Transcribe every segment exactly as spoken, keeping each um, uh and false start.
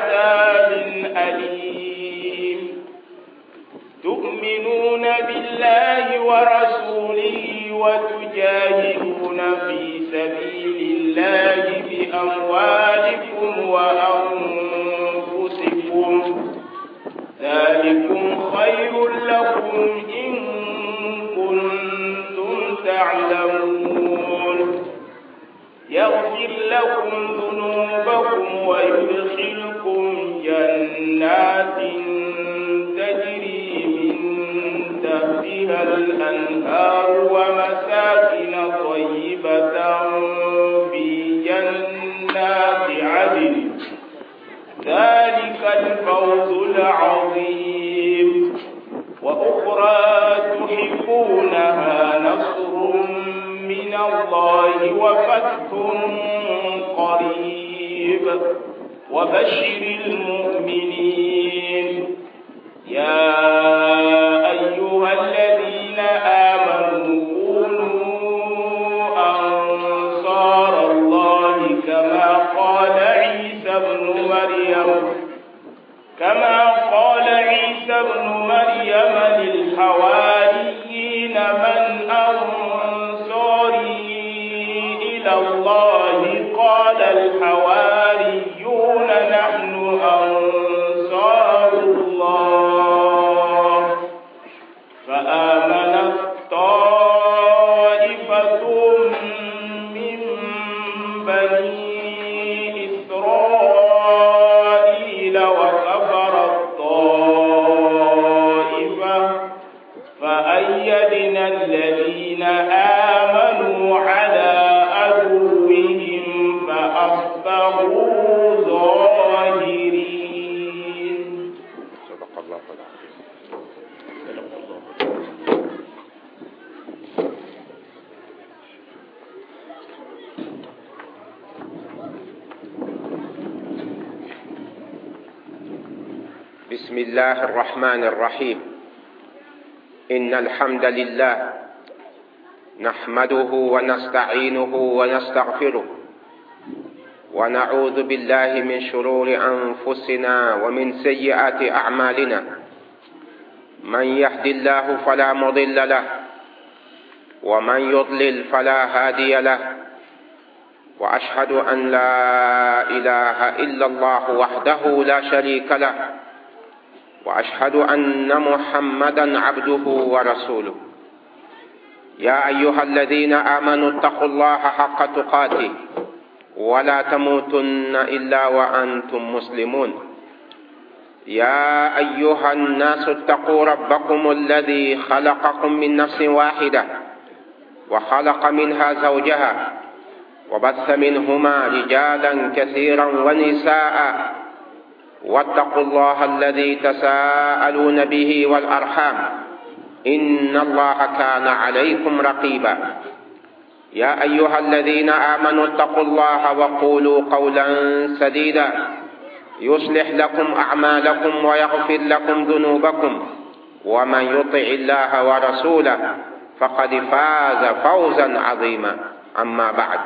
عذاب أليم. تؤمنون بالله ورسوله وتجاهدون في سبيل الله بأموالكم وأنفسكم، ذلكم خير لكم إن كنتم تعلمون. يغفر لكم ذنوبكم ويدخلكم جنات تجري من تحتها الأنهار ومساكن طيبة في جنات عدن، ذلك الفوز العظيم. وأخرى تحبونها نصر من الله وفتح قريب، وبشر المؤمنين. يا أيها الذين آمنوا كونوا أنصار الله كما قال عيسى ابن مريم كما قال عيسى ابن مريم للحواريين من أنصاري إلى الله؟ قال الحواريون نحن أنصار الله. فآمنت طائفة من بني إسرائيل وكفرت طائفة، فأيدنا الذين آمنوا على عدوهم فأصبحوا ظاهرين. صدق الله العظيم. صدق الله. بسم الله الرحمن الرحيم. إن الحمد لله نحمده ونستعينه ونستغفره، ونعوذ بالله من شرور أنفسنا ومن سيئات أعمالنا. من يهد الله فلا مضل له، ومن يضلل فلا هادي له. وأشهد أن لا إله إلا الله وحده لا شريك له، وأشهد أن محمدا عبده ورسوله. يا أيها الذين آمنوا اتقوا الله حق تقاته ولا تموتن إلا وأنتم مسلمون. يا أيها الناس اتقوا ربكم الذي خلقكم من نفس واحدة وخلق منها زوجها وبث منهما رجالا كثيرا ونساء، واتقوا الله الذي تساءلون به والأرحام إن الله كان عليكم رقيبا. يا أيها الذين آمنوا اتقوا الله وقولوا قولا سديدا يصلح لكم أعمالكم ويغفر لكم ذنوبكم، ومن يطع الله ورسوله فقد فاز فوزا عظيما. أما بعد،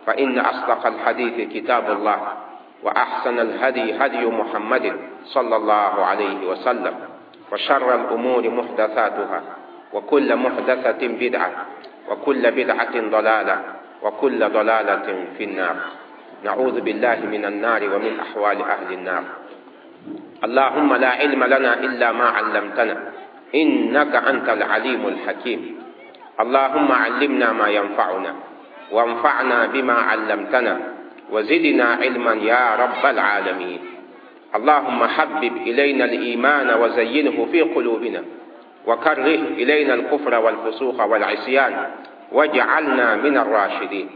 فإن أصدق الحديث كتاب الله، وأحسن الهدي هدي محمد صلى الله عليه وسلم، وشر الأمور محدثاتها، وكل محدثة بدعة، وكل بدعة ضلالة، وكل ضلالة في النار. نعوذ بالله من النار ومن أحوال أهل النار. اللهم لا علم لنا إلا ما علمتنا إنك أنت العليم الحكيم. اللهم علمنا ما ينفعنا، وانفعنا بما علمتنا، وزدنا علما يا رب العالمين. اللهم حبب إلينا الإيمان وزينه في قلوبنا، وكره إلينا الكفر والفسوق والعصيان، واجعلنا من الراشدين.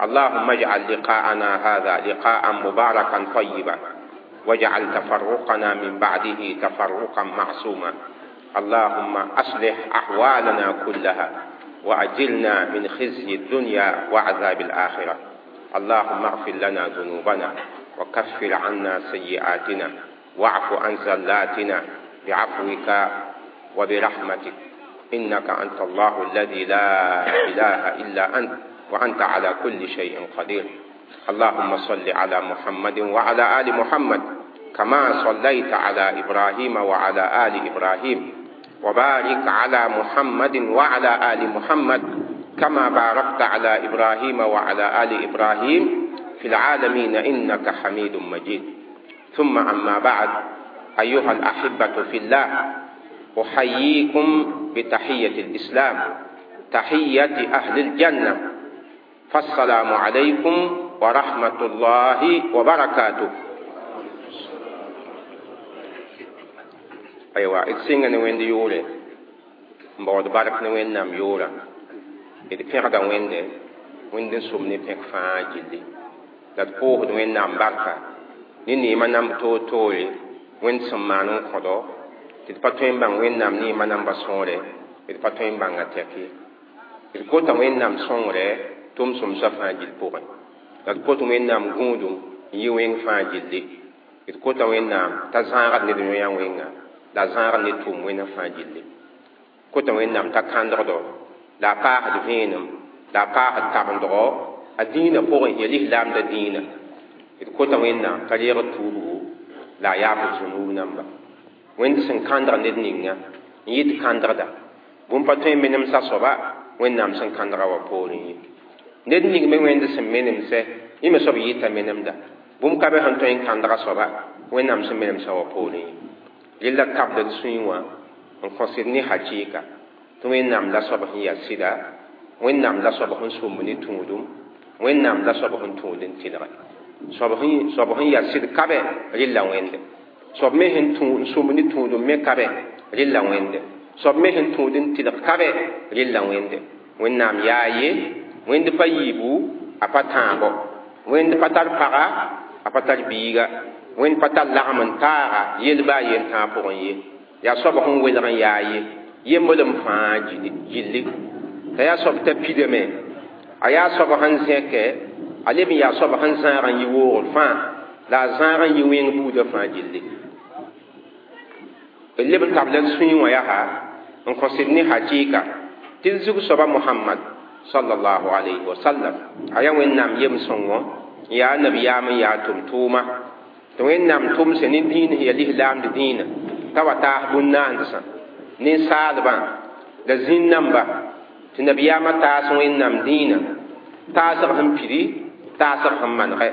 اللهم اجعل لقاءنا هذا لقاء مباركا طيبا، واجعل تفرقنا من بعده تفرقا معصوما. اللهم أصلح أحوالنا كلها، وأجلنا من خزي الدنيا وعذاب الآخرة. اللهم اغفر لنا ذنوبنا، وكفر عنا سيئاتنا، واعف عن زلاتنا بعفوك وبرحمتك، إنك أنت الله الذي لا إله إلا أنت، وأنت على كل شيء قدير. اللهم صل على محمد وعلى آل محمد كما صليت على إبراهيم وعلى آل إبراهيم وبارك على محمد وعلى آل محمد كما باركت على إبراهيم وعلى آل إبراهيم في العالمين إنك حميد مجيد. ثم أما بعد، أيها الأحبة في الله، أحييكم بتحية الإسلام، تحية أهل الجنة، فالسلام عليكم ورحمة الله وبركاته. أيوة، إتسينغ نوين دي يوري مبعد بارك نوين نام يورا إد بيغدا وين دي وين دي سوم ني بيغ فان جيلي لا تبوه نوين نام باركا ني ني ما نام تو توي وين سمانون خدو tɩ d pa tõe n bãng Wẽnnaam neemã namba sõore, d pa tõe n bãnga tɛk ye. D kota Wẽnnaam sõngre tʋm-sõmsã fãa gill pʋgẽ. La d kot Wẽnnaam gũudum n yɩ wẽng fãa gilli. D kota Wẽnnaam t'a zãagd ned yõ-yã wẽnga, la a zãagd ne tʋʋm wẽnna fãa gilli. Kota Wẽnnaam t'a kãndgdo, la a paasd vẽenem, la a paasd tabendgo a dĩinã pʋgẽ, ya lislaamda dĩinã. D kota Wẽnnaam t'a reeg tuubgu, la a yaafd zũnuub namba. Wẽnd sẽn kãndg ned ninga n yɩ tɩ kãndgda bũmb pa tõe n menemsa soaba Wẽnnaam sẽn kãndga wã poorẽ ye. Ned ning me Wẽnd sẽn menemsɛ, yẽ me soab yɩta menemda bũmb ka be sẽn tõe n kãndga soaba Wẽnnaam sẽn menemsa wã poorẽ ye. Rella kabd d sũyẽ wã n kõsd ne hakɩɩka tɩ Wẽnnaam la soab sẽn yaa sɩda, Wẽnnaam la soab sẽn sũmb ne tũudum, Wẽnnaam la soab sẽn tũud n tɩlge. Soab sẽn yaa sɩd kabe rella Wẽnde. Soab me sẽn sũmb ne tũudum me kabe rella Wẽnde. Soab me sẽn tũud n tɩlg kabe rella Wẽnde. Wẽnnaam yaa ye, Wẽnd pa yiibu, a pa tãabo. Wẽnd pa tar paga, a pa tar biiga. Wẽnd pa tar lagem n taaga yel-ba a yen tãag pʋgẽ ye. Yaa soab sẽn welg n yaa ye, yemblem fãa gilli. T'a yaa soab t'a pidame, a yaa soab sẽn zẽke, a leb n yaa soab sẽn zãag n yɩ woogr fãa, la a zãag n yɩ wẽng buudã fãa gilli. D leb n tabla d sũyẽ wã yaa n kõsd ne hakɩɩka tɩ d zug soaba Muhammad sallallahu alayhi wa sallam. A yaa Wẽnnaam yem-sõngo, n yaa nabiyaam n yaa tʋm-tʋʋma. Tɩ Wẽnnaam tʋmsẽ ne dĩin sẽn yaa lislaamd dĩinã t'a wa taas bũn-naandsã, ninsaalbã la zĩn-namba, tɩ nabiyaamã taas Wẽnnaam dĩinã, taasg sẽn pidi, taasg sẽn manegɛ.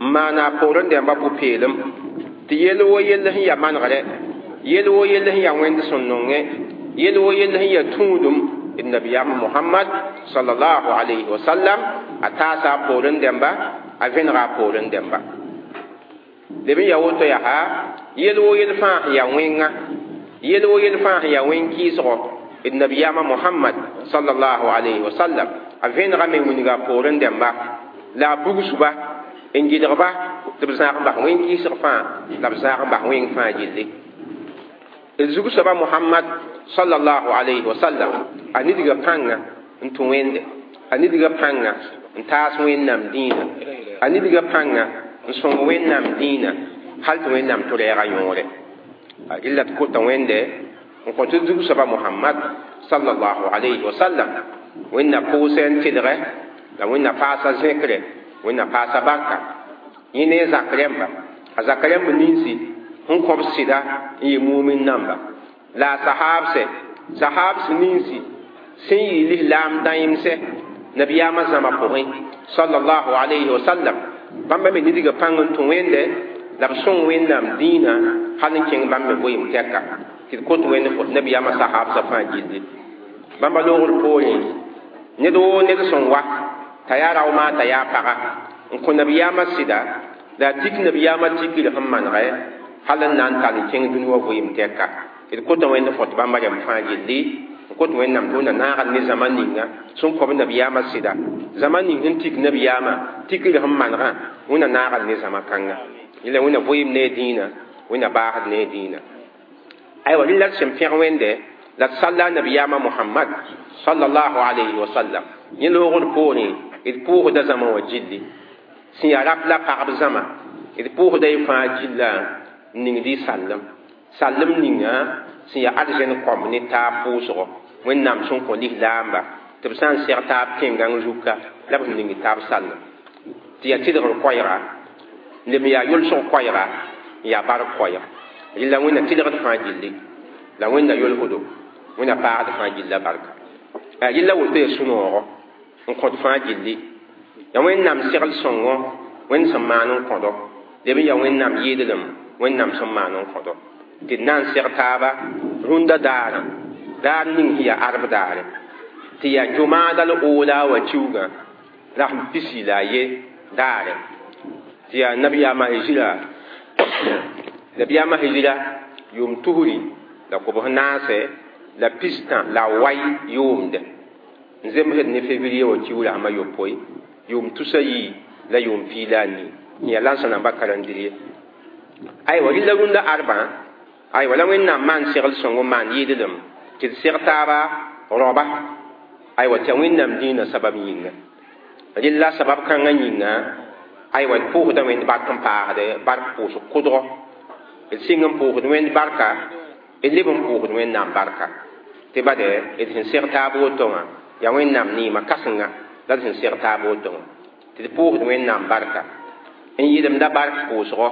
N maana a poorẽ dẽmbã pʋ-peelem tɩ yell wo yell sẽn yaa manegrɛ, yell wo yell sẽn yaa Wẽnd sẽn nongẽ, yell wo yell sẽn yaa tũudum d nabiyaam Muhammad sallallahu alayhi wa sallam, a taasa a poorẽ dẽmba, a vẽnega a poorẽ dẽmba. Leb n yaa woto yaa yell wo yell fãa sẽn yaa wẽnga, yell wo yell fãa sẽn yaa wẽn-kɩɩsgo d nabiyaamã Muhammad sallallahu alayhi wa sallam, a vẽnegame n wilga a poorẽ dẽmba, la a bugsba n gɩdgba tɩ b zãag n bas wẽn-kɩɩsg fãa, la b zãag n bas wẽng fãa gilli. D zug soaba Muhammad sallallahu alayhi wa sallam, a nidga pãnga n tũ Wẽnde, a nidga pãnga n taas Wẽnnaam dĩinã, a nidga pãnga n sõng Wẽnnaam dĩinã hal tɩ Wẽnnaam tʋ rɛɛga yõore. Rella tɩ kota Wẽnde n kõ tɩ zug soaba Muhammad sallallahu alayhi wa sallam Wẽnna pʋʋsɛ n tɩlgɛ, la Wẽnna paasa zẽkre, Wẽnna paasa barka. Yẽ ne a zak rẽmba, a zak rẽmb ninsi sẽn kõb sɩda n yɩ mumin namba. La a sahaabsɛ, sahaabs ninsi sẽn yɩ lislaam dãemsɛ nabiyaamã zãma pʋgẽ sallallahu alayhi wa sallam, bãmba me nidga pãng n tũ Wẽnde, la b sõng Wẽnnaam dĩinã hal n kẽng bãmb me goeem tɛka tɩ d kot Wẽnd nabiyaamã sahaabsã fãa gilli. Bãmba loogr poorẽ, ned woo ned sẽn wa t'a yaa raooma t'a yaa paga n kõ nabiyaamã sɩda, la a tik nabiyaamã tikr sẽn manegɛ hal n na n tall n kẽng dũni wã goeem tɛka. D kota Wẽnd fõt bãmba rẽmb fãa gilli, n kot Wẽnnaam tɩ Wẽnna naagd ne zãma ninga sẽn kõb nabiyaamã sɩda, zãma ning sẽn tik nabiyaamã tikr sẽn manegã, Wẽnna naagd ne zãma kãnga. Yẽla Wẽnna goeem ne a dĩinã, Wẽnna baasd ne a dĩinã. Aywa, rẽ la d sẽn pẽg Wẽnde la d salla nabiyaamã Muhammad sallallahu alayhi wa sallam. Yẽ loogr poorẽ d pʋʋsda zãma wã gilli sẽn yaa rap la pagb zãma, d pʋʋsda y fãa gilla n ningd y sallem. Sallem ninga sẽn yaa arzɛn kõmb ne taab pʋʋsgo Wẽnnaam sẽn kõ lislaamba tɩ b sã n seg taab tẽn-gãng zuka la b sẽn ning taab sallem. Tɩ yaa tɩlgr koɛɛga, leb n yaa yʋlsg koɛɛga, n yaa bark koɛɛg rɩla wẽnna tɩlgd fãa gilli la wẽnna yolsdo wẽnna paagd fãa gilla barka rɩla woto ya sũ-noogɔ n kõt fãa gilli ya wẽnnaam segl sõngo wẽnd sẽn maan n kõdo leb n yaa wẽnnaam yɩɩdlem wẽnnaam sẽn maan n kõdo tɩ d na n seg taaba rũndã daarã daar ning sẽn yaa arb daare tɩ yaa jʋmaada l oola wa kiuugã rasem pisi la a ye daare tɩ yaa nabiyaamã hijira nabiyaamã hijira yʋʋm tusri la kobs naase la pistã la wai yʋʋmde n zemsd ne février wa kiu rasem a yopoe yʋʋm tusa yii la yʋʋm pii la a nii n yaa lãnsã namba karendrie aywa rɩla rũndã arbã aywa la wẽnnaam maan segl sõngo maan yɩɩdlem tɩ d seg taaba roaba aywa tɩ ya wẽnnaam dĩinã sabab yĩnga rɩla sabab kãngã yĩnga aywa d pʋʋsda wẽnd bark n paasde bark pʋʋsg kʋdgɔ d sɩng n pʋʋsd wẽnd barka d leb n pʋʋsd wẽnnaam barka tɩ bade d sẽn seg taab woto wã yaa wẽnnaam neema kãsenga la d sẽn seg taab woto wã tɩ d pʋʋsd wẽnnaam barka n yɩlemda bark pʋʋsgɔ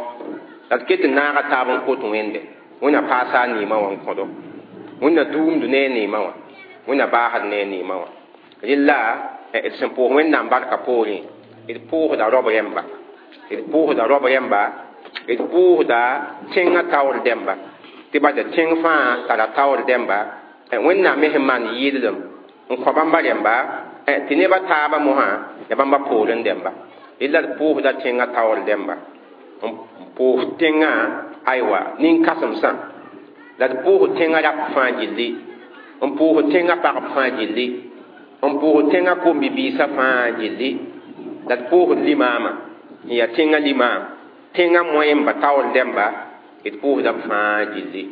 la d ket n naaga taab n kot wẽnde wẽnna paasa a neemã wã n kõdo wẽnna duumd ne a neemã wã wẽnna baasd ne a neemã wã rɩla d sẽn pʋʋs wẽnnaam barka poorẽ d pʋʋsda rob rẽmba d pʋʋsda rob rẽmba d pʋʋsda tẽngã taoor dẽmba tɩ bada tẽng fãa tara taoor dẽmba wẽnnaam me sẽn maan yɩɩdlem n kõ bãmba rẽmba tɩ nebã taabã mosã ya bãmba poorẽ dẽmba rɩla d pʋʋsda tẽngã taoor dẽmba n pʋʋs tẽngã aywa nin-kãsemsã la d pʋʋs tẽngã rap fãa gilli n pʋʋs tẽngã pagb fãa gilli n pʋʋs tẽngã kom-bi-biisã fãa gilli la d pʋʋsd limaamã n yaa tẽngã limaam tẽngã moẽmba taoor dẽmba d pʋʋsda b fãa gilli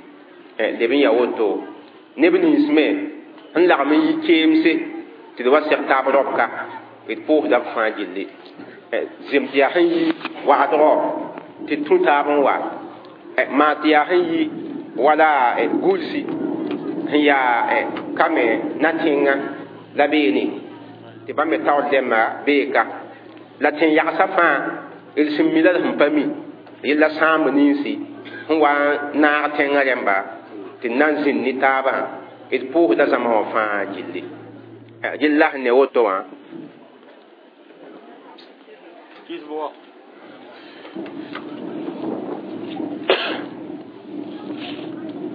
leb n yaa woto neb nins me n lagm n yi keemse tɩ d wa seg taab robka d pʋʋsda b fãa gilli zem tɩ yaa sẽn yi wagdgɔ tɩ d tũ taab n wa maa tɩ yaa sẽn yi wala gulsi sẽn yaa ka me na tẽngã la beene tɩ bãmb me taoor dẽmba bee ka la tẽn-yagsã fãa d sẽn mi la d sẽn pa mi yella sãamb ninsi sẽn wa n naag tẽngã rẽmba tɩ d na n zĩnd ne taabã d pʋʋsda zãma wã fãa gilli gilla sẽn ne woto wã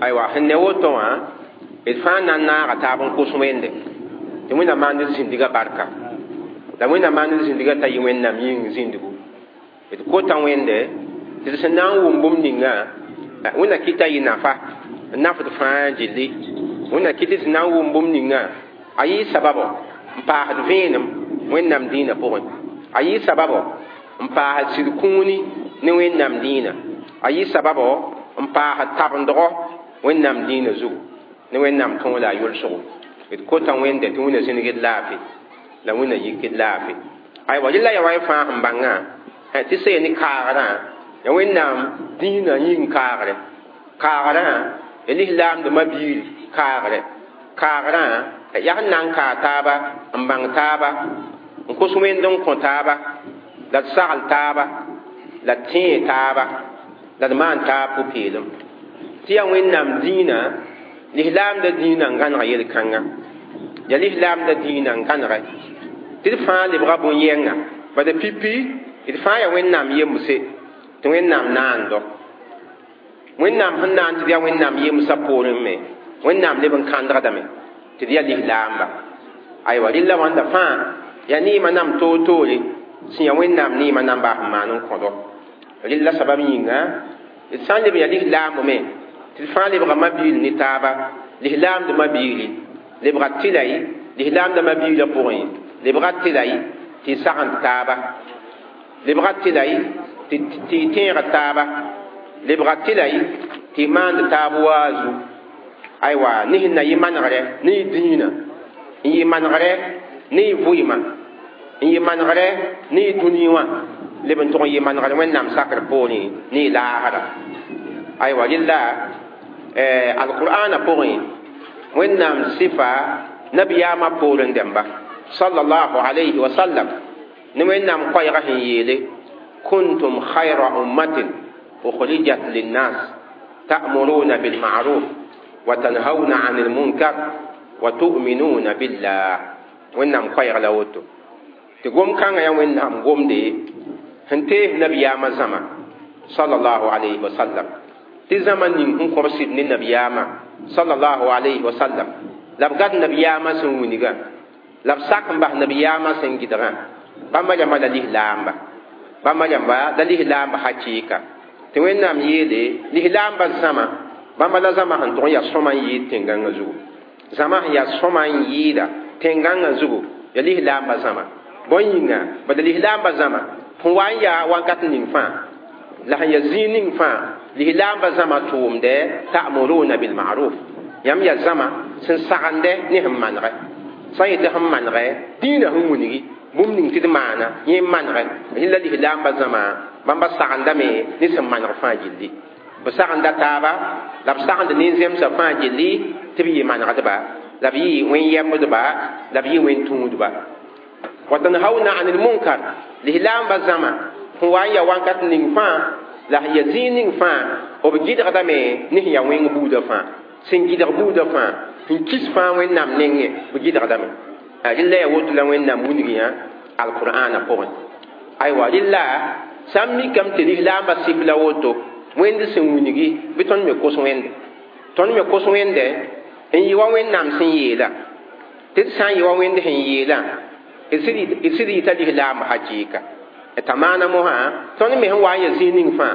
aywa sẽn ne woto wã d fãa na n naaga taab n kos wẽnde tɩ wẽnnaam maand d zĩndgã barka la wẽnnaam maand d zĩndgã t'a yɩ wẽnnaam yĩng zĩndgu d kota wẽnde tɩ d sẽn na n wʋm bũmb ninga wẽnna kɩta yɩ nafa n nafd fãa gilli wẽnna kɩt tɩ na n wʋm bũmb ninga a yɩ sababo n paasd vẽenem wẽnnaam dĩinã pʋgẽ a yɩ sababo n paasd sɩd kũuni ne wẽnnaam dĩinã a yɩ sababo n paasd tabendgɔ wẽnnaam dĩinã zugu ne wẽnnaam tõog la a yʋlsgo d kota wẽnde tɩ wẽnna zĩnigd laafɩ la wẽnna yikd laafɩ aywa rɩla ya wa y fãa sẽn bãngã tɩ sẽn ne kaagrã ya wẽnnaam dĩinã yĩng kaagre kaagrã ya lislaamdmã biir kaagre kaagrã yaa sẽn na n kaa taaba n bãng taaba n kos wẽnd n kõ taaba la d sagl taaba la d tẽe taaba la d maan taab pʋ-peelem tɩ yaa wẽnnaam dĩinã lislaamdã dĩinã n gãneg yel-kãnga ya lislaamdã dĩinã n gãnege tɩ d fãa lebga bõn-yɛnga bala pipi d fãa yaa wẽnnaam yemse tɩ wẽnnaam naando wẽnnaam sẽn na n tɩ d yaa wẽnnaam yemsã poorẽ me wẽnnaam leb n kãndgdame tɩ d yaa lislaamba aywa rɩla wãnda fãa yaa neemã nam toor-toore sẽn yaa wẽnnaam neemã namba sẽn maan n kõdo rɩla sabab yĩnga d sã n leb n yaa lislaamb me tɩ d fãa lebga ma-biil ne taaba lislaamdmã biili lebga tɩlay lislaamdmã biilã pʋgẽ lebga tɩlay tɩ y sagend taaba lebga tɩlay tɩ y tẽeg taaba lebga tɩlay tɩ y maand taab waazu aywa ne sẽn na yɩ manegrɛ ne y dĩinã n yɩ manegrɛ ne y vʋɩɩmã n yɩ manegrɛ ne y dũni wã leb n tʋg n yɩ manegrɛ wẽnnaam sakr poorẽ ne y laasda aywa rɩla alqur'ana pʋgẽ wẽnnaam sɩfa nabiyaamã poorẽ dẽmba sallallahu alayhi wa sallam ne wẽnnaam koɛɛgã sẽn yeele kuntum khayra ummatin ukhrijat linnas ta'muruna bil ma'ruf wa tanhauna 'anil munkar wa tu'minuna billah. Wẽnnaam koɛɛg la woto tɩ gom-kãngã yaa Wẽnnaam gomde sẽn tees nabiyaamã zãma sallallahu alayhi wa sallam tɩ zãma ning sẽn kõb sɩd ne nabiyaamã sallallahu alayhi wa sallam la b gad nabiyaamã sẽn wilgã la b sak n bas nabiyaamã sẽn gɩdgã bãmba rãmba la lislaamba bãmba rãmba la lislaamba hakɩɩka tɩ Wẽnnaam yeele lislaamba zãma bãmba la zãma sẽn tʋg n yaa sõma n yɩɩd tẽn-gãngã zugu zãma sẽn yaa sõma n yɩɩda tẽn-gãngã zugu ya lislaamba zãma bõe yĩnga bala lislaamba zãma sẽn wa n yaa wakat ning fãa la sẽn yaa zĩig ning fãa lislaamba zãma tʋʋmdɛ ta'muruna bil ma'ruf yãmb yaa zãma sẽn sagende ne sẽn manegɛ sã n yetɩ sẽn manegɛ dĩinã sẽn wilgi bũmb ning tɩ d maana yẽ n manegɛ rẽ la lislaamba zãma bãmba sagendame ne sẽn maneg fãa gilli b sagenda taaba la b sagend nin-zemsã fãa gilli tɩ b yɩ manegdba la b yɩ wẽn-yɛmbdba la b yɩ wẽn-tũudba wa tanhauna anil munkar lislaamba zãma sẽn wa n yaa wakat ning fãa la sẽn yaa zĩig ning fãa b gɩdgdame ne sẽn yaa wẽng buudã fãa sẽn gɩdg buudã fãa sẽn kis fãa Wẽnnaam nengẽ b gɩdgdame rɩla yaa woto la Wẽnnaam wilg yã alqur'ana pʋgẽ aywa rɩla sã n mikame tɩ lislaambã sɩf la woto wẽnd sẽn wilgi bɩ tõnd me kos wẽnde tõnd me kos wẽnde n yɩ wa Wẽnnaam sẽn yeela tɩ d sã n yɩ wa wẽnd sẽn yeelã d sɩd yɩta lislaambã hakɩɩka t'a maana mosã tõnd me sẽn wa n yaa zĩig ning fãa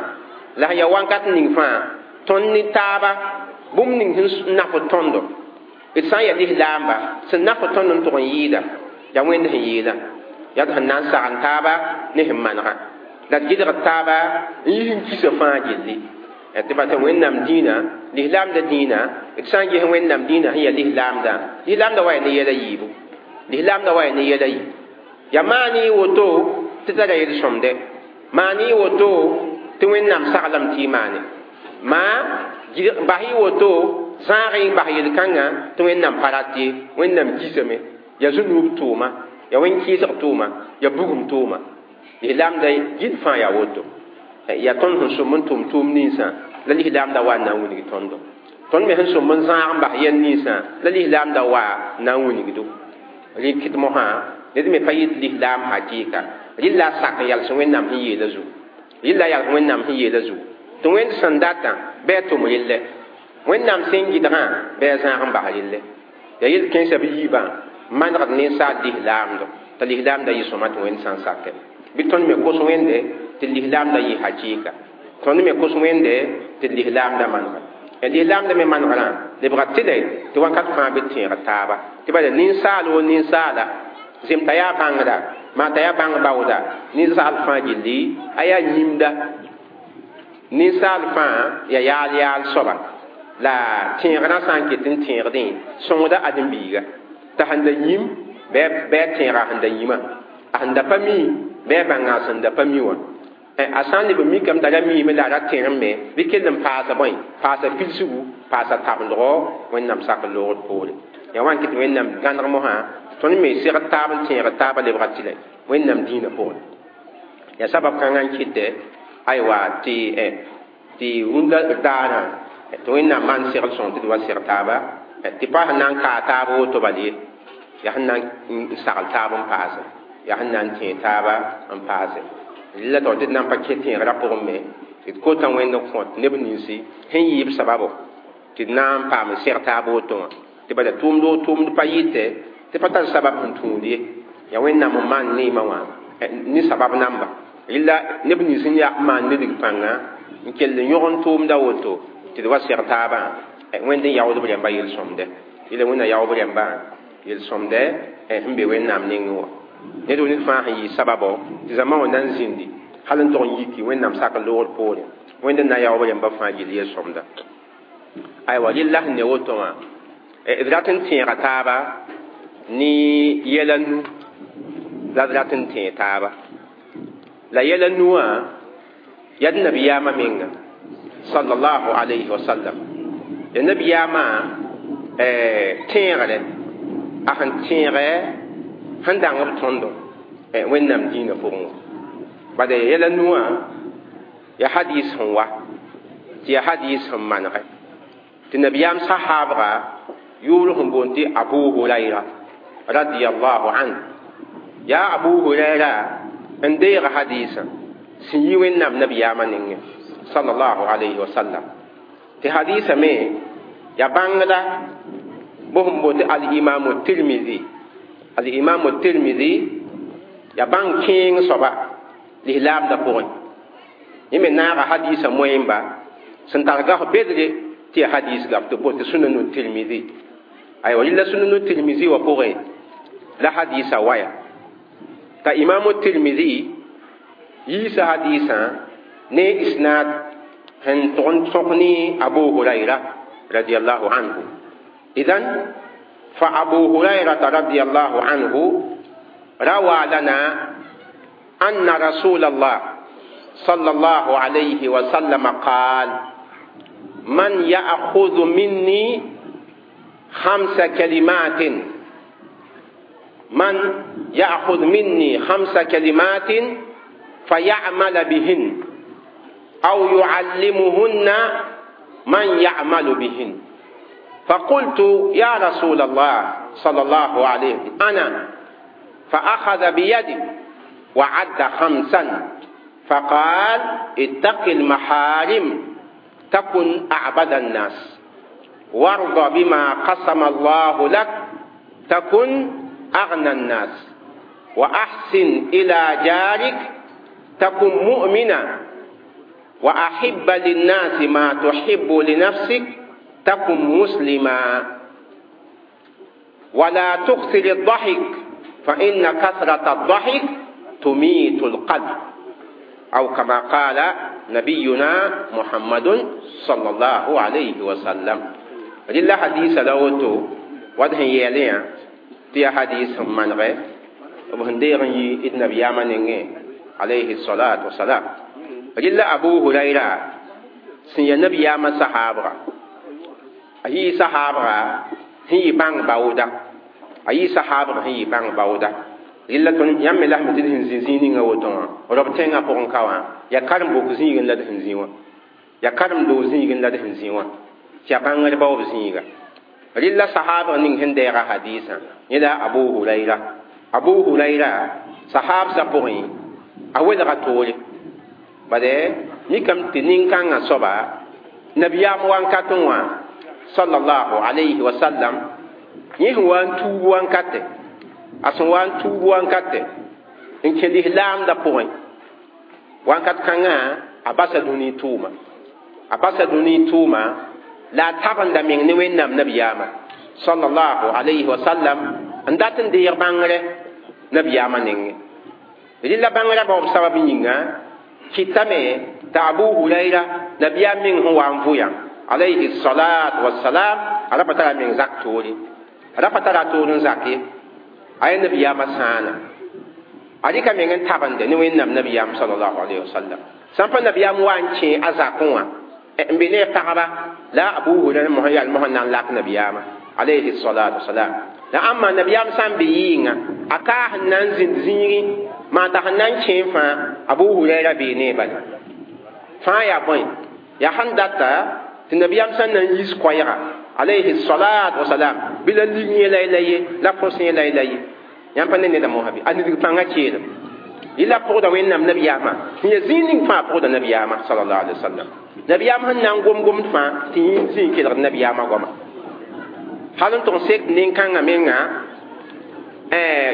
la sẽn yaa wakat ning fãa tõnd ne taaba bũmb ning sẽn nafd tõndo d sã n yaa lislaamba sẽn nafd tõnd n tʋg n yɩɩda yaa wẽnd sẽn yeelã yaa d sẽn na n sagn taaba ne sẽn manegã la d gɩdgd taaba n yis n kisa fãa gilli tɩ pa tɩ Wẽnnaam dĩinã lislaamda dĩinã d sã n ges Wẽnnaam dĩinã sẽn yaa lislaamdã lislaamda wa yaa ne yɛla yiibu lislaamda wa yaa ne yɛla yiib yaa maan y woto tɩ tara yel-sõmde maan y woto tɩ Wẽnnaam saglame tɩ y maane maa bas y woto zãag y bas yel-kãngã tɩ Wẽnnaam pa rat ye Wẽnnaam kisame yaa zũnuub tʋʋma yaa wẽn-kɩɩsg tʋʋma yaa bugum tʋʋma lislaamda gil fãa yaa woto yaa tõnd sẽn sõm n tʋm tʋʋm ninsã la lislaamda wa n na n wilg tõndo tõnd me sẽn sõm n zãag n bas yɛl ninsã la lislaamda wa n na n wilgdo rẽ kɩt mosã ned me pa yɩt lislaam hakɩɩka rɩla a sak n yals Wẽnnaam sẽn yeelã zugu rɩla yals Wẽnnaam sẽn yeelã zugu tɩ wẽnd sẽn datã bɩ a tʋm rɩllɛ Wẽnnaam sẽn gɩdgã bɩ a zãag n bas rɩllɛ yaa yel-kẽensã bɩ yiibã manegd ninsaal lislaamdo t'a lislaamda yɩ sõma tɩ wẽnd sã n sakɛ bɩ tõnd me kos wẽnde tɩ lislaamda yɩ hakɩɩka tõnd me kos wẽnde tɩ lislaamda manega lislaamda me manegrã lebga tɩlɛ tɩ wakat fãa bɩ tẽeg taaba tɩ bala ninsaal wo ninsaala zem t'a yaa bãngda maa t'a yaa bãng baooda ninsaal fãa gilli a yaa yĩmda ninsaal fãa yaa yaal yaal soaba la tẽegrã sã n ket n tẽegdẽ sõngda ãdem-biiga t'a sẽn da yĩm bɩ a tẽega a sẽn da yĩmã a sẽn da pa mi bɩ a bãnga a sẽn da pa mi wã a sã n leb n mikame t'a ra miime la a ra tẽrem me bɩ kell n paasa bõe paasa pilsgu paasa tabendgo Wẽnnaam sak n loogd poore yaa wa n kɩt Wẽnnaam gãneg mosã tõnd me segd taab n tẽegd taabã lebga tɩlɛ Wẽnnaam dĩinã pʋgẽ yaa sabab kãngã n kɩtɛ aywa tɩ tɩ rũndã daarã tɩ Wẽnnaam maan segl sõng tɩ d wa seg taaba tɩ pa sẽn na n kaa taab woto bal ye yaa sẽn na n sagl taab n paase yaa sẽn na n tẽeg taaba n paase la tɩ d na n pa kẽ tẽegrã pʋgẽ me tɩ d kota wẽnd n kõt neb ninsi sẽn yɩɩb sababo tɩ d na n paam n seg taab woto wã tɩ bala tʋʋmd o tʋʋmd pa yɩtɛ tɩ pa tar sabab sẽn tũud ye yaa Wẽnnaam n maan neemã wã ne sabab namba rɩla neb nins n yaa maan nidg pãnga n kell n yõg n tʋʋmda woto tɩ d wa seg taabã wẽnd n yaood b rãmba yel-sõmdɛ rɩla wẽnna yaoog b rãmbã yel-sõmdɛ sẽn be Wẽnnaam nengẽ wã ned ned fãa sẽn yɩ sababo tɩ zãma wã na n zĩndi hal n tog n yiki Wẽnnaam sak n loogd poore wẽnd n na yaoog b rãmba fãa gill yel-sõmda aywa rɩla sẽn ne woto wã d rat n tẽega taaba ne yɛla nu la d rat n tẽeg taaba la yɛla nu wã yaa d nabiyaamã menga sallallahu alayhi wa sallam ya nabiyaamã tẽegre a sẽn tẽegɛ sẽn dãng b tõndo Wẽnnaam dĩinã pʋgẽ wã bala yɛla nu wã Ya hadis sẽn wa tɩ ya hadis sẽn manegɛ tɩ nabiyaam sahaabga yʋʋr sẽn boond tɩ Abu Hurayra radiyallahu anhu ya Abu Hurayra n deeg hadisã sẽn yi Wẽnnaam nabiyaamã nengẽ sallallahu alayhi wa sallam tɩ hadisã me ya bãngda bõe sẽn boond tɩ al-imamu Tirmidhi al-imamu Tirmidhi ya bãng kẽeng soaba lislaamdã pʋgẽ yẽ me naaga hadisã moẽmba sẽn tar gaf bedre tɩ ya hadis gaf tɩ boond tɩ Sunanu Tirmidhi aywa rɩla Sunanu Tirmidhi wã pʋgẽ la hadisã waya t'a imamu Tirmidhi yiisa hadisã ne isnad sẽn tʋg n tõk ne Abu Hurayra radiyallahu anhu idan fa Abu Hurayrata radiyallahu anhu روى لنا أن رسول الله صلى الله عليه وسلم قال من يأخذ مني خمس كلمات من يأخذ مني خمس كلمات فيعمل بهن أو يعلمهن من يعمل بهن فقلت يا رسول الله صلى الله عليه وسلم أنا فأخذ بيدي وعد خمسا فقال اتق المحارم تكن أعبد الناس وارض بما قسم الله لك تكن أغنى الناس وأحسن إلى جارك تكن مؤمنا وأحب للناس ما تحب لنفسك تكن مسلما ولا تكثر الضحك فإن كثرة الضحك تميت القلب أو كما قال نبينا محمد صلى الله عليه وسلم لله حديث لوتو وده يلين تي حديث من غير وبهندير يي النبي عليه الصلاة والسلام لله أبو هريرة سن النبي ياما صحابة أي صحابة هي بان باودا أي صحابة هي بان باودا rɩla tõnd yãmb me la sẽn tɩ d sẽn zĩ zĩig ninga woto wã rob tẽngã pʋgẽ ka wã yaa karen-bok zĩigẽ la d sẽn zĩ wã yaa karen-doog zĩigẽ la d sẽn zĩ wã tɩ yaa bãngr baoob zĩiga rɩla sahaabg ning sẽn deega hadiisã yẽ la Abu Hurayra Abu Hurayra sahaabsã pʋgẽ a welga toore bade mikame tɩ nin-kãngã soaba nabiyaam wankatẽ wã sallallahu alayhi wa sallam yẽ sẽn wa n tuub wankate a sẽn wa n tuub wankate n kẽ lislaamdã pʋgẽ wankat kãngã a basa dũni tʋʋma a basa dũni tʋʋma la a tabenda meng ne Wẽnnaam nabiyaamã sallallahu alayhi wa sallam n dat n deeg bãngrɛ nabiyaamã nengẽ rɩla bãngrã baoob sabab yĩnga kɩtame t'a Abu Hurayra nabiyaam meng sẽn wa n vʋyã alayhi salat wassalam a ra pa tara meng zak toore a ra pa tara toor n zak ye a yaa nabiyaamã sãana a rɩka meng n tabende ne Wẽnnaam nabiyaam sallallahu alayhi wa sallam sã n pa nabiyaam wa n kẽ a zakẽ wã n be ne pagba la Abu Hurayra mosã yaa mosã na n lak nabiyaamã alayhi salatu wassalam la ãmba nabiyaam sã n be yɩɩngã a kaa sẽn na n zĩnd zĩigẽ maa t'a sẽn na n kẽ fãa Abu Hurayra bee ne bala fãa yaa bõe yaa sẽn data tɩ nabiyaam sã n na n yis koɛɛga alayhi salatu wassalam bɩ la lig yẽ la la ye la põs yẽ la la ye yãmb pa ne neda mosã bɩ a nidg pãngã keelem yɩla pʋgda Wẽnnaam nabiyaamã sẽn yaa zĩig ning fãa pʋgda nabiyaamã sallallahu alayhi wa sallam nabiyaam sẽn na n gom gomd fãa tɩ yẽ zĩig kelgd nabiyaamã goama hal n tʋg n sek nin-kãngã menga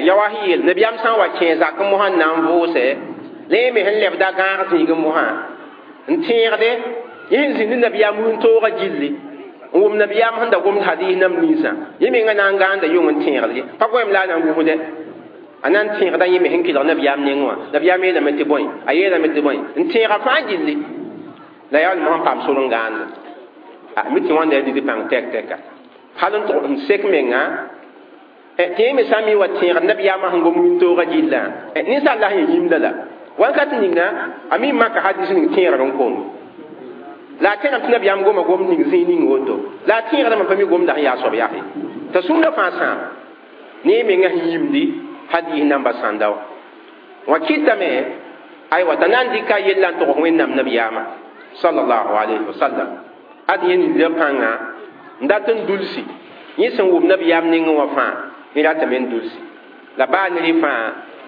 ya wa sẽn yeel nabiyaam sã n wa kẽ zak mosã n na n vʋʋsɛ la yẽ me sẽn lebda gãag zĩigẽ mosã n tẽegde yẽ sẽn zĩnd nabiyaam wĩntoogã gilli n wʋm nabiyaam sẽn da gomd hadis nam ninsã yẽ menga na n gãanda yʋng n tẽegd ye pa goeem la a na n gũsdɛ a na n tẽegda yẽ me sẽn kelg nabiyaam nengẽ wã nabiyaam yeelame tɩ bõe a yeelame tɩ bõe n tẽega fãa gilli la yaa mosã paam sor n gãanda a mi tɩ wãnda yaa nid pãng tɛk tɛka hal n tʋg n sek menga tɩ yẽ me sã n mi wa tẽegd nabiyaamã sẽn gom wĩntoogã gillã ninsaal la sẽn yĩmda la wankat ninga a mi maka hadis ning tẽegd n kong la a tẽgame tɩ nabiyaam goma gom ning zĩig ning woto la a tẽegdame pa mi gomda sẽn yaa soab yaa t'a sũurã fãa sãam ne yẽ menga sẽn yĩmdi hadis namba sãnda wã wã kɩtame Aywa t'a na n dɩka yella n tog Wẽnnaam nabiyaamã sallallahu alayhi wa sallam. Ad yẽ nindã pãnga n dat n dulsi yẽ sẽn wʋm nabiyaam nengẽ wã fãa yẽ ratame n dulsi la baa ne rẽ fãa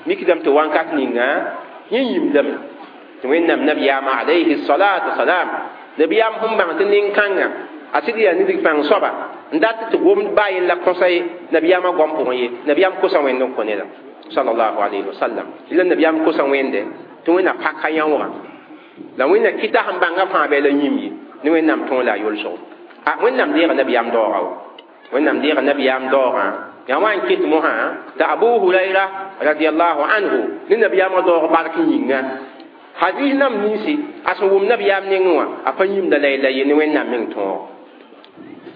mikdame tɩ wãnkat ninga yẽ yĩmdame tɩ Wẽnnaam nabiyaamã alayhi salatu wasalam nabiyaam sẽn bãng tɩ nin-kãngã a sɩd yaa nidg pãng soaba n dat tɩ gomd baa yella kõsa ye nabiyaamã goam pʋgẽ ye nabiyaam kosa Wẽnd n kõ neda sallallahu alayhi wa sallam la nabiyaam kosa Wẽnde tɩ Wẽnna paka yãoogã la Wẽnna kɩta sẽn bãnga fãa bɩ la yĩm ye ne Wẽnnaam tõog la a yolsgo a Wẽnnaam deega nabiyaam daoogã wa Wẽnnaam deega nabiyaam daoogã yaa wa n ket mosã t'a Abu Hurayra radiallahu anhu ne nabiyaamã daoog bark yĩnga hadis nam ninsi a sẽn wʋm nabiyaam nengẽ wã a pa yĩmda la yella ye ne Wẽnnaam meng tõog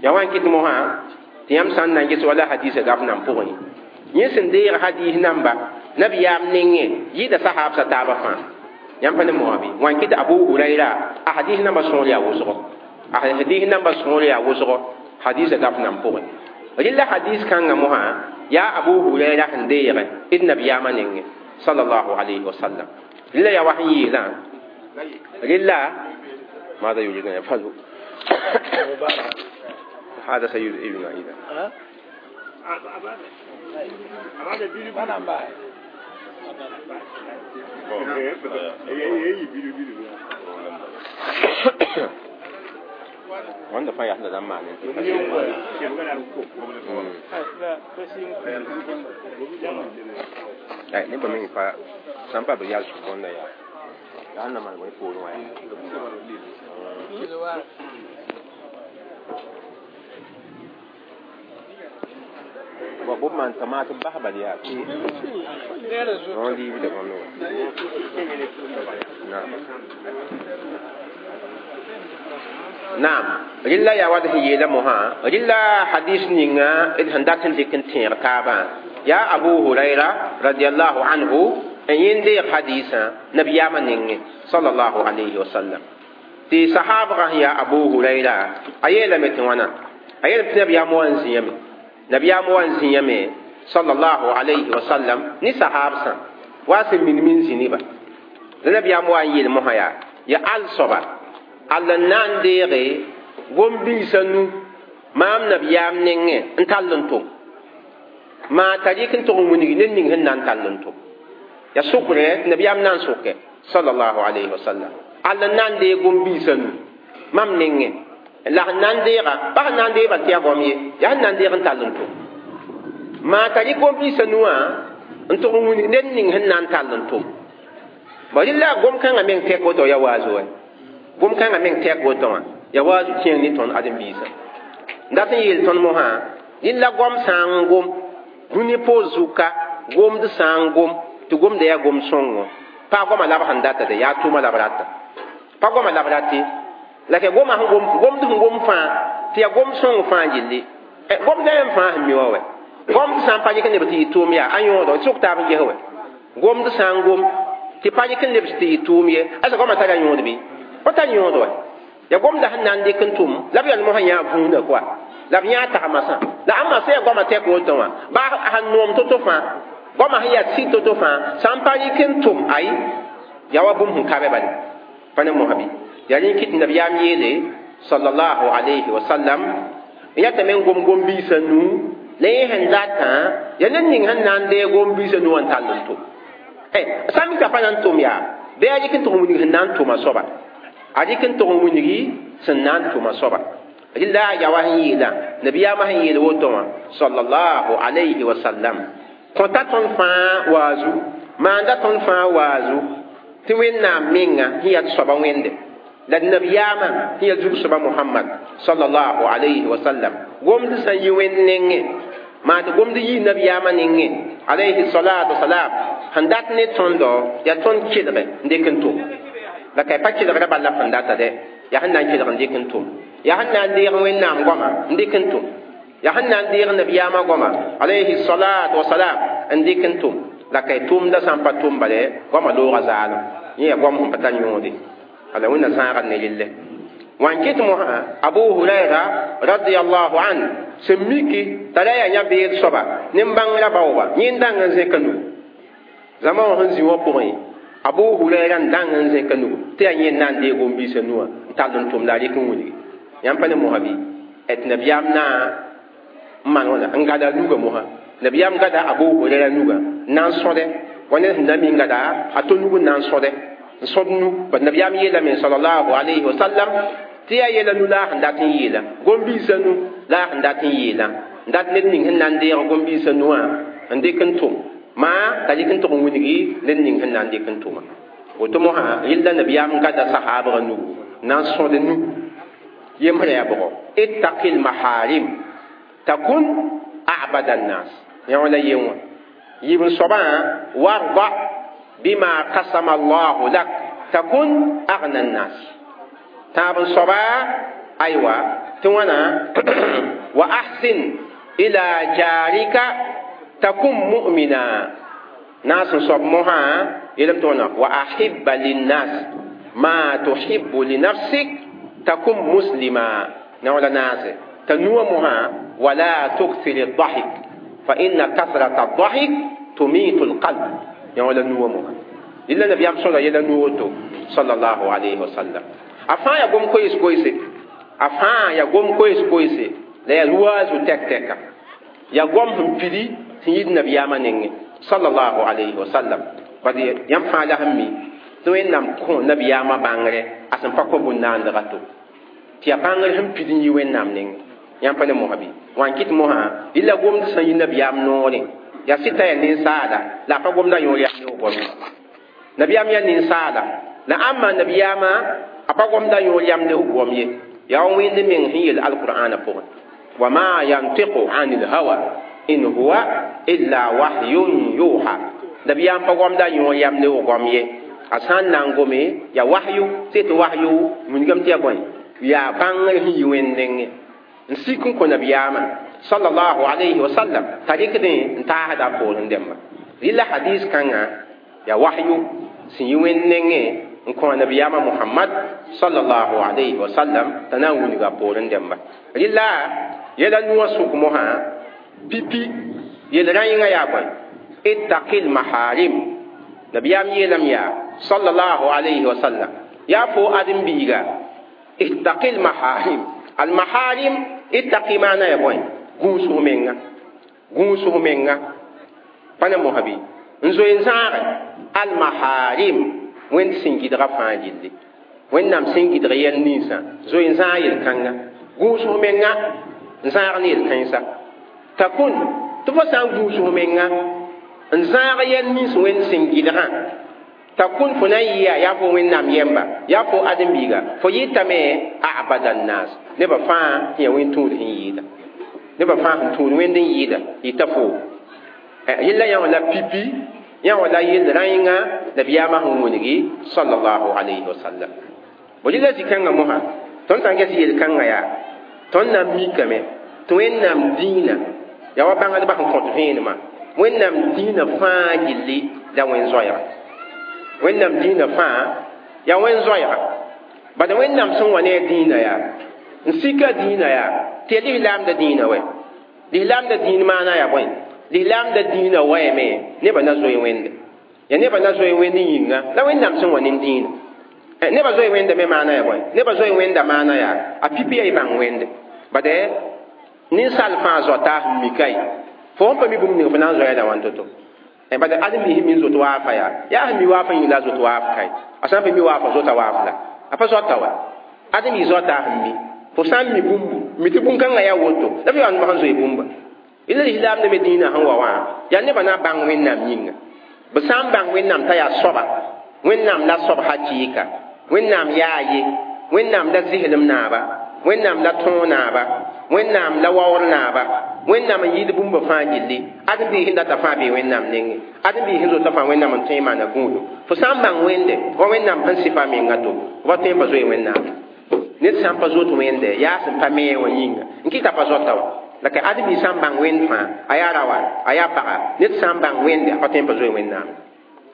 yaa wa n ket mosã tɩ yãmb sã n na n ges wala hadisa gaf nan pʋgẽ yẽ sẽn deeg hadis namba nabiyaam nengẽ yɩɩda sahaabsã taabã fãa yãmb pa ne moa bɩ wa n kɩt Abu Hurayra a hadis namba sõor yaa wʋsgo a hadis namba sõor yaa wʋsgo hadisa gaf nan pʋgẽ rɩla hadis kãngã mosã yaa Abu Hurayra sẽn deege d nabiyaamã nengẽ sallallahu alayhi wa sallam rɩla yaa wa sẽn yeelã rɩla ماذا يريد أن يفعلوا هذا سيزعجنا إذا wanda fa ya hada dan ma'anin ai ne ba min fa san pa bi ya su konda ya ya na ma wai polo ya ba bo man tamata ba ba ya non di bi da kono na نعم رلا يا وده يلا مها رلا حديث نينا إذ هندات ديكن تير تابا يا أبو هريرة رضي الله عنه أن يندي حديثا نبي يامن صلى الله عليه وسلم تي صحابة يا أبو هريرة أيلا متوانا أيلا نبي ياموان زيامي نبي ياموان زيامي صلى الله عليه وسلم ني صحابة واسم من من زينبا نبي ياموان يل مها يا يا الصبا alla na n deege gom-biisã nu maam nabiyaam nengẽ n tall n tʋm maa t'a rɩk n tʋg n wilg ned ning sẽn na n tall n tʋm ya sʋkrẽ tɩ nabiyaam na n sʋkɛ sallallahu alayhi wa sallam alla n na n deeg gom-biisã nu mam nengẽ la sẽn na n deega pa sẽn na n deeg bal tɩ yaa goam ye yaa sẽn na n deeg n tall n tʋm maa t'a rɩk gom-biisã nu wã n tʋg n wilg ned ning sẽn na n tall n tʋm ba rɩla gom-kãngã meng tɛk woto ya waazo wɛ gom kãngã meng tɛk woto wã ya waazu kẽeng ne tõnd ãdem-biisã n dat n yeel tõnd mosã rɩla goam sã n gom dũni poor zuka gomd sã n gom tɩ gomda yaa gom sõngo pa goama la b sẽn data de yaa tʋʋma la b rata pa goama la b rate la ke goma sẽn gom gomd sẽn gom fãa tɩ yaa gom sõng fãa yelle gomda yãmb fãa sẽn mi wã wɛ gomd sã n pa yik n leb tɩ yɩ tʋʋm yaa a yõodo sʋk taab n ges wɛ gomd sã n gom tɩ pa yik n lebs tɩ yɩ tʋʋm ye asa goamã tara yõod bɩ pa tar yõod wɛ ya gomda sẽn na n dɩk n tʋm la b yãl mosã yãa vũunã koa la b yãa tagsmasã la ãmba sã yaa goamã tɛk woto wã baa sẽn noom to-to fãa goamã sẽn yaa sɩd to-to fãa sã n pa rɩk n tʋm ay yaa wa bũmb sẽn ka bɛ bale pa ne mosã bɩ yaa rẽ kɩt nabiyaam yeele sallallahu alayhi wa sallam n yatame n gom gom-biisã nuu la yẽ sẽn datã yaa ned ning sẽn na n deeg gom-biisã nuu wã n tall n tʋm sã n mika pa na n tʋm yaa bɩ a rɩk n tʋg n wilg sẽn na n tʋma soaba a rɩk n tʋg n wilgi sẽn na n tʋma soaba rɩla a yawa sẽn yeelã nabiyaamã sẽn yeel woto wã sallallahu alayhi wa sallam kõta tõnd fãa waazu maanda tõnd fãa waazu tɩ Wẽnnaam menga sẽn yaa soaba wẽnde la d nabiyaamã sẽn yaa zug-soaba Muhammad sallallahu alayhi wa sallam gomd sã n yi Wẽnd nengẽ maa tɩ gomd yii nabiyaamã nengẽ alayhi salatu wasalam sẽn dat ne tõndo yaa tõnd kelge n dɩk n tʋm la ka pa kelgrã bal la sẽn data dɛ yaa sẽn na n kelg n dɩk n tʋm yaa sẽn na n deeg Wẽnnaam goama n dɩk n tʋm yaa sẽn na n deeg nabiyaamã goama alayhi salatu wasalam n dɩk n tʋm la ka tʋmda sã n pa tʋm bale goamã loogã zaalem yẽ yaa goam sẽn pa tar yõode ala Wẽnna zãagd ne relle wã n kɩt mosã Abu Hurayra radiallahu an sẽn miki t'a ra yaa yã beed soaba nin-bãngrã baooba yẽnd dãng n zẽka nu zãma wã sẽn zĩ wã pʋgẽ Abu Huraira n dãng n zẽka nugu tɩ yaa yẽ n na n deeg gom-biisã nuwã n tall n tʋm la a rɩk n wilgi yãmb pa ne mosã bɩ tɩ nabiyaam na n maan wãna n gada a nugã mosã nabiyaam gada Abu Huraira nugã n na n sõde wa ned sẽn na mi n gada a to nug n na n sõde n sõd nu bat nabiyaam yeelame sallallahu alayhi wa sallam tɩ yaa yɛla nu la a sẽn dat n yeela gom-biisã nu la a sẽn dat n yeela n dat ned ning sẽn na n deeg gom-biisã nuwã n dɩk n tʋm maa t'a rɩk n tʋg n wilgi ned ning sẽn na n dɩk n tʋma woto mosã rɩlla nabiyaam gada sahaabgã nugu n na n sõd nu yembrã yaa bʋgɔ ittaqil maharim takun abada nnas yã wã la yen wã yiib n soabã warda bima kasama allahu lak takun agna nnas tãab n soaba aywa tɩ wãna wa ahsin ila jarika takun mu'mina naas n soab mosã yeelame tɩ wãna wa ahibba linnas ma tuhibbu linafsik takun muslima na wã la naase t'a nuwã mosã wala tukthir الضحك فإن كثرة الضحك تميت القلب yã wã la nuwã mosã yella nabiyaam sõda yɛla nu woto sallallahu alayhi wa sallam a fãa yaa gom koees koeese a fãa yaa gom koees koeese la yaa ruwaazu tɛk-tɛka yaa gom sẽn pidi sẽn yid nabiyaamã nengẽ sallallahu alayhi wa sallam bad yãmb fãa la sẽn mi tɩ wẽnnaam kõ nabiyaamã bãngre a sẽn pa kõ bũn-naandga to tɩ yaa bãngr sẽn pid n yi wẽnnaam nengẽ yãmb pa ne mosã bɩ wã n kɩt mosã yella gomd sẽn yi nabiyaam noorẽ yaa sɩta yaa ninsaala la a pa gomda yõor yaa neoog goam nabiyaam yaa ninsaala la ãmba nabiyaamã a pa gomda yõor yamd f goam ye yaa wa wẽnd meng sẽn yel alqur'ana pʋgẽ wa ma yantiqu ani lhawa in huwa illa wahyun yuha nabiyaam pa gomda yõor yamd f goam ye a sã n na n gome yaa wahyu sɩ tɩ wahyu wilgame tɩ yaa bõe yaa bãngr sẽn yi wẽnd nengẽ n sik n kõ nabiyaamã sallallahu alayhi wa sallam t'a rɩkdẽ n taasda a poorẽ dẽmba rɩla hadis kãngã yaa wahyu sẽn yi wẽnd nengẽ n kõ nabiyaamã Muhammad sallallahu alayhi wa sallam t'a na n wilga a poorẽ dẽmba rɩla yɛla nuwã sʋk mosã pipi yel rã yĩngã yaa bõe ittaqil maharim nabiyaam yeelame yaa sallallahu alayhi wa sallam yaa fo ãdem-biiga ittaqil maharim al maharim ittaqi maana ya bõe gũusg menga gũusg menga pa ne mosã bɩ n zoe n zãage al maharim wẽnd sẽn gɩdga fãa gilli wẽnnaam sẽn gɩdg yɛl ninsã zoe n zãag yel-kãnga gũusg menga n zãag ne yel-kãensa takun tɩ fo sã n gũusg menga n zãag yɛl nins wẽnd sẽn gɩdgã takun fo na n yɩa yaa fo wẽnnaam yɛmba yaa fo ãdem-biiga fo yɩtame abada nnas nebã fãa sẽn yaa wẽn tũud sẽn yɩɩda nebã fãa sẽn tũud wẽnd n yɩɩda yɩta fo yella yã wã la pipi yã wã la yell rã-yẽnga nabiyaamã sẽn wilgi sallallahu alayhi wa sallam bo rɩla zĩ-kãngã mosã tõnd sã n ges yel-kãngã yaa tõnd na n mikame tɩ wẽnnaam dĩinã yaa wa bãngdbã sẽn kõt vẽenemã wẽnnaam dĩinã fãa gilli la wẽn-zoɛɛga wẽnnaam dĩinã fãa yaa wẽn-zoɛɛga bad wẽnnaam sẽn wa ne a dĩinã yaa n sika dĩinã yaa tɩ yaa lislaamda dĩinã wɛ lislaamda dĩin maana yaa bõe lislaamda dĩinã waame nebã na zoe wẽnde yaa nebã na zoe wẽnd yĩnga la wẽnnaam sẽn wa ne dĩinã nebã zoe wẽnda me maana yaa bõe nebã zoe wẽnda maana yaa a pipi yaa y bãng wẽnde bad ninsaal fãa zoata sẽn mika ye fo sẽn pa mi bũmb ning fo na n zoeeda wãn to-to bad ãdem-biis sẽn mi n zot waafa yaa yaa sẽn mi waafã yĩng la a zot waaf kae a sã n pa mi waafa zota waaf la a pa zoata wa ãdem-biis zoata sẽn mi fo sã n mi bũmbu mi tɩ bũn-kãngã yaa woto la f yaa sẽn zoe bũmba yella lislaamda me dĩinã sẽn wa wã yaa nebã na bãng wẽnnaam yĩnga b sã n bãng wẽnnaam t'a yaa soaba wẽnnaam la soab hakɩɩka wẽnnaam yaa ye wẽnnaam la zɩslem naaba wẽnnaam la tõog naaba wẽnnaam la waoor naaba wẽnnaam n yɩɩd bũmba fãa gilli ãdem-biis sẽn data fãa bee wẽnnaam nengẽ ãdem-biis sẽn zota fãa wẽnnaam n tõe n maana gũudu fo sã n bãng wẽnde wa wẽnnaam sẽn sɩfa menga to fo pa tõe n pa zoe wẽnnaam ned sã n pa zot wẽnde yaa sẽn pa me wã yĩnga n kɩta pa zoata wa la ka ãdem-biis sã n bãng wẽnd fãa a yaa rawa a yaa paga ned sã n bãng wẽnde a pa tõe n pa zoe wẽnnaam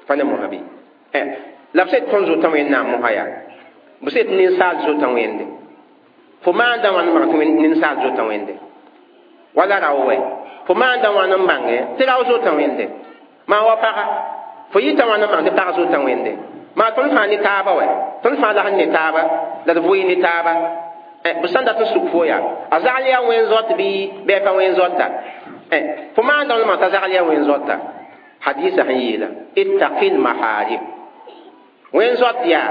pa ne mosã bɩ la b sẽd tõnd zota wẽnnaam mosã yaa b sẽd ninsaal zota wẽnde fo maanda wãn n bãng tɩ ninsaal zota wẽnde wala rao wɛ fo maanda wãn n bãnge tɩ rao zota wẽnde maa wa paga Fo yita wãna n maan tɩ pag zota wẽnde maa tõnd fãa ne taaba wɛ tõnd fãa la sẽn ne taaba la d vʋɩ ne taaba b sẽn dat n suk fo yaa a zagl yaa wẽn zot bɩ bɩ a pa wẽn zota fo maandame maa t'a zagl yaa wẽn zota hadisa sẽn yeela ittaqil maharim wẽn zot yaa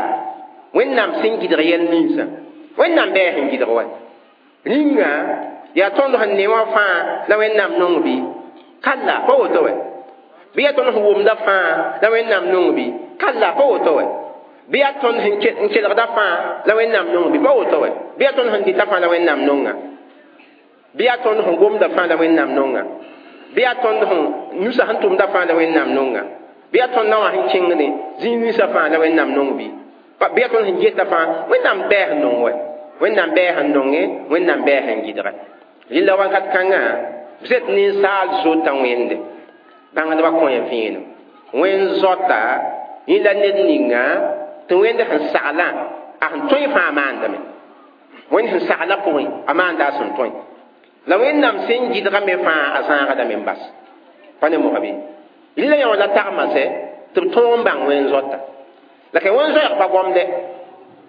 wẽnnaam sẽn gɩdg yɛl ninsã wẽnnaam bɩ a sẽn gɩdg wa rĩnga yaa tõnd sẽn ne wã fãa la wẽnnaam nong bɩ kalla pa woto wɛ bɩ yaa tõnd sẽn wʋmda fãa la wẽnnaam nong bɩ kalla pa woto wɛ bɩ yaa tõnd sẽn kelgda fãa la wẽnnaam nong bɩ pa woto wɛ bɩ yaa tõnd sẽn dɩta fãa la wẽnnaam nonga bɩ yaa tõnd sẽn gomda fãa la wẽnnaam nonga bɩ yaa tõnd sẽn nusa sẽn tʋmda fãa la wẽnnaam nonga bɩ yaa tõnd na wã sẽn kẽngde zĩig ninsã fãa la wẽnnaam nong bɩ bɩ yaa tõnd sẽn geta fãa wẽnnaam bɛɛ sẽn nong wɛ wẽnnaam bɛɛ sẽn nonge wẽnnaam bɛɛ sẽn gɩdgɛ rɩla wakat kãngã b zet ninsaal zota wẽnde bãngdbã kõ ya vẽenem wẽn zota yẽ la ned ninga tɩ wẽnd sẽn saglã a sẽn tõe fãa maandame wẽnd sẽn saglã pʋgẽ a maanda a sẽn tõe la wẽnnaam sẽn gɩdga me fãa a zãagdame n bas pa ne moga bɩ rɩla yã wã la tagma sɛ tɩ b tõog n bãng wẽn zota la ka wẽn zoɛɛg pa gomdɛ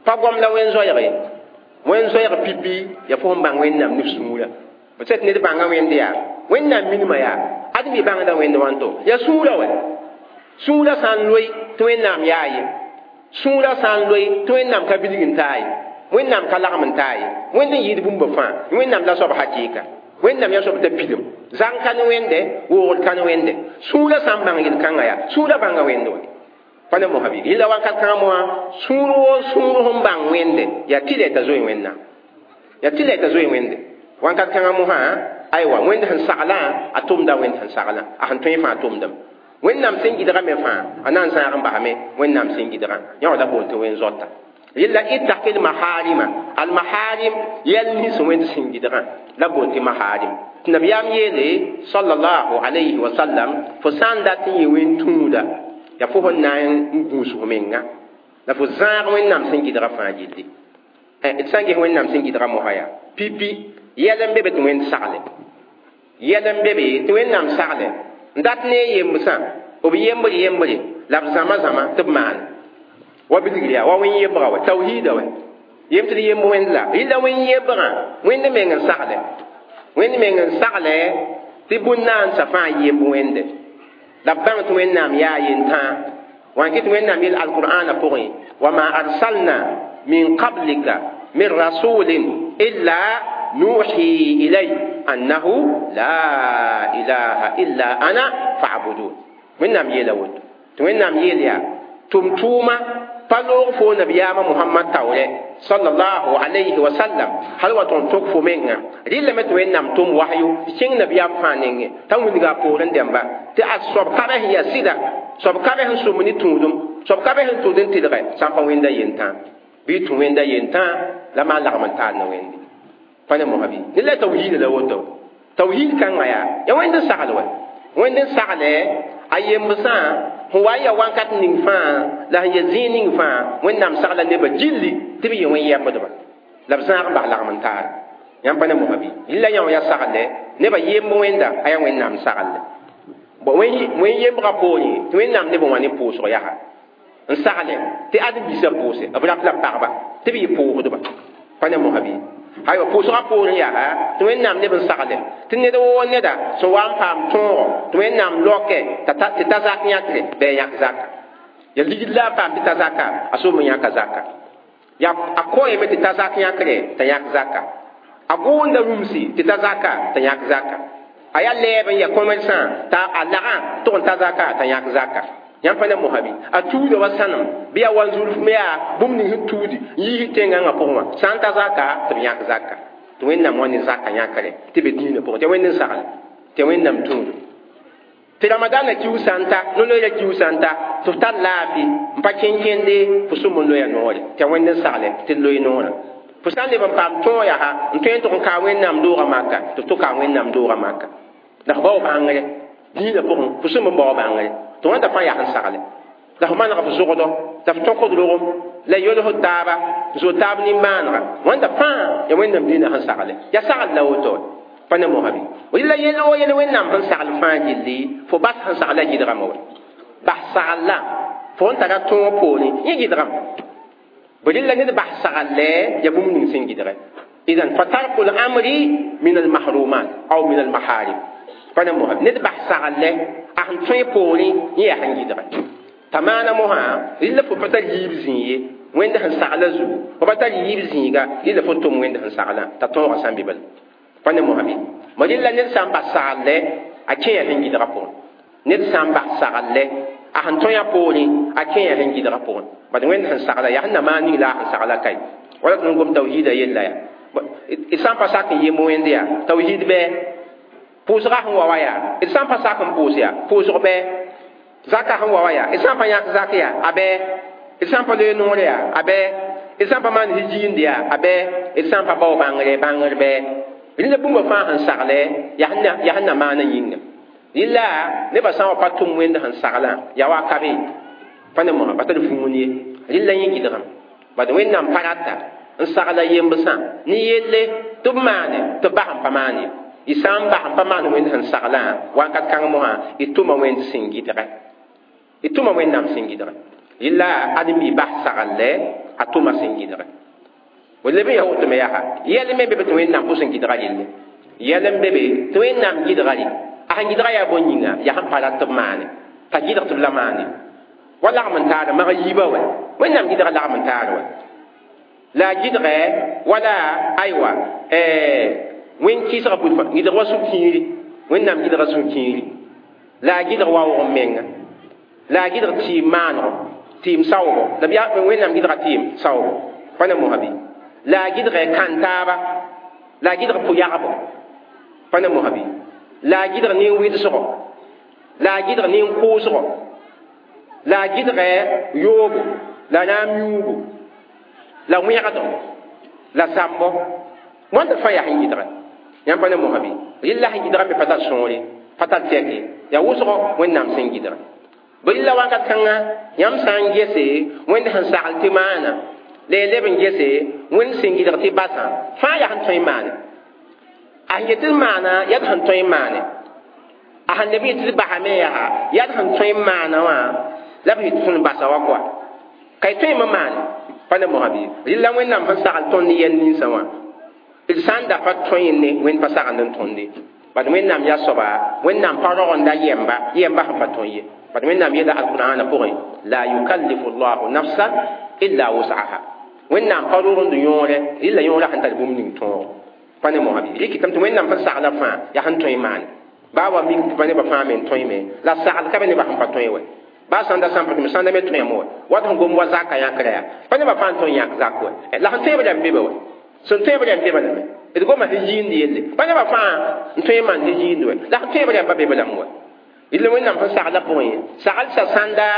pa gom la wẽn zoɛɛg ye wẽn zoɛɛg pipi yaa fo sẽn bãng wẽnnaam ne sũurã b sɛ tɩ ned bãnga wẽnde yaa wẽnnaam minimã yaa ad mi bãngda wẽnd wãnto yaa sũurã wɛ sũurã sã n loe tɩ wẽnnaam yaa ye sũurã sã n loe tɩ wẽnnaam ka bilg n taa ye wẽnnaam ka lagm n taa ye wẽnd n yɩɩd bũmba fãa wẽnnaam la soab hakɩɩka wẽnnaam yaa soab t'a pilem zãng ka ne wẽnde woogd ka ne wẽnde sũurã sã n bãng yel-kãngã yaa sũurã bãnga wẽnde wɛ pa ne mosã bɩ yella wakat kãngã moã sũur woo sũur sẽn bãng wẽnde yaa tɩ la t'a zoe wẽnnaam yaa tɩ la t'a zoe wẽnde wakat kãngã mosã aywa wẽnd sẽn saglã a tʋmda wẽnd sẽn saglã a sẽn tõe fãa tʋmdame wẽnnaam sẽn gɩdga me fãa a na n zãag n basame wẽnnaam sẽn gɩdgã yã wã la boond tɩ wẽn zota yella ittaqil maharima al maharim yɛl nins wẽnd sẽn gɩdgã la boond tɩ maharim tɩ nabiyaam yeele sallallahu alayhi wa sallam fo sã n dat n yɩ wẽn tũuda yaa fo sẽn na n gũus f menga la fo zãag wẽnnaam sẽn gɩdga fãa gilli d sã n ges wẽnnaam sẽn gɩdga mosã yaa pipi yɛl n be be tɩ wẽnd sagle yɛl n be be tɩ wẽnnaam sagle n dat ne a yembsã b yembr yembre la b zãma zãma tɩ b maan wa bilgr yaa wa wẽn yembga wɛ tawhiida wɛ yem tɩ d yemb wẽnd la rɩla wẽn yembgã wẽnd meng n sagle wẽnd meng n sagle tɩ bũn-naandsã fãa yemb wẽnde la b bãng tɩ wẽnnaam yaa yentãa wã kɩ tɩ wẽnnaam yel alqur'ana pʋgẽ wama arsalna min qablika min rasulin illa nuhi ilay annahu la ilaha illa ana fa'budun wẽnnaam yeela woto tɩ wẽnnaam yeel yaa tʋm-tʋʋma pa loog fo nabiyaamã mohamad taoorɛ sallallahu alayhi wa sallam hal wa tõnd tok fo menga rɩlame tɩ wẽnnaam tʋm wahyo tɩ kẽng nabiyaam fãa nengẽ t'a wilga a poorẽ dẽmba tɩ a soab ka sẽn yaa sɩda soab ka sẽn sʋm ne tũudum soab ka sẽn tʋd n tɩlgɛ sã n pa wẽnda yentã bɩ tũ wẽnda yentã la maan lagm n taal ne wẽnde pa ne mosã bɩ ned la tawhiida la woto tawhiid kãngã yaa yaa wẽnd n sagl wɛ wẽnd n sagle a yembsã sẽn wa n ya wãnkat ning fãa la sẽn ya zĩig ning fãa wẽnnaam sagla nebã gilli tɩ b yɩ wẽn yɛbdba la b zãag n bas lagm n taar yãmb pa ne mosã bɩ rɩla yã wã yaa sagle nebã yemb wẽnda a yaa wẽnnaam sagle wẽn yembgã poorẽ tɩ wẽnnaam nebã wã ne pʋʋsg yaa n sagle tɩ ãdem-biisã pʋʋse b rap la pagba tɩ b yɩ pʋʋsdba pa ne mosã bɩ aywa pʋʋsgã poorẽ yaa tɩ wẽnnaam neb n sagle tɩ ned woo neda sẽn wa n paam tõogo tɩ wẽnnaam loke tɩ ta zak yãkre bɩ a yãk zaka ya ligd la a paam tɩ ta zaka a soom n yãka zaka ya a koeeme tɩ ta zak yãkre t'a yãk zaka a gʋʋnda rũmsi tɩ ta zaka t'a yãk zaka a yaa lɛɛb n ya commerçant t'a a lagã tʋg n ta zaka t'a yãk zaka yãmb pa ne mosã bɩ a tuuda wa sãnem bɩ yaa wanzurf me yaa bũmb ning sẽn tuudi n yiis tẽngãngã pʋgẽ wã sã n ta zaka tɩ b yãk zaka tɩ wẽnnaam wã ne zaka yãkre tɩ be dĩinã pʋgẽ tɩ wẽnd n sagle tɩ wẽnnaam tũudu tɩ ramadaanã kius sã n ta no-loeera kius sã n ta tɩ f tar laafɩ n pa kẽn-kẽnde fo sũm n loya noore tɩ wẽnd n sagle tɩ d loe noorã fo sã n leb n paam tõog yaa n tõe n tʋg n kaa wẽnnaam doogã maka tɩ f tʋ kaa wẽnnaam doogã maka la f bao bãngre dĩinã pʋgẽ fo sũm n bao bãngre tɩ wãnda fãa yaa sẽn sagle la f maneg f zogdɔ t'a f tõkd rogem la yolsd taaba n zood taab nin-maanega wãnda fãa yaa wẽnnaam dĩinã sẽn sagle yaa sagl la woto pa ne mosã bɩ rɩla yel woo yel wẽnnaam sẽn sagl fãa gilli fo bas sẽn sagla gɩdgame wɛ Bas sagl la fo n tara tõog poorẽ yẽ gɩdgame bõe la ned bas sagl ya bũmb ning sẽn gɩdge idan fa tarku l-amri min al-mahrumat aw min al-maharim pa ne mosã ned bas sagl a sẽn tõe poorẽ yẽ yaa sẽn gɩdge t'a maana mosã rɩla fo pa tar yiib zĩig ye wẽnd sẽn sagla zugu fo pa tar yiib zĩiga rɩla fo tʋm wẽnd sẽn saglã t'a tõogã sã n be bala pa ne mosã bɩ ma rɩla ned sã n bas sagl a kẽe sẽn gɩdga pʋgẽ ned sã n bas sagl a sẽn tõe a poorẽ a kẽe sẽn gɩdga pʋgẽ bad wẽnd sẽn sagla yaa sẽn na maan ning la a sẽn sagla kae wala tɩ n gom tawhiida yella yaa d sã n pa sak n yemb wẽnd yaa tawhiid bɩ pʋʋsga sẽn wa wa yaa d sã n pa sak n pʋʋs yaa pʋʋsg bɩ zaka sẽn wa wa yaa d sã n pa yãk zak yaa a bɩ d sã n pa loe noor yaa a bɩ d sã n pa maan hijiind yaa a bɩ d sã n pa bao bãngre bãngr bɩ rẽnda bũmba fãa sẽn sagle yaa sẽn na maana yĩnga rɩla nebã sã n wa pa tʋm wẽnd sẽn saglã yaa wa ka be pa ne mosã pa tar vũun ye rɩla yẽ gɩdgame bad wẽnnaam pa rata n sagla yembsã ne yelle tɩ b maane tɩ b bas n pa maan ye y sã n bas n pa maan wẽnd sẽn saglã wakat kãng mosã y tʋma wẽnd sẽn gɩdge y tʋma wẽnnaam sẽn gɩdge rɩla ãdem-bi bas sagl a tʋma sẽn gɩdge leb n yaa woto me yaa yɛl me be be tɩ wẽnnaam pʋs n gɩdga relle yɛl n be be tɩ wẽnnaam gɩdga re a sẽn gɩdga yaa bõn yĩnga yaa sẽn pa rat tɩ b maane t'a gɩdg tɩ b la maane wa lagm n taara mag yiibã wɛ wẽnnaam gɩdga lagm n taar wɛ la a gɩdgɛ wala aywa wẽn kɩɩsga bud gɩdg wa sũ-kiiri wẽnnaam gɩdga sũ-kiiri la a gɩdg waoog n menga la a gɩdg tɩɩm maanego tɩɩm saoogo la b yaa wẽnnaam gɩdga tɩɩm saoogo pa ne mosã bɩ la a gɩdgɛ kãn-taaba la a gɩdg pʋ-yagbo pa ne mosã bɩ la a gɩdg nin-wɩdsgo la a gɩdg nin-kʋʋsgo la a gɩdgɛ yoobo la raam yũugo la wẽgdo la zãmbo wãnda fãa yaa sẽn gɩdgɛ yãmb pa ne mosã bɩ rɩla sẽn gɩdga me pa tar sõore pa tar tɛke yaa wʋsgo wẽnnaam sẽn gɩdga bɩ rɩla wakat kãnga yãmb sã n gese wẽnd sẽn sagl tɩ maana la y leb n gese wẽnd sẽn gɩdg tɩ basã fãa yaa sẽn tõe n maane a sẽn yet tɩ maana yaa d sẽn tõe n maane a sẽn leb n yet tɩ d basame yaa yaa d sẽn tõe n maana wã la b yet tõnd basa wa kɔa ka y tõe n maane pa ne mosã bɩ rɩla wẽnnaam sẽn sagl tõnd ne yɛl ninsã wã d sã n da pa tõe ne wẽnd pa sagend n tõnde bad wẽnnaam yaa soaba wẽnnaam pa rogenda yɛmba yɛmba sẽn pa tõe ye bad wẽnnaam yeela alqur'ana pʋgẽ la yukallifu llahu nafsan illa wus'aha wẽnnaam pa rogend yõore rɩla yõorã sẽn tar bũmb ning tõog pa ne mosã bɩ rɩkɩtame tɩ wẽnnaam sẽn sagla fãa yaa sẽn tõe n maane baa wa mik tɩ pa nebã fãa me n tõe me la sagl ka be nebã sẽn pa tõe wɛ baa sãnda sã n pa tɩ sãnda me tõeme wɛ wat sẽn gom wa zaka yãkra yaa pa nebã fãa n tõe n yãk zak wɛ la sẽn tõeb rãmb be be wɛ sẽn tõeb rãmb be balame d goma sẽn yiind yelle pa nebã fãa n tõe n maan sẽn yiind wɛ la sẽn tõeb rãmba be balame wɛ rɩla wẽnnaam sẽn sagla pʋgẽ sagl sa sãnda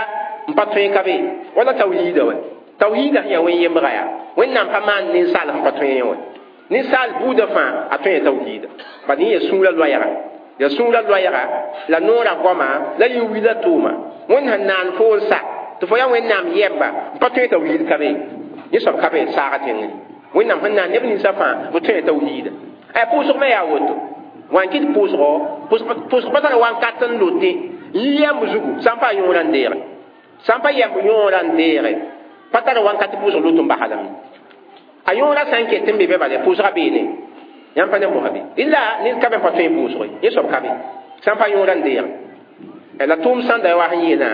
n pa tõe ka be wala tawhiida wɛ tawhiida sẽn yaa wẽn yembga yaa wẽnnaam pa maan ninsaal sẽn pa tõe wɛ ninsaal buudã fãa a tõe tawhiida bad yẽ yaa sũurã loɛɛga yaa sũurã loɛɛga la noorã goama la yẽ wila tʋʋma wẽnd sẽn naan fo n sa tɩ fo yaa wẽnnaam yɛmba n pa tõe tawhiid ka be yẽ soab ka be saaga tẽngre wẽnnaam sẽn naan neb ninsã fãa b tõe tawhiida a pʋʋsg me yaa woto wã n kɩt pʋʋsgo pʋʋsg pa tar wankat n lote n yi yɛmb zugu sã n pa yõorã n deege sã n pa yɛmb yõorã n deege pa tar wankat pʋʋsg lot n baslame a yõorã sã n ket n be be bala pʋʋsga beene yãmb pa ne mosã bɩ rɩla ned ka be n pa tõe pʋʋsg yẽ soab ka be sã n pa yõorã n deege la tʋʋm sãnda wa sẽn yeelã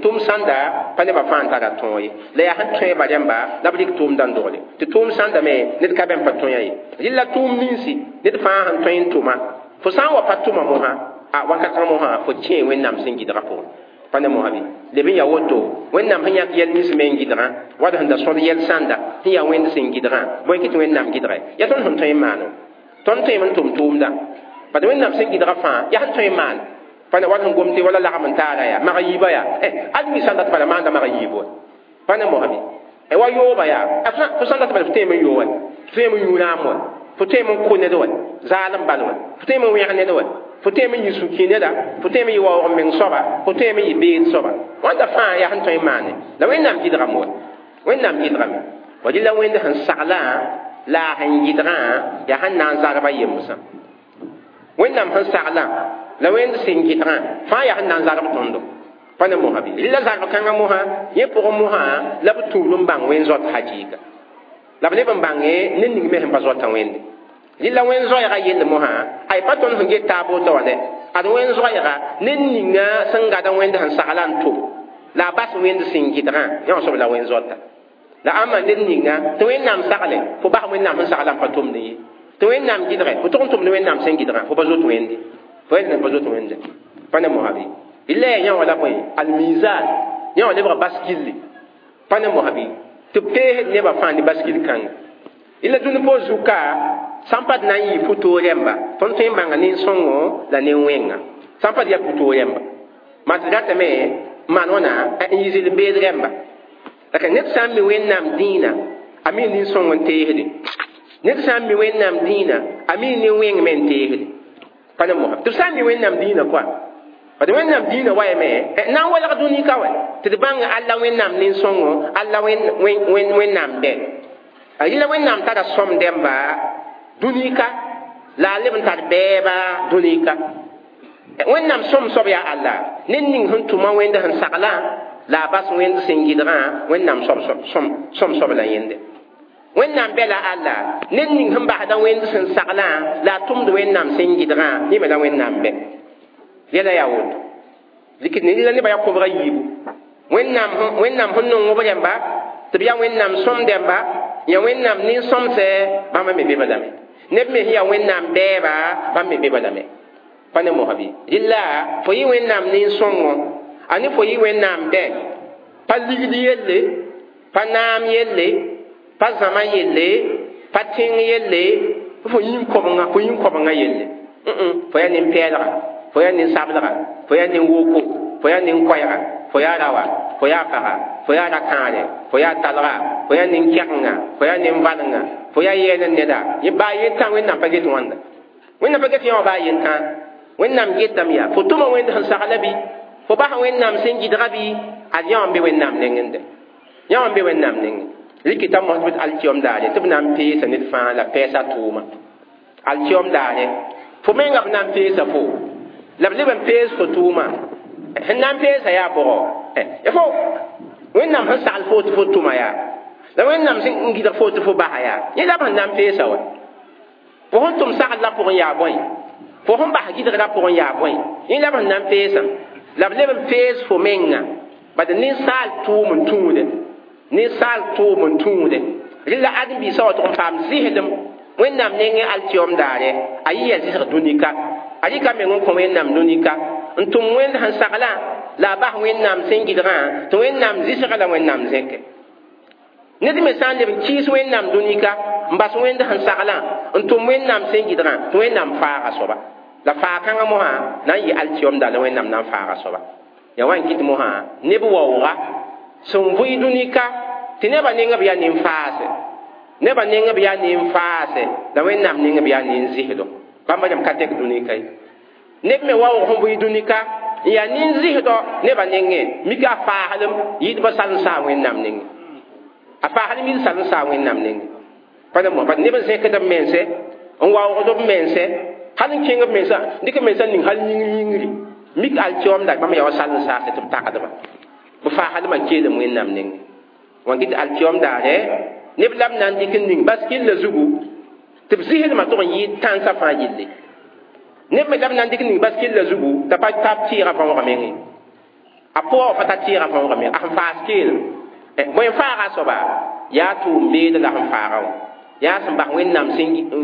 tʋʋm sãnda pa nebã fãa n tara tõog ye la yaa sẽn tõeba rãmba la b rɩk tʋʋmdã n dogle tɩ tʋʋm sãnda me ned ka be n pa tõe ye rɩla tʋʋm ninsi ned fãa sẽn tõe n tʋma fo sã n wa pa tʋma mosã a wakat kãng mosã fo kẽe wẽnnaam sẽn gɩdgã pʋgẽ pa ne mosã bɩ leb n yaa woto wẽnnaam sẽn yãk yɛl nins me n gɩdgã wad sẽn da sõd yɛl sãnda sẽn yaa wẽnd sẽn gɩdgã bõe kɩ tɩ wẽnnaam gɩdgɛ yaa tõnd sẽn tõe n maano tõnd tõeme n tʋm tʋʋmdã bad wẽnnaam sẽn gɩdgã fãa yaa sẽn tõe n maan pa ne wat sẽn gom tɩ wala lagm n taara yaa mag yiibã yaa ad mi sãn dat bala maanda mag yiib wɛ pa ne mosã bɩ wa yooba yaa fo sãn dat bala fo tõeme n yoo wɛ fo tõeme n yũ raam wɛ fo tõeme n kʋ ned wɛ zaalem bal wɛ fo tõeme n wẽg ned wɛ fo tõeme n yɩ sũ-kĩ neda fo tõeme n yɩ waoog meng soaba fo tõeme n yɩ beed soaba wãnda fãa yaa sẽn tõe n maane la wẽnnaam gɩdgame wɛ wẽnnaam gɩdgame wa rɩla wẽnd sẽn saglã la a sẽn gɩdgã yaa sẽn na n zarba yembsã wẽnnaam sẽn saglã la wẽnd sẽn gɩdgã fãa yaa sẽn na n zarb tõndo Pa ne mosã bɩ rɩla zalb kãngã mosã yẽ pʋgẽ mosã la b tũud n bãng wẽn zoat hakɩɩka la b leb n bãnge ned ning me sẽn pa zoata wẽnde rɩla wẽn zoɛɛga yell mosã ay pa tõnd sẽn get taab woto wã dɛ ad wẽn zoɛɛga ned ninga sẽn gada wẽnd sẽn sagla n tʋm la a bas wẽnd sẽn gɩdgã yã wã soab la wẽn zoata la ãmba ned ninga tɩ wẽnnaam sagle fo bas wẽnnaam sẽn sagla n pa tʋmd ye tɩ wẽnnaam gɩdge fo tʋg n tʋmd wẽnnaam sẽn gɩdgã fo pa zoet wẽnde fo yel pa zoet wẽnde pa ne mosã bɩ rɩla yaa yã wã la bõe almizan yã wã lebga baskilli pa ne mosã bɩ tɩ b peesd nebã fãa ne baskil kãnga rɩla dũni poor zuka sãn pa d na n yɩ pʋ-toog rẽmba tõnd tõe n bãnga nin-sõngo la nin-wẽnga sãn pa d yaa pʋ-toog rẽmba maa tɩ ratame n maan wãna n yɩ zɩlem-beed rẽmba la ka ned sã n mi wẽnnaam dĩinã a mi nin-sõng n teesde ned sã n mi wẽnnaam dĩinã a mi nin-wẽng me n teesde pa ne mosã tɩ b sã n mi wẽnnaam dĩinã koa bad wẽnnaam dĩinã wayame na n welg dũni ka wɛ tɩ d bãng alla wẽnnaam nin-sõngo alla wẽnnaam bɛ a yɩla wẽnnaam tara sõm dẽmba dũni-ka la a leb n tar bɛɛba dũni-ka wẽnnaam sõm soab yaa alla ned ning sẽn tʋma wẽnd sẽn saglã la a bas wẽnd sẽn gɩdgã wẽnnaam sõm soab la yẽnde wẽnnaam bɛ la alla ned ning sẽn basda wẽnd sẽn saglã la a tʋmd wẽnnaam sẽn gɩdgã yẽ me la wẽnnaam bɛ yɛla yaa woto dɩk ne nebã yaa kobga yiibu wẽnnaam wẽnnaam sẽn nong b rẽmba tɩ b yaa wẽnnaam sõm dẽmba ya wẽnnaam nin-sõmsɛ bãmba me be lame neb me sẽn yaa wẽnnaam bɛɛba bãmb me be lame pa ne mosã bɩ rɩla fo yɩ wẽnnaam nin-sõngo a ne fo yɩ wẽnnaam bɛ pa ligd yelle pa naam yelle pa zãma yelle pa tẽng yelle fo yĩn-kobenga fo yĩn-kobenga yelle fo yaa nin-pɛɛlga fo yaa nin-sablga fo yaa nin-woko fo yaa nin-koɛɛga fo yaa rawa fo yaa paga fo yaa ra-kãare fo yaa talga fo yaa nin-kɛgenga fo yaa nin-valenga fo yaa yɛɛl n neda yẽ baa yentã wẽnnaam pa get wãnda wẽnnaam pa get yã wã baa yentã wẽnnaam getame yaa fo tʋma wẽnd sẽn sagla bɩ fo bas wẽnnaam sẽn gɩdga bɩ ad yã wã n be wẽnnaam nengẽ yã wã n be wẽnnaam nengẽ rɩkɩta mos bɩ alkiom daare tɩ b na n peesa ned fãa la pɛɛsa tʋʋma alkiom daare fo menga b na n peesa fo la b leb n pees fo tʋʋma sẽn na n peesa yaa bʋgɔ fo wẽnnaam sẽn sagl fo tɩ fo tʋma yaa la wẽnnaam sẽn gɩdg fo tɩ fo basa yaa yẽ la b sẽn na n peesa wa fo sẽn tʋm sagl la pʋgẽ yaa bõe fo sẽn bas gɩdgrã pʋgẽ yaa bõe yẽ la b sẽn na n peesã la b leb n pees fo menga bad ninsaal tʋʋm n tũude ninsaal tʋʋm n tũude rɩla ãdem-biisã wa tʋg n paam zɩsdem wẽnnaam nengẽ alkiom daare a yɩ yaa zɩsg dũni-ka a rɩka meng n kõ wẽnnaam dũni-ka n tʋm wẽnd sẽn saglã la a bas wẽnnaam sẽn gɩdgã tɩ wẽnnaam zɩsga la wẽnnaam zẽke ned me sã n leb n kɩɩs wẽnnaam dũni-ka n bas wẽnd sẽn saglã n tʋm wẽnnaam sẽn gɩdgã tɩ wẽnnaam faaga soaba la faa-kãngã mosã na n yɩ alkiom daar la wẽnnaam na n faaga soaba yaa wa n kɩt mosã neb waooga sẽn vʋɩ dũni-ka tɩ nebã neng b yaa nin-faase nebã neng b yaa nin-faase la wẽnnaam neng b yaa nin-zɩsdo bãmba rãmb ka tek dũni-ka ye neb me waoog sẽn vʋɩ dũni-ka n yaa nin-zɩsdɔ nebã nengẽ mika a faaslem yɩɩdbã sal n saa wẽnnaam nengẽ a faaslem yɩɩd sal n saa wẽnnaam nengẽ pa ne mos bat neb n zẽkd b mense n waoogd b mense hal n kẽng b mensã dɩk b mensã ning hal yĩngr yĩngri mik alkiom da bãmb yaa wa sal n saase tɩ b tagdba b faaslmã keelem wẽnnaam nengẽ wã kɩ tɩ alkiom daare neb la b na n dɩk n ning baskilla zugu tɩ b zɩsdmã tʋg n yɩɩd tãnsã fãa yelle neb me la b na n dɩk n ning baskilla zugu t'a pa tab tɩɩgã võoga mengẽ a pʋga wa pa ta tɩɩgã võoga meng a sẽn faas keelem bõe n faaga a soaba yaa tʋʋm-beed la sẽn faaga wã yaa sẽn bas wẽnnaam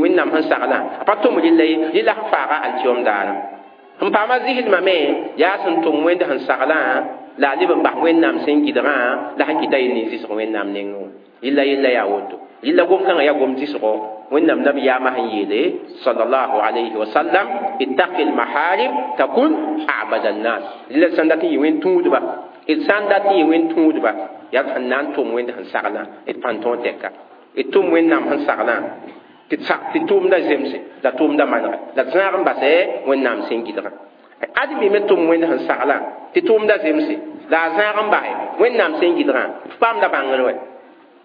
wẽnnaam sẽn saglã a pa tʋm rɩlla ye rɩla sẽn faaga alkiom daara sẽn paama zɩsdmã me yaa sẽn tʋm wẽnd sẽn saglã la a leb n bas wẽnnaam sẽn gɩdgã la sẽn kɩta yel nin-zɩsg wẽnnaam nengẽ wã yella yella yaa woto yella gom-kãngã yaa gom zɩsgo wẽnnaam nabiyaamã sẽn yeele sallallahu alayhi wa sallam ittaqi lmaharim takun abada nnas rɩla sãn dat n yɩ wẽn tũudba d sã n dat n yɩ wẽn tũudba yaa d sẽn na n tʋm wẽnd sẽn saglã d pãn tõog tɛka d tʋm wẽnnaam sẽn saglã tɩ tʋʋmda zemse la tʋʋmda manege la d zãag n basɛ wẽnnaam sẽn gɩdgã ãdem-bi me tʋm wẽnd sẽn saglã tɩ tʋʋmda zemse la a zãag n basɛ wẽnnaam sẽn gɩdgã f paamda bãngr wɛ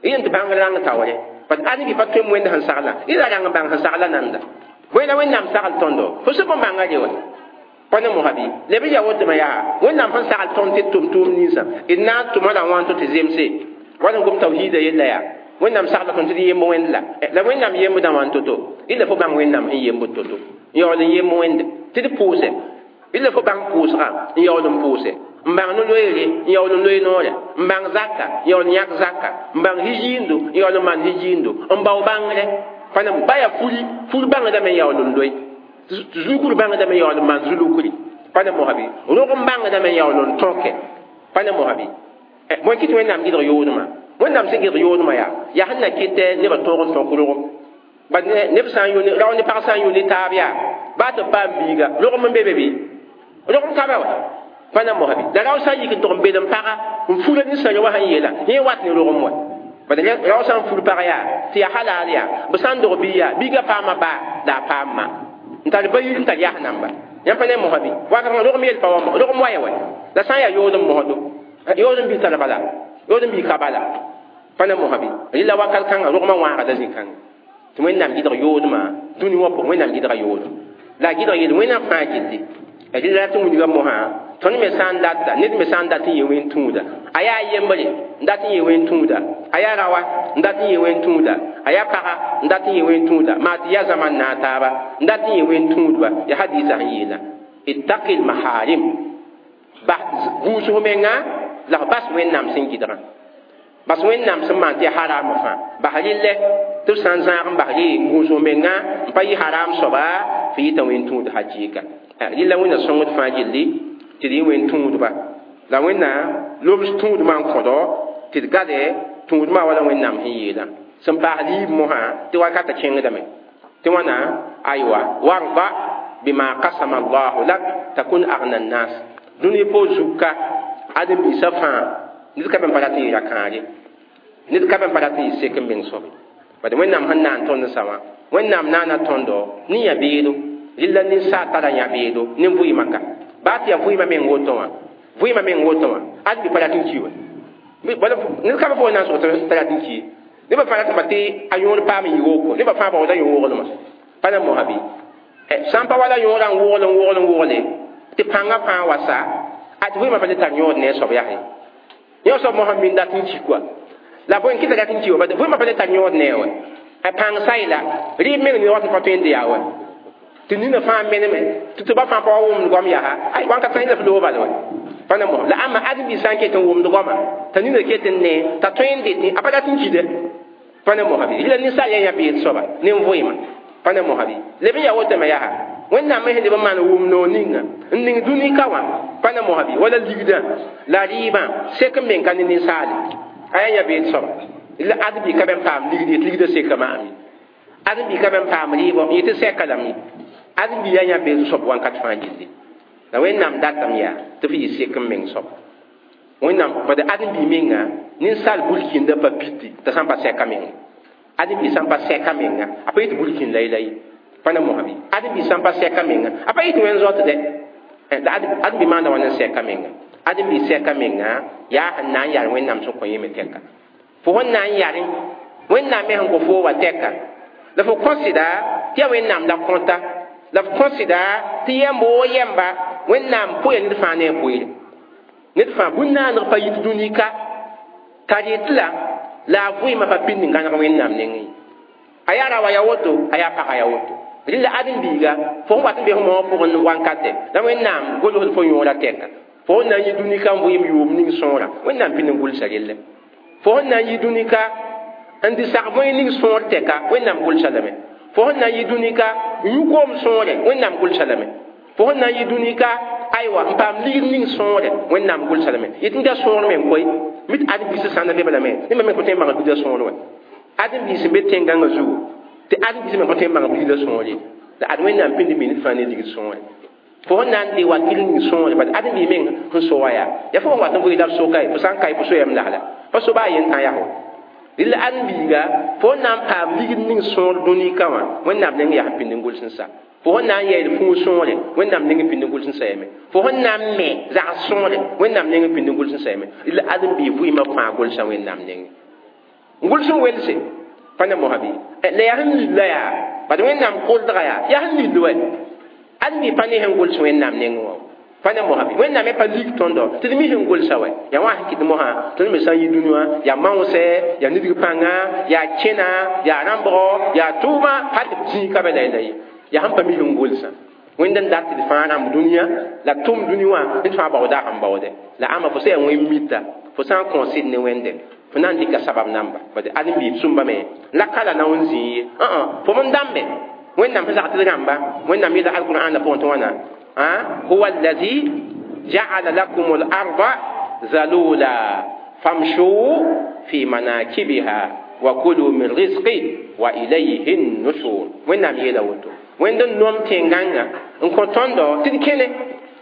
yẽn tɩ bãngr rãng taoore parce que ãdem-bi pa tõe wẽnd sẽn saglã y la rãng n bãng sẽn sagla nanda bõe la wẽnnaam sagl tõndo fo sẽn bãnga re wɛ Pa ne mosã bɩ leb n yaa wotome yaa wẽnnaam sẽn sagl tõnd tɩ d tʋm tʋʋm ninsã d na n tʋma la wãnto tɩ zemse wala n gom tawhiida yella yaa wẽnnaam sagla tõnd tɩ d yemb wẽnd la la wẽnnaam yembdã wãn to-to illa fo bãng wẽnnaam sẽn yembd to-to n yaool n yemb wẽnde tɩ d pʋʋse illa fo bãng pʋʋsgã n yaool n pʋʋse n bãng no-loeere n yaool n loe noore n bãng zaka n yaool n yãk zaka n bãng hijiindo n yaool n maan hijiindo n bao bãngre pa ne ba yaa furi fur bãngdame n yaool n loe zulukr bãngdame n yaool n maan zulukri pa ne mosã bɩ rog n bãngdame n yaool n tõke pa ne mosã bɩ bõe kɩ tɩ wẽnnaam gɩdg yoodmã wẽnnaam sẽn gɩdg yoodmã yaa yaa sẽn na kɩtɛ nebã tõog n tõk rogem ba neb sã n yʋ rao ne pag sã n yʋ ne taab yaa baa tɩ b paam biiga rogem n be be bɩ rogem ka ba wa pa na mosã bɩ la rao sã n yik n tog n bed n paga n fura ninsã wã sẽn yeela yẽ wat ne rogem wa bad rao sã n fur pag yaa tɩ yaa halal yaa b sã n dog bii yaa biiga paama baa la a paam ma n tar ba yir n tar yas namba yãmb pa ne mosã bɩ wakat rogem yel pa wa rogem wa ya wa la sã n yaa yood n mosdo yood n bii tar bala yood n bii ka bala pa ne mosã bɩ rɩla wakat kãnga rogmã wãagda zĩ-kãnga tɩ wẽnnaam gɩdg yoodmã dũni wã pʋgẽ wẽnnaam gɩdga yood la a gɩdg yeel wẽnnaam fãa gilli rɩla tɩ wilga mosã tõnd me sã n data ned me sã n dat n yee wẽn tũuda a yaa yembre n dat n yee wẽn tũuda a yaa rawa n dat n yee wẽn tũuda a yaa paga n dat n yee wẽn tũuda maa tɩ yaa zãman na a taaba n dat n yee wẽn tũudba yaa hadiisã sẽn yeela ittaqi lmaharim bas gũus f menga la f bas wẽnnaam sẽn gɩdgã bas wẽnnaam sẽn maan tɩ yaa haram fãa bas rɩllɛ tɩ f sã n zãag n bas rɩ gũus f menga n pa yɩ haram soaba f yɩta wẽn tũud hakɩɩka rɩla wẽnna sõngd fãa gilli tɩ d yẽ wẽn tũudba la wẽnna loms tũudmã n kõdo tɩ d gade tũudmã wala wẽnnaam sẽn yeelã sẽn paas liib mosã tɩ wakata kẽngdame tɩ wãna aywa warda bima qasama allahu lak takun agna nnas dũni po zuka ãdem-biisã fãa ned ka be n pa rat n yɩ ra-kãare ned ka be n pa rat n yɩ sek n meng soabe bad wẽnnaam sẽn naan tõnd sã wã wẽnnaam naana tõndo ne yã-beedo rɩla ninsaal tara yã-beedo ne vɩɩmã ka baa tɩ yaa vɩɩmã meng woto wã vɩɩmã meng woto wã ad bɩ pa rat n ki wa ned ka be fo na n sʋg t'a rat n ki nebã fãa ratame tɩ a yõor paam n yɩ woko nebã fãa baooda yõ-woglmã pa na mosã bɩ sã n pa wala yõorã n wogl n wogl n wogle tɩ pãngã fãa wa sa a tɩ vɩɩmã pa le tar yõod ne a soab yaa yõ soab mosã min dat n ki kɔa la bõe n kɩta rat n ki wa vɩɩmã pa le tar yõod ne a wa a pãng sayla rɩɩb meng ne wat n pa tõe n de yaa wa tɩ nina fãa meneme tɩ tɩ ba fãa pa wa wʋmd goam yaa ay wãnka sã la f loog bal wa pa na mosã la ãmba ãdem-biis sã n ket n wʋmd goama t'a nina ket n ne t'a tõe n dete a pa rat n kide pa na mosã bɩ rɩla ninsaal yaa yã-beed soaba ne n vɩɩmã pa na mosã bɩ leb n yaa wotame yaa wẽnnaam me sẽn leb n maan wʋm noor ninga n ning dũni ka wã pa na mosã bɩ wala ligdã la rɩɩbã sek n meng ka ne ninsaale a yaa yã-beed soaba la ãdem-bi ka be n paam ligd yetɩ ligdã seka maam ye ãdem-bi ka be n paam rɩɩbɔ n yetɩ sɛka lame ye ãdem-bi yaa yã-beed soab wãnkat fãa gilli la wẽnnaam datame yaa tɩ f yɩ sek n meng soab wẽnnaam bad ãdem-bi menga ninsaal burkĩndã pa piti t'a sã n pa sɛka menga ãdem-bi sã n pa sɛka menga a pa yetɩ burkĩn la la ye pa na mosã bɩ ãdem-bi sã n pa sɛka menga a pa yetɩ wẽn zoatdɛ la ãdem-bi maanda wãn n sɛka menga ãdem-bi sɛka menga yaa sẽn na n yar wẽnnaam sẽn kõ yẽ me tɛka fo sẽn na n yarẽ wẽnnaam me sẽn kõ foo wa tɛka la fo kõsɩda tɩ yaa wẽnnaam la kõta la f kõsɩda tɩ yɛmb woo yɛmba wẽnnaam poya ned fãa ne a poeere ned fãa bũn-naaneg pa yit dũni ka t'a rɩt la la a vɩɩmã pa pĩnd n gãneg wẽnnaam nengẽ a yaa ra wa ya woto a yaa pagã ya woto rɩla ãdem-biiga fo sẽn wat n be f moogã pʋgẽ wankatɛ la wẽnnaam golsd fo yõorã tɛka fo sẽn na n yɩ dũni ka n vɩɩm yʋʋm ning sõora wẽnnaam pĩnd n gʋlsa relle fo sẽn na n yɩ dũni ka n dɩ sag bõe ning sõor tɛka wẽnnaam gʋlsa lame fo sẽn na n yɩ dũni ka n yũ koom sõore wẽnnaam gʋlsa lame fo sẽn na n yɩ dũni ka aywa n paam ligd ning sõore wẽnnaam gʋlsa lame yetɩ n da sõor me n koe mit ãdem-biisã sã n da be lame neb me pa tõe n bãng ligdã sõor wã ãdem-biis n be tẽn-gãngã zugu tɩ ãdem-biis me pa tõe n bãng ligdã sõor ye la ad wẽnnaam pĩnd mi ned fãa ne ligd sõore fo sẽn na n de wakil ning sõore bad ãdem-biis meng sẽn so wa yaa yaa fo sẽn wat n vɩɩ la b soka ye fo sã n ka ye fo soyame lasla pa so baa yen tã yaa rɩla ãdem-biiga fo sẽn na n paam ligd ning sõor dũni ka wã wẽnnaam neng yaa sẽn pĩnd n gʋls n sa fo sẽn na n yɛɛd fũu sõore wẽnnaam neng n pĩnd n gʋls n sa yame fo sẽn na n me zags sõore wẽnnaam neng n pĩnd n gʋls n sa yame rɩla ãdem-biig vɩɩmã fãa gʋlsa wẽnnaam nenge n gʋls n welse pa na mosã bɩ la yaa sẽn lilla yaa bad wẽnnaam koldga yaa yaa sẽn lill wɛ Ãdem-bi pa ne sẽn gʋls Wẽnnaam nengẽ wã. Pa ne mosã bɩ Wẽnnaam me pa lik tõndo tɩ d mi sẽn gʋlsa wɛ. Yaa wã sẽn kɩt mosã tõnd me sã n yi dũni wã yaa maoosɛ, yaa nidg pãnga, yaa kẽna, yaa rãmbgo, yaa tʋʋma, hal tɩ b zĩig ka be la la ye. Yaa sẽn pa mi sẽn gʋlsã. Wẽnd n dat tɩ d fãa rãmb dũniyã la tʋm dũni wã ned fãa baooda sẽn baoode. La ãmba fo sã yaa wẽn mita, fo sã n kõo sɩd ne Wẽnde, fo na n dɩka sabab namba. Bad ãdem-biib sũmbame la ka la na n zĩig ye. Fo m dãmbe Wẽnnaam sẽn zag tɩ d rãmba, Wẽnnaam yeela alqur'aanã pʋgẽ tɩ wãna huwa allazi ja'ala lakum al-arda zalula famshu fi manakibiha wa kulu min rizqi wa ilayhi an-nushur. Wẽnnaam yeela woto. Wẽnd n nom tẽn-gãngã n kõ tõndo tɩ d kẽne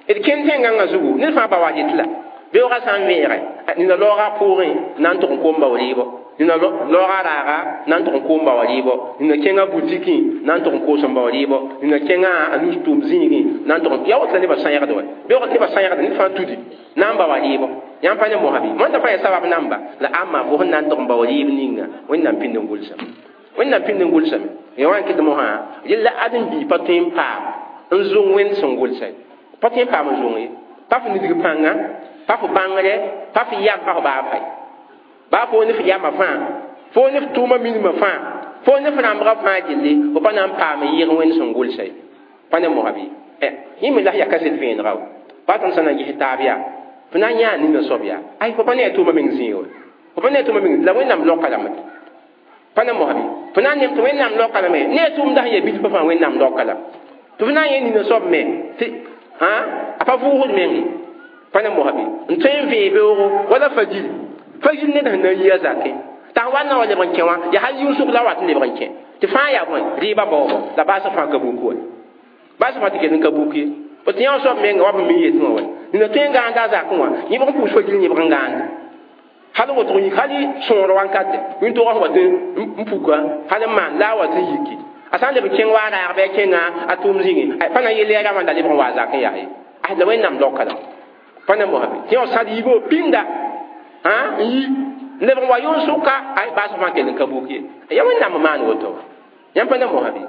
d kẽn tẽn-gãngã zugu ned fãa ba wa yet la beoogã sã n vẽege nina laoogã pʋʋgẽ na n tʋg n koom bao rɩɩbɔ, nina laoogã raaga na n tʋg n koom bao rɩɩbɔ, nina kẽngã butikẽ na n tʋg n koos n bao rɩɩbɔ, nina kẽngã a nus tʋʋm zĩigẽ na n tʋg n yaa woto la nebã sãyegd wɛ. Beoog nebã sãyegd ned fãa tudi na n bao a rɩɩbɔ. Yãmb pa ne mosã bɩ mõnda fãa yaa sabab namba la ãmba fo sẽn na n tʋg n bao rɩɩb ninga Wẽnnaam pĩnd n gʋlsame. Wẽnnaam pĩnd n gʋlsame. Ya wã n kɩt mosã rella ãdem-biig pa tõe n paam n zong Wẽnd sẽn gʋlsa ye. Pa tõe n paam n zong ye. Pa fo nidg pãnga, pa fo bãngre, pa fo yam, pa fo baa fay. Baa fo ne f yamã fãa, fo ne f tʋʋmã minimã fãa, fo ne f rãmbgã fãa gilli, fo pa na n paam n yɩg Wẽnd sẽn gʋlsa ye. Pa ne mosã bɩ yẽ me la yaa kaset vẽenega wa. Pa tõnd sã na n ges taab yaa, fo na n yãa nina soab yaa. Ay, fo pa ne a tʋʋmã meng zĩig wɛ. Fo pa ne a tʋʋmã meng la Wẽnnaam loka lame. Pa ne mosã bɩ fo na n nem tɩ Wẽnnaam loka lame ne a tʋʋmda sẽn yaa bilfã fãa Wẽnnaam loka lame. Tɩ fo na n yẽ nina soab me tɩ a pa vʋʋsd meng ye. Pa ne mosã bɩ n tõe n vẽe beoogo wala fajir. Fajir ned sẽn na n yi a zakẽ t'a sẽn wa n na wa lebg n kẽ wã yaa hal yʋʋsg la wat n lebg n kẽ tɩ fãa yaa bõe rɩɩbã baoobo la baasg fãa ka buk wɛ. Baasg fãa tɩ kell n ka buk ye. Fo tɩ yã soab menga wa b mi yetẽ wã wɛ. Nina tõe n gãanda a zakẽ wã yẽbg n pʋʋs fajir yẽbg n gãande. Hal wotg yik hal sõor wankate wĩntogã sẽn wat n puka hal n maan la a wat n yiki. A sã n leb n kẽng wa a raag bɩ a kẽnga a tʋʋm zĩigẽ pa na n yel yaa rãmbã la lebg n wa a zakẽ yaa ye. La Wẽnnaam loka la. Pa ne mosã bɩ tɩ yã sãd yiibgo pĩnda n yi n lebg n wa yʋn-sʋka ay baasg fãa kell n ka buk ye. Yaa Wẽnnaam n maan woto. Yãmb pa ne mosã bɩ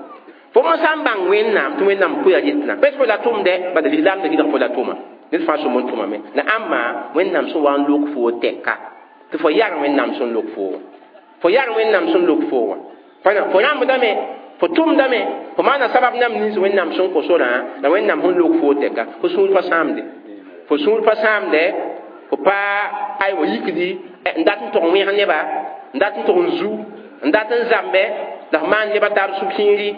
fo m sã n bãng Wẽnnaam tɩ Wẽnnaam pʋya rɩtna bes fo la tʋmdɛ bad lislaam da gɩdg fo la tʋma ned fãa sõm n tʋmame la ãmba Wẽnnaam sẽn wa n lok foo tɛka tɩ fo yar Wẽnnaam sẽn lok foo wã. Fo yar Wẽnnaam sẽn lok foo wã. Fo rãmbdame, fo tʋmdame, fo maana sabab nam nins Wẽnnaam sẽn kõ sorã la Wẽnnaam sẽn lok foo tɛka fo sũur pa sãamde. Fo sũur pa sãamde, fo pa aywa yikdi n dat n tʋg n wẽg neba, n dat n tʋg n zu, n dat n zãmbe la f maan neba taab sũ-kiiri.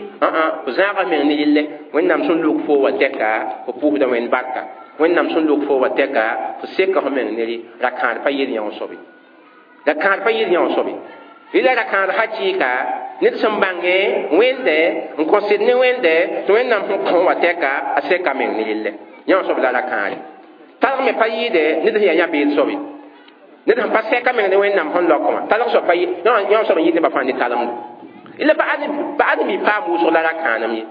Fo zãaga meng ne relle. Wẽnnaam sẽn lok foo wã tɛka fo pʋʋsda Wẽnd barka. Wẽnnaam sẽn lok foo wã tɛka fo seka fo meng ne rɩ ra-kãad pa yel yã soabe. Ra-kãad pa yel yã soabe. Rɩla ra-kãad hakɩɩka ned sẽn bãnge Wẽnde n kõ sɩd ne Wẽnde tɩ Wẽnnaam sẽn kõ wã tɛka a seka meng ne relle. Yã soab la ra-kãare. Talg me pa yɩɩde ned sẽn yaa yã-beed soabe. Ned sẽn pa sɛka meng ne Wẽnnaam sẽn lok wã talg soab pa yã soab n yɩɩd nebã fãa ne talemdo. La pa ãdem-bi paam wʋsg la ra-kãanem ye.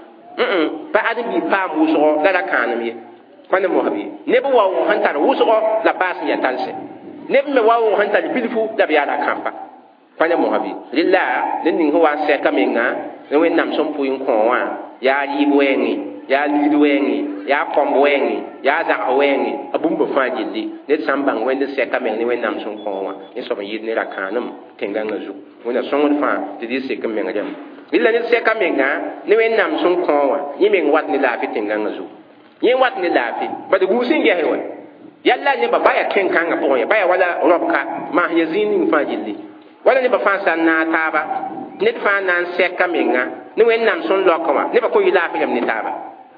Pa ãdem-bi paam wʋsgo la ra-kãanem ye. Pa ne mosã bɩ neb waoog sẽn tar wʋsgo la baas n yaa talsɛ. Neb me waoog sẽn tar bilfu la b yaa ra-kãmpa. Pa ne mosã bɩ rela ned ning sẽn wa n sɛka menga ne Wẽnnaam sẽn pʋɩ n kõ wã yaa rɩɩb wɛɛngẽ, yaa ligd wɛɛngẽ, yaa kõmb wɛɛngẽ, yaa zags wɛɛngẽ, a bũmba fãa gilli ned sã n bãng Wẽnd n sɛka meng ne Wẽnnaam sẽn kõ wã yẽ soab n yɩɩd ne ra-kãanem tẽn-gãngã zugu. Wẽnna sõngd fãa tɩ d sek n meng rẽmb. Rela ned sɛka menga ne Wẽnnaam sẽn kõ wã yẽ meng wat ne laafɩ tẽn-gãngã zugu. Yẽ wat ne laafɩ bad gũus n gɛsẽ wɛ. Yalla nebã ba yaa kẽn-kãngã pʋgẽ ye, ba yaa wala rõbka maas ya zĩig ning fãa gilli. Wala nebã fãa sã n naag taaba ned fãa na n sɛka menga ne Wẽnnaam sẽn lok wã nebã kõn yɩ laafɩ rãmb ne taaba.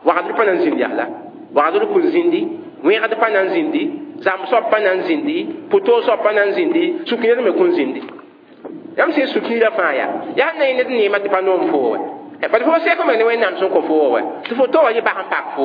Wagdr pa na n zĩnd yasla, wagdr kʋn zĩndi, wẽgd pa na n zĩndi, zãmb soab pa na n zĩndi, pʋ-toog soab pa na n zĩndi, sũ-kĩird me kʋn zĩndi. Yãmb sẽn sũ-kiirã fãa yaa yaa sẽn na yẽ ned neemã tɩ pa noom foo wɛ. Bad fo sɛk meng ne Wẽnnaam sẽn kõ foo wɛ tɩ fo toogã yɩ bas n pak fo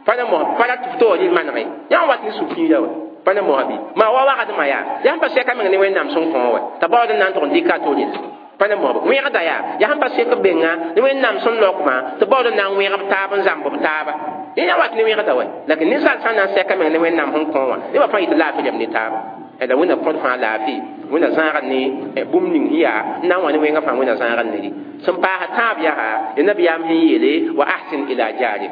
pa na mos pa rat tɩ fo toogã yɩ manege yã n wat ne sũ-kiirã wɛ. Pa na mosã bɩ maa wa wagdmã yaa yaa sẽn pa sɛka meng ne Wẽnnaam sẽn kõ wɛ t'a baood n na n tʋg n dɩka a to rel. Pa ne mosã wẽgda yaa yaa sẽn pa sek benga ne Wẽnnaam sẽn lokmã tɩ baood n na n wẽgb taab n zãmb b taaba. Yẽ yã wat ne wẽgda wɛ. Lakin ninsaal sã n na n sɛka meng ne Wẽnnaam sẽn kõ wã nebã fãa yɩ tɩ laafɩ rãmb ne taaba. La Wẽnna kõt fãa laafɩ, Wẽnna zãagd ne bũmb ning sẽn yaa n na n wa ne wẽngã fãa Wẽnna zãagd ne rɩ. Sẽn paas tãab yaa ya nabiyaam sẽn yeele wa ahsin ila jarik.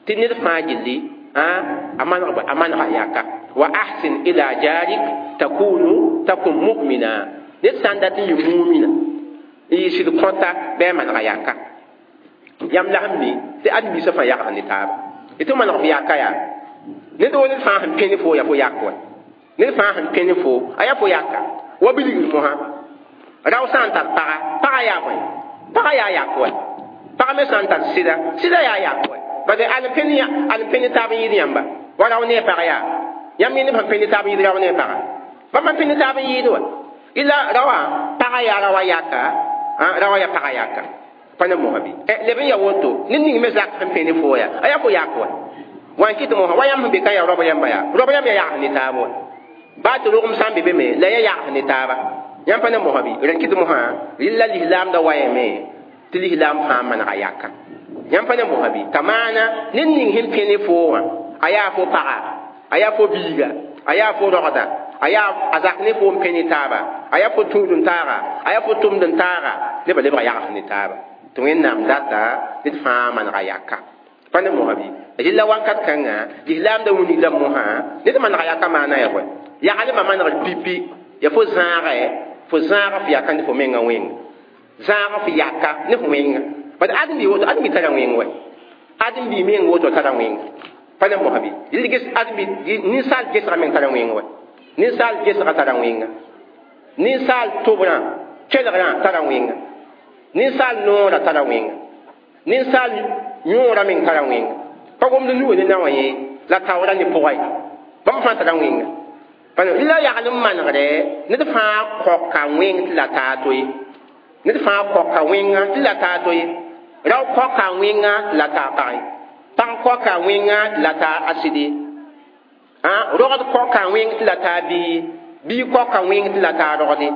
Tɩ ned fãa gilli a maneg a manega yaka wa ahsin ila jarik takunu takun mu'mina ned sã n dat n yɩ mumina n yɩ sɩd kõta bɩ a manega yaka yãmb la sẽn mi tɩ ãdem-biisã fãa yagsd ne taaba tɩ maneg f yaka yaa ned wo ned fãa sẽn pẽne fo yaa fo yak wa ned fãa sẽn pẽne fo a yaa fo yaka wa bilgr mosã rao sã n tar paga paga yaa bõe paga yaa yak wa paga me sã n tar sɩda sɩda yaa yak wa bade al pẽne al pẽne taab n yɩɩd yãmba wa rao ne a pag yaa yãmb yẽ neb sẽn pẽne taab n yɩɩd rao ne a paga bãmb n pẽne taab n yɩɩd wa ila raoã paga yaa raoã yaka raoã yaa paga yaka pa ne mosã bɩ leb n ya woto ned ning me zak sẽn pẽne fo yaa a yaa fo yak wa wa n kɩt mosã wa yãmb sẽn be ka yaa roab yãmba yaa roab yãmb yaa yags ne taab wa baa tɩ rogem sã n be be me la ya yags ne taaba yãmb pa ne mosã bɩ rẽn kɩt mosã rɩlla lislaamda wayame tɩ lislaam fãa manega yaka yãmb pa ne mosã bɩ t'a maana ned ning sẽn pẽne fo wã a yaa fo paga a yaa fo biiga a yaa fo rogda a yaa a zak ne fo n pẽne taaba a yaa fo tũud n taaga a yaa fo tʋmd n taaga nebã lebga yags ne taaba tɩ wẽnnaam data ned fãa manega yaka pa ne mosã bɩ rɩlla wãnkat kãnga lislaamda wilgda mosã ned manega yaka maana ya bõe yaglmã manegr pipi ya fo zãagɛ fo zãag f yaka ne fo menga wẽnga zãag f yaka ne f wẽnga bad ãdem-bi woto ãdem-bi tara wẽng wɛ ãdem-bi meng woto tara wẽnga pa ne mosã bɩ rɩl ges ãdem-bi ninsaal gesga meng tara wẽng wɛ ninsaal gesga tara wẽnga ninsaal tobrã kelgrã tara wẽnga ninsaal noorã tara wẽnga ninsaal yõorã meng tara wẽnga pa gomd nuga ne na wã yẽ la taoora ne pʋga ye bãmb fãa tara wẽnga la yagl n manegdɛ ned fãa kõka wẽng tɩ la taa to ye ned fãa kõka wẽnga tɩ la taa to ye rao kõka wẽnga tɩ la taa pag ye pag kõka wẽnga tɩ la taa a sɩd ye rogd kõka wẽng tɩ la taa bii bii kõka wẽng tɩ la taa rogd ye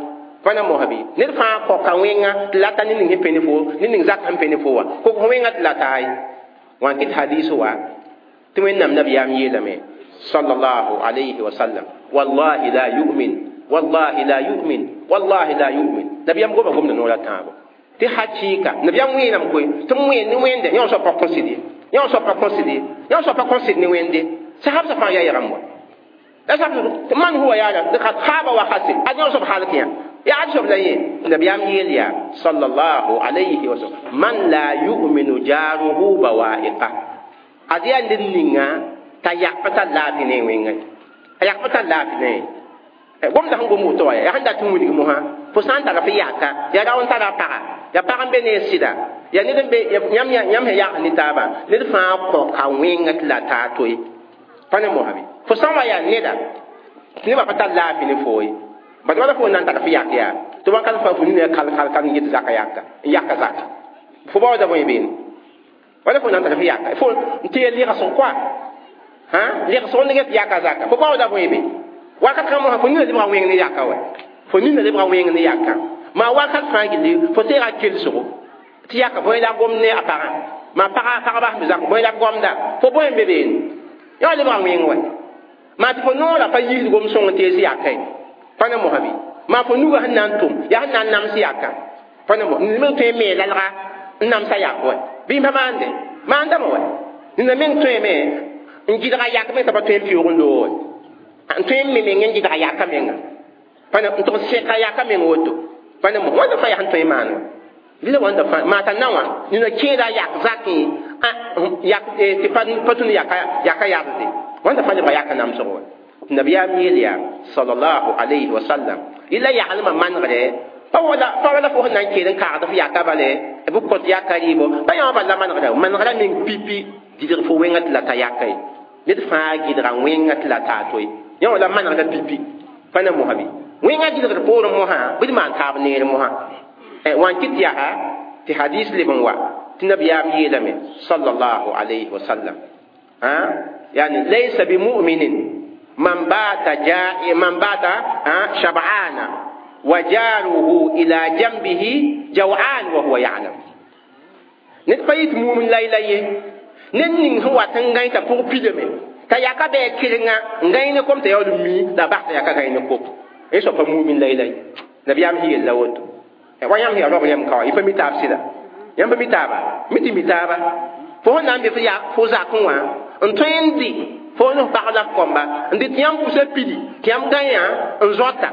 pa na mosã bɩ ned fãa kõka wẽnga tɩ la ta ned ning sẽn pẽne fo ned ning zak sẽn pẽne fo wã kok wẽnga tɩ la taa ye wã n kɩt hadiis wa tɩ wẽnnaam nabiyaam yeelame sallallahu alayhi wa sallam wallahi la yu'min wallahi la yu'min wallahi la yu'min nabiyam goma gomda noora tãabo tɩ hakɩɩka nabiyam wẽenam koe tɩ m wẽnd ne wẽnde yã soab pa kõsd ye yã soab pa kõsd ye yã soab pa kõsd ne wẽnde sahab fãa yaa yagam wa la sahab man huwa yaa kad khaba wa khasir ad yã soab halk yã yaa ad soab la yẽ nabiyam yeel yaa sallallahu alayhi wa sallam man la yu'minu jaruhu bawa'iqa ad yaa ned ninga t'a yak pa tar laafɩ ne wẽnga a yak pa tar laafɩ ne gomda sẽn gom woto wa yaa sẽn dat n wilg mosã fo sã n tara f yaka yaa rao n tara a paga yaa pag n be ne sɩda yaa ned n be yãmb yãmb sẽn yags ne taabã ned fãa kõka wẽnga tɩ la taa to ye pa ne mosã bɩ fo sã n wa yaa neda tɩ nebã pa tar laafɩ ne foo ye bad wala fo n na n tara f yak yaa tɩ wãnkat fãa fo nina kal kal kal n get zaka yaka n yaka zaka fo baooda bõe beene wala fo na n tara f yaka fo n tɩ ya lɩgsg koa ha lɩgsg n get yaka zaka fo baooda bõe be wakat kãng mosã fo nina lebga wẽng ne yaka wa fo nina lebga wẽng ne yaka maa wakat fãa gilli fo teega kelsgo tɩ yaka bõe la gom ne a pagã maa paga pagba sẽn be zak bõe la gomda fo bõe n be beene yã lebga wẽng wa maa tɩ fo noorã pa yiisd gom sõng n tees yaka ye pa ne mosã bɩ maa fo nuga sẽn na n tʋm yaa sẽn na n nams yaka pa ne mos ned meng tõe n mee lalga n namsa yak wa bɩ n pa maande maandame wa nina meng tõeme n gɩdga yak meng t'a pa tõe n pɩʋʋg n loog wa n tõe n me meng n gɩdga yaka menga pa ne n tʋg sɛka yaka meng woto pa ne mos wãnda fãa yaa sẽn tõe n maan wa lila wãnda fãa maa t'a na wã nina kẽeda yak zakẽ yak tɩ pa tũnu yaka yaka yadsde wãnda fãa lebga yaka namsg wa nabiyaam yeel yaa sallallahu alayhi wa sallam ila yaglmã manegdɛ pa wala pa wala fo sẽn na n keel n kaagd f yaka bale b kõt yaka rɩɩbo pa yã wã bal la manegra manegra meng pipi gɩdg fo wẽnga tɩ la ta yaka ye ned fãa gɩdga wẽnga tɩ la taa to ye yã wã la manegra pipi pa ne mosã bɩ wẽnga gɩdgd poorẽ mosã bɩ d maan taab neer mosã wã n kɩt yaa tɩ hadis leb n wa tɩ nabiyaam yeelame sallallahu alayhi wa sallam yani laysa bimuminin man bata ja'i man bata shab'ana wa jaruhu ila jambihi jaw'an wa huwa ya'lam ned pa yit mumin layla ye ned ning sẽn wat n gãe t'a pʋg pidame t'a yaka bɩ a kɩrenga n gãe ne kom t'a yaool n mi la bas t'a yaka gãe ne kop n soab pa mumin layla ye nabiyaam sẽn yella woto wa yãmb sẽn yaa roab yãmb ka wa y pa mi taab sɩda yãmb pa mi taaba mi tɩ mi taaba Fo sẽn na n be fo ya fo zakẽ wã n tõe n dɩ fo ne f pag la f kõmba n dɩ tɩ yãmb pusa pidi tɩ yãmb gãyã n zoata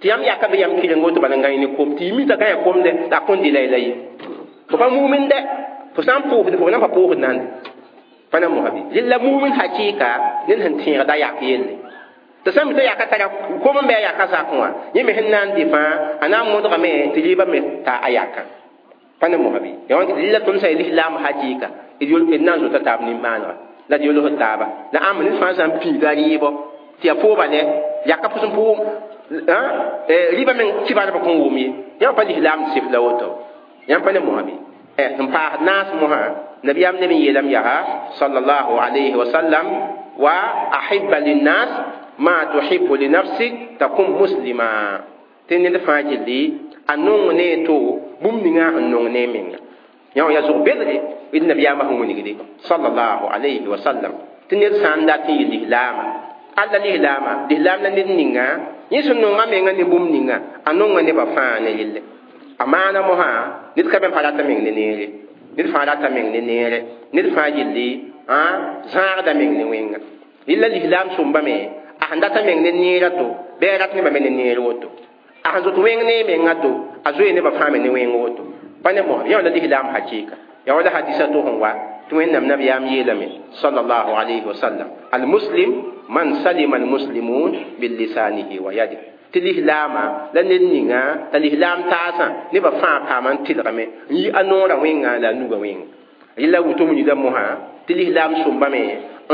tɩ yãmb yaka be yãmb kɩreng woto bala n gãy ne kom tɩ y mi t'a gãya komdɛ la a kõn dɩ la la ye fo pa mumin dɛ fo sã n pʋʋsd fo na n pa pʋʋsd nande pa na mosã bɩ rel la mumin hakɩɩka ned sẽn tẽegda yak yelle tɩ sã n mi t'a yaka tara kom n bɩ a yaka zakẽ wã yẽ me sẽn na n dɩ fãa a na n modgame tɩ rɩɩbã me ta a yakã pa na mosã bɩ ya wãn rel la tõnd sã n lislaam hakɩɩka d d na n zota taab nin-maanega la d yolsd taaba la ãmb ned fãa sã n piiga rɩɩbɔ tɩ yaa pooba lɛ yaka pʋs n pʋʋm rɩɩbã meng kibarbã kõn wʋm ye yãmb pa lislaam sɩf la woto yãmb pa ne mosã bɩ sẽn paasd naas mosã nabiyaam neb n yeelame yaa sallallahu alayhi wa sallam wa ahibba linnas ma tuhibbu li nafsik takun muslima tɩ ned fãa gilli a nong ne to bũmb ninga sẽn nong ne menga yã ya zʋg bedre d nabiyaamã sẽn wilgde sallallahu alayhi wa sallam tɩ ned sã n dat n yɩ lislaama alla lislaama lislaam la ned ninga yẽ sẽn nonga menga ne bũmb ninga a nonga nebã fãa ne yelle a maana mosã ned ka be n pa rata meng ne neere ned fãa rata meng ne neere ned fãa gilli zãagda meng ne wẽnga rɩla lislaam sõmbame a sẽn data meng ne neera to bɩ a rat nebã me ne neer woto a sẽn zot wẽng ne menga to a zoe nebã fãa me ne wẽng woto pa ne mosã yã la lislaam hakɩɩka ya wala hadisa to sẽn wa tɩ wẽnnaam nabiyaam yeelame sallallahu alayhi wa sallam almuslim man salima almuslimun billisanihi wa yadihi tɩ lislaama la ned ninga t'a lislaam taasã nebã fãa paama n tɩlgame n yi a noorã wẽnga la a nugã wẽnga rɩla woto wilgda mosã tɩ lislaam sõmbame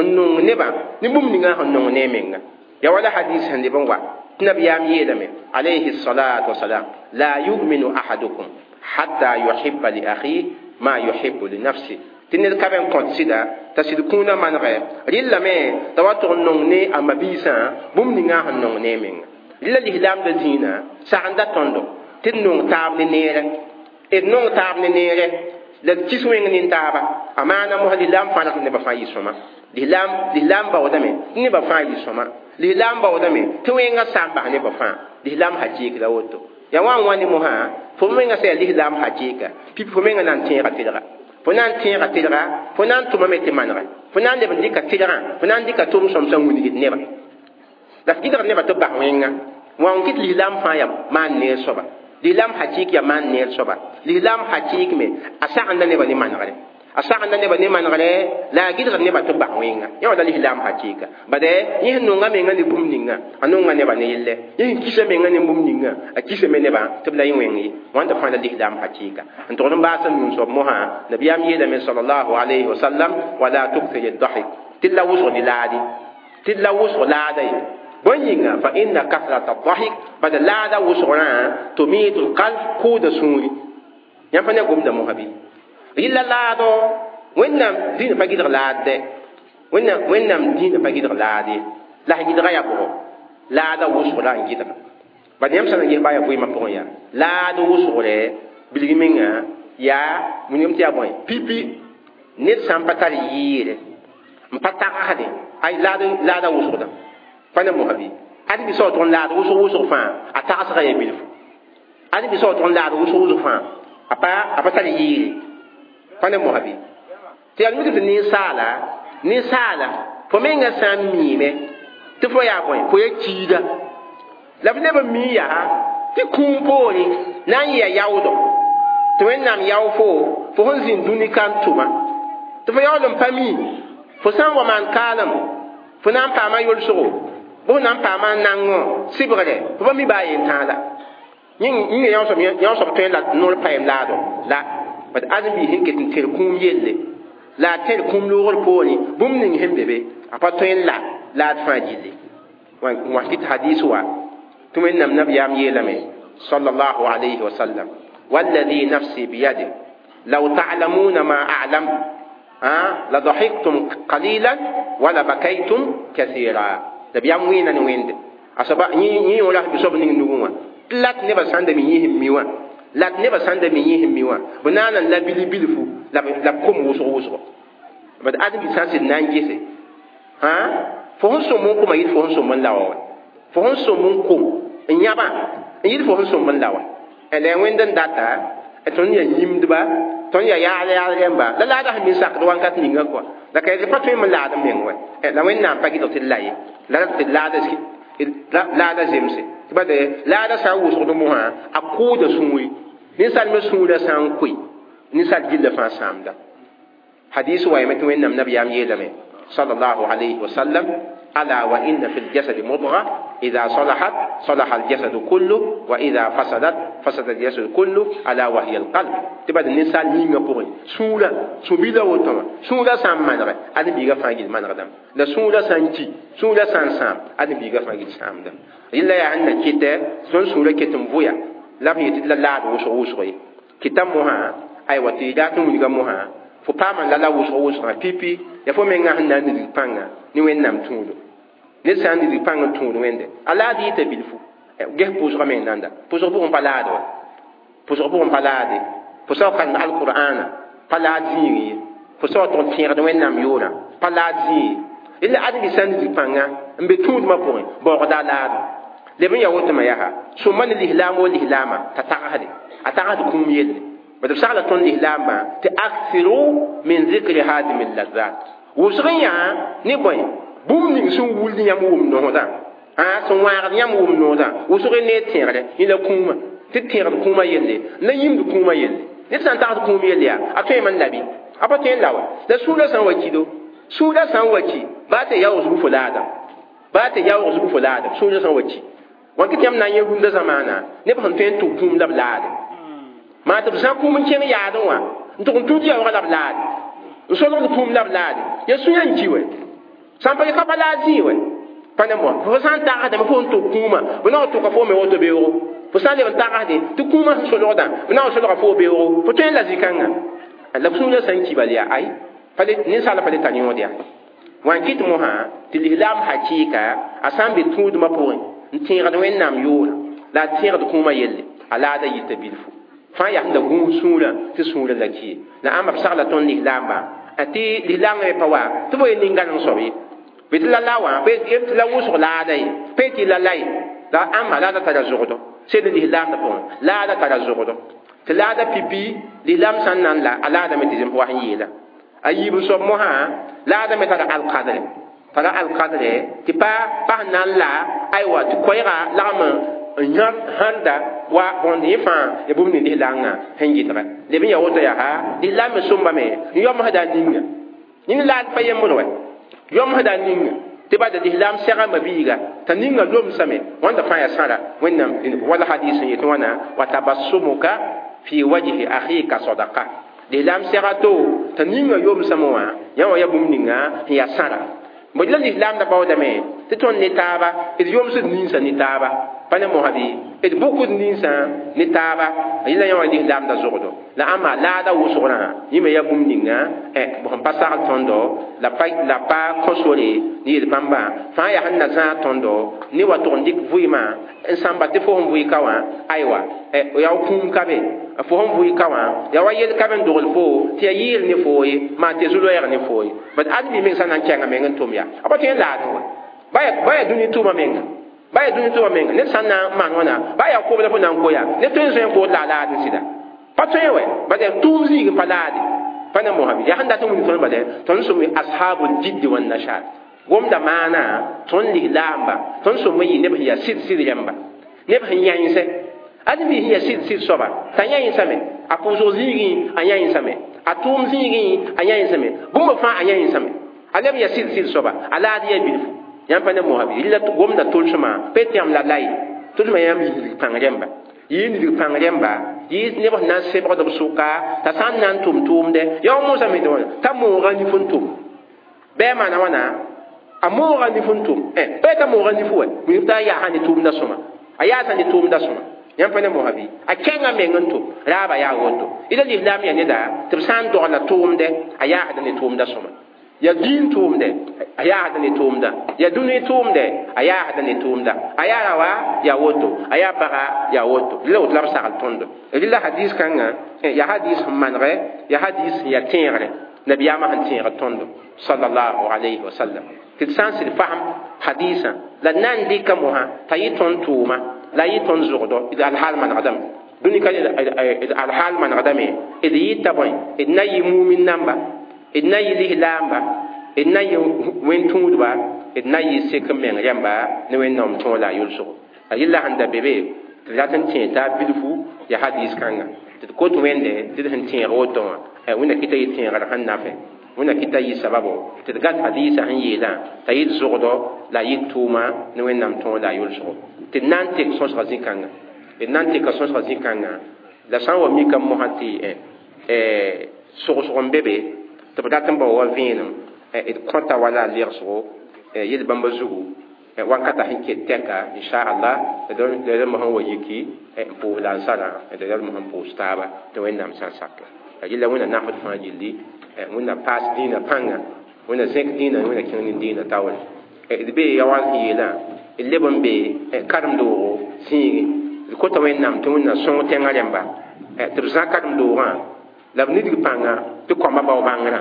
n nong nebã ne bũmb ninga sẽn nong ne a menga ya wala hadis sẽn leb n wa tɩ nabiyaam yeelame alayhi salatu wasalam la yuminu ahadukum hatta yuhibba li akhihi ma yuhibbu li nafsi tɩ ned ka be n kõt sɩda t'a sɩd kũunã manegɛ rɩllame t'a wa tʋg n nong ne a mabiisã bũmb ninga sẽn nong ne a menga rɩla lislaamdã zĩinã sagenda tõndo tɩ d nong taab ne neerɛ d nong taab ne neerɛ la d kis wẽng nin-taaba a maana mosã lislaam fãa rat nebã fãa yɩ sõma lislaam lislaam baoodame tɩ nebã fãa yɩ sõma lislaam baoodame tɩ wẽngã sa n bas nebã fãa lislaam hakɩɩk la woto ya wã n wa ne mosã fo menga sã yaa lislaam hakɩɩka pipi fo menga na n tẽega tɩlga fo na n tẽega tɩlga fo na n tʋmame tɩ manegɛ fo na n leb n dɩka tɩlgã fo na n dɩka tʋʋm sõmsã wilgd nebã la f gɩdg nebã tɩ b bas wẽnga wã n kɩt lislaam fãa yaa maan neer soaba lislaam hakɩɩk yaa maan neer soaba lislaam hakɩɩk me a sagenda nebã ne manegre a sagenda nebã ne manegre la a gɩdgd nebã tɩ b bas wẽnga yã wã la lislaam hakɩɩka bade yẽ sẽn nonga menga ne bũmb ninga a nonga nebã ne yelle yẽ sẽn kisa menga ne bũmb ninga a kisame nebã tɩ b la yẽ wẽng ye wãnda fãa la lislaam hakɩɩka n togd n baasa nuu soab mosã nabiyaam yeelame sallallahu alayhi wa sallam wala tukthir ad-dahik tɩ la wʋsg ne laade tɩ la wʋsg laada ye bõe yĩnga fa inna kasrata ad-dahik bad laada wʋsgrã tumitu al-qalb kʋʋda sũuri yãmb pa ne gomda mosã bɩ rɩla laado wẽnnaam dĩinã pa gɩdg laad dɛ wẽnnaam wẽnnaam dĩinã pa gɩdg laad ye la sẽn gɩdga yaa bʋgɔ laada wʋsg la n gɩdga bad yãmb sã n ges baa yaa vɩɩmã pʋgẽ yaa laad wʋsgrɛ bilg menga yaa wilgame tɩ yaa bõe pipi ned sã n pa tar yɩɩre n pa tagsde ay laad laada wʋsgdã pa ne mosã bɩ ad bɩ sao tʋg n laad wʋsg wʋsg fãa a tagsga yaa bilfu ad bɩ sao tʋg n laad wʋsg wʋsg fãa a pa a pa tar yɩɩre pa ne mosã bɩ tɩ yaa mik tɩ ninsaala ninsaala fo menga sã n miime tɩ fo yaa bõe fo ya kiida la f leb n mii yaa tɩ kũum poore na n yɩa yaoodɔ tɩ wẽnnaam yao fo fo sẽn zĩnd dũni ka n tʋma tɩ fo yaool n pa mi fo sã n wa maan kaalem fo na n paama yolsgo bɩ fo na n paama nangõ sɩbgre fo pa mi baa yen-tãa la yĩnga yão soab tõe la noor paɛm laadɔ la bad ãdem-biis sẽn ket n tẽr kũum yelle la a tẽr kũum loogr poorẽ bũmb ning sẽn be be a pa tõe n la laad fãa gilli wã kɩt hadis wa tɩ wẽnnaam nabiyaam yeelame sallallahu alayhi wa sallam والذي نفسي بيده لو تعلمون ما أعلم لضحكتم قليلا ولبكيتم كثيرا نبيام وين وين asaba yĩ wã la bisob ning nugẽ wã lat nebã sãn da mi yĩsẽ mi wã lat nebã sãn da mi yĩsẽ mi wã b naan n la bili bilfu la b kom wʋsg wʋsgo bad ãdem-bi sã n sɩd na n gese fo sẽn sõm n koma yɩl fo sẽn sõm n laoa wa fo sẽn sõm n kom n yãbã n yɩl fo sẽn sõm n laoa la wẽnd n data tõnd yaa yĩmdba Tõnd yaa yaal yaal rẽmba la laada sẽn min sakd wãnkat ninga kɔa la ka pa tõe n laad n meng wɛ la Wẽnnaam pa gɩdg tɩ d la ye la tɩ laada laada zemse tɩ bade laada sã n wʋsgd mosã a kʋʋda sũuri ninsaal me sũurã sã n koe ninsaal gilla fãa sãamda hadis wayame tɩ Wẽnnaam nabiyaam yeelame sallallahu alayhi wa sallam ala wa inna fi ljasadi mudga ida salahat salaha aljasadu kullu wa ida fasadat fasada aljasadu kullu ala wa hiya alqalb tɩ bad ninsaal yĩngã pʋgẽ sũurã sũ-bilã woto wã sũurã sã n manegɛ ad biiga fãa gil manegdame la sũurã sã n ki sũurã sã n sãam ad biiga fãa gil sãamdame rɩla yaa sẽn na kɩtɛ tõnd sũurã ket n vʋya la b yetɩ la laad wʋsg wʋsg ye kɩta mosã aywa tɩ dat n wilga mosã fo paama la la wʋsg wʋsgã pipi ya fo mengã sẽn na n nidg pãnga ne Wẽnnaam tũudo ned sã n nidg pãng n tũud Wẽnde a laad yɩta bilfu ges pʋʋsgã meng nanda pʋʋsg pʋgẽ pa laad wa pʋʋsg pʋgẽ pa laade fo sã karem alqur'ana pa laad zĩig ye fo sã wa tʋg n tẽegd Wẽnnaam yoorã pa laad zĩig ye la ãdem sã n nidg pãnga n be tũudmã pʋgẽ baoogda a laado leb n yaa woto me yaa sõma ne lislaam wo lislaamã t'a tagsde a tagsd kũum yelle b b sagla tõnd lislaambã tɩ aksiru min zikri hadimi lazat wʋsg n yaa ne bõe bũmb ning sẽn wuld yãmb wʋm noosdã sẽn wãagd yãmb wʋm noosdã wʋsg ne tẽegre yẽ la kũumã tɩ tẽegd kũumã yelle la yĩmd kũumã yelle ned sã n tagsd kũum yelle yaa a tõeme n labi a pa tõe n la wa la sũurã sã n wa kido sũurã sã n wa ki baa tɩ yaoog zug fo laadam baa tɩ yaoog zug fo laadam sũurã sã n wa ki wãn tɩ yãmb na n yẽ rũndã zamaana neb sẽn tõe n tʋg kũum la b laade maa tɩ b sã kũum n kẽng yaadẽ wã n tʋg n tũud yaoogã la b laade n solgd kũum la b laade ya sũyã n ki wɛ sã n pa ka pa laad zĩig wɛ pa ne moa fo sã n tagsdame fo n tʋg kũumã b na n tʋka fo me woto beoogo fo sã n leb n tagsde tɩ kũumã sẽn solgdã b na n solga fo beoogo fo tõe n la zĩ-kãngã la sũurã sã n ki bal yaa ay ninsaala pa le tar yõod yaa wã n kɩt mosã tɩ lislaam hakɩɩka a sã n be tũudmã pʋgẽ n tẽegd Wẽnnaam yoorã la a tẽegd kũumã yelle a laada yita bilfu fãa yaa sẽn da gũus sũurã tɩ sũurã la ki ye la ãmba b sagla tõnd lislaambã tɩ lislaam me pa wa tɩ bo ye nin-gãneng soab ye bɩ tɩ la la wã tɩ la wʋsg laada ye pa tɩ la la ye la ãmba laada tara zogdo sed lislaamdã pʋgẽ laada tara zogdo tɩ laada pipi lislaam sã n na n la a laadame tɩ zẽmb wa sẽn yeela a yiib soab mosã laada me tara alkadre tara alkadre tɩ pa pa sẽn na n la aywa tɩ koɛɛga lagm n hãrda wa bõnd yẽ fãa ya bũmb ning lislaangã sẽn gɩdga leb n yaa woto yaa lislaam me sõmbame n yomsda a ninga yẽnd laad pa yembr wɛ yomsda a ninga tɩ bada lislaam sɛga mabiiga t'a ninga lomsame wãnda fãa yaa sãra Wẽnnaam wala hadis n yetɩ wãna wa tabassumuka fi wajhi akhika sadaqa lislaam sɛga to t'a ninga yomsame wã yã wã yaa bũmb ninga sẽn yaa sãra bõe la lislaam da baoodame tɩ tõnd ne taaba d yomsd ninsã ne taaba pa ne mosã bɩ d bʋkd ninsã ne taaba yẽla yã wã lislaam da zogdo la ãmba laada wʋsgrã yẽ me yaa bũmb ninga sẽn pa sagl tõndo la pa la pa kõ sore ne yel-bãmbã fãa yaa sẽn na zãag tõndo ne wa tʋg n dɩk vɩɩmã n sãmba tɩ fo sẽn vʋɩ ka wã aywa yaa kũum ka be fo sẽn vʋɩ ka wã yaa wa yel ka be n dogl fo tɩ yaa yɩɩl ne foo ye maa tɩ zu-loɛɛg ne foo ye bad ãdem meng sã na n kɛnga meng n tʋm yaa a pa tõe n laadẽ wa ba yaa dũni tʋʋmã menga ba yaa dũni tʋʋmã menga ned sã n na n maan wãna ba yaa kob la fo na n koya ned tõe n zoe n kood la a laad n sɩda pa tõe wɛ bad yaa tʋʋm zĩig n pa laade pa ne mosã bɩ yaa sẽn dat n wilg tõnd bale tõnd sõm ashabul jiddi wan nashat gomda maana tõnd lislaamba tõnd sõm n yɩ neb sẽn yaa sɩd sɩd rẽmba neb sẽn yãensɛ ãdem sẽn yaa sɩd sɩd soaba t'a yãensame a pʋʋsg zĩigẽ a yãensame a tʋʋm zĩigẽ a yãensame bũmb fãa a yãensame a leb yaa sɩd sɩd soaba a laad yaa bilfu yãmb pa ne mosã bɩ rɩla gomda tʋlsmã pa tɩ yãmb la la ye tʋlsmã yãmb yĩsg pãng rẽmba yɩ nidg pãng rẽmba yɩ neb sẽn na n sebgd b sʋka t'a sã n na n tʋm tʋʋmdɛ yaa wa mosame tɩ wãna t'a mooga nif n tʋm bɩ a maana wãna a mooga nif n tʋm pa t'a mooga nif wɛ wilg t'a yaasa ne tʋʋmda sõma a yaasa ne tʋʋmda sõma yãmb pa ne mosã bɩ a kẽngã meng n tʋm raaba yaa woto ila lislaam yaa neda tɩ b sã n dogla tʋʋmdɛ a yaasda ne tʋʋmda sõma ya diin tʋʋmdɛ a yaasda ne tʋʋmda ya dũni tʋʋmdɛ a yaasda ne tʋʋmda a yaa rawa yaa woto a yaa paga yaa woto la woto la b sagl tõndo rɩla hadis kãngã yaa hadis sẽn manegɛ yaa hadis sẽn yaa tẽegre nabiyaamã sẽn tẽegd tõndo sallallahu alayhi wa sallam tɩ d sã n sɩd fasem hadisã la d na n dɩka mosã t'a yɩ tõnd tʋʋma la yɩ tõnd zogdo alhaal manegdame dũni ka d alhaal manegdame d yɩta bõe d na yɩ mumin namba d na yɩ lislaamba d na yɩ wẽn-tũudba d na yɩ sek n meng rẽmba ne wẽnnaam tõog la a yʋlsgo a yella sẽn da be be tɩ d rat n tẽeg taab bilfu yaa hadiis kãnga tɩ d kot wẽnde tɩ d sẽn tẽeg woto wã wẽnna kɩta yɩ tẽegr sẽn nafɛ wẽnna kɩta yɩ sababo tɩ d gat hadiisã sẽn yeelã t'a yɩ d zogdo la a yɩ d tʋʋma ne wẽnnaam tõog la a yʋlsgo tɩ d na n tek sõsga zĩ-kãnga d na n teka sõsga zĩ-kãnga la sã n wa mikame mosã tɩ sogsg n be be tɩ b dat n bao wa vẽenem d kõta wala a legsgo yel bãmba zugu wankata sẽn ket tɛka inchallah d rãmb sẽn wa yiki n pʋʋs la n sara d rãmb sẽn pʋʋs taaba tɩ wẽnnaam sã n sake la yella wẽnna nafd fãa gilli wẽnna paas dĩinã pãnga wẽnna zẽk dĩinã wẽnna kẽng ne dĩinã taoore d bee ya wal sẽn yeelã d leb n be karem-doogo zĩigi d kota wẽnnaam tɩ wẽnna sõng tẽngã rẽmba tɩ b zã karem-doogã la b nidg pãnga tɩ kõmba bao bãngrã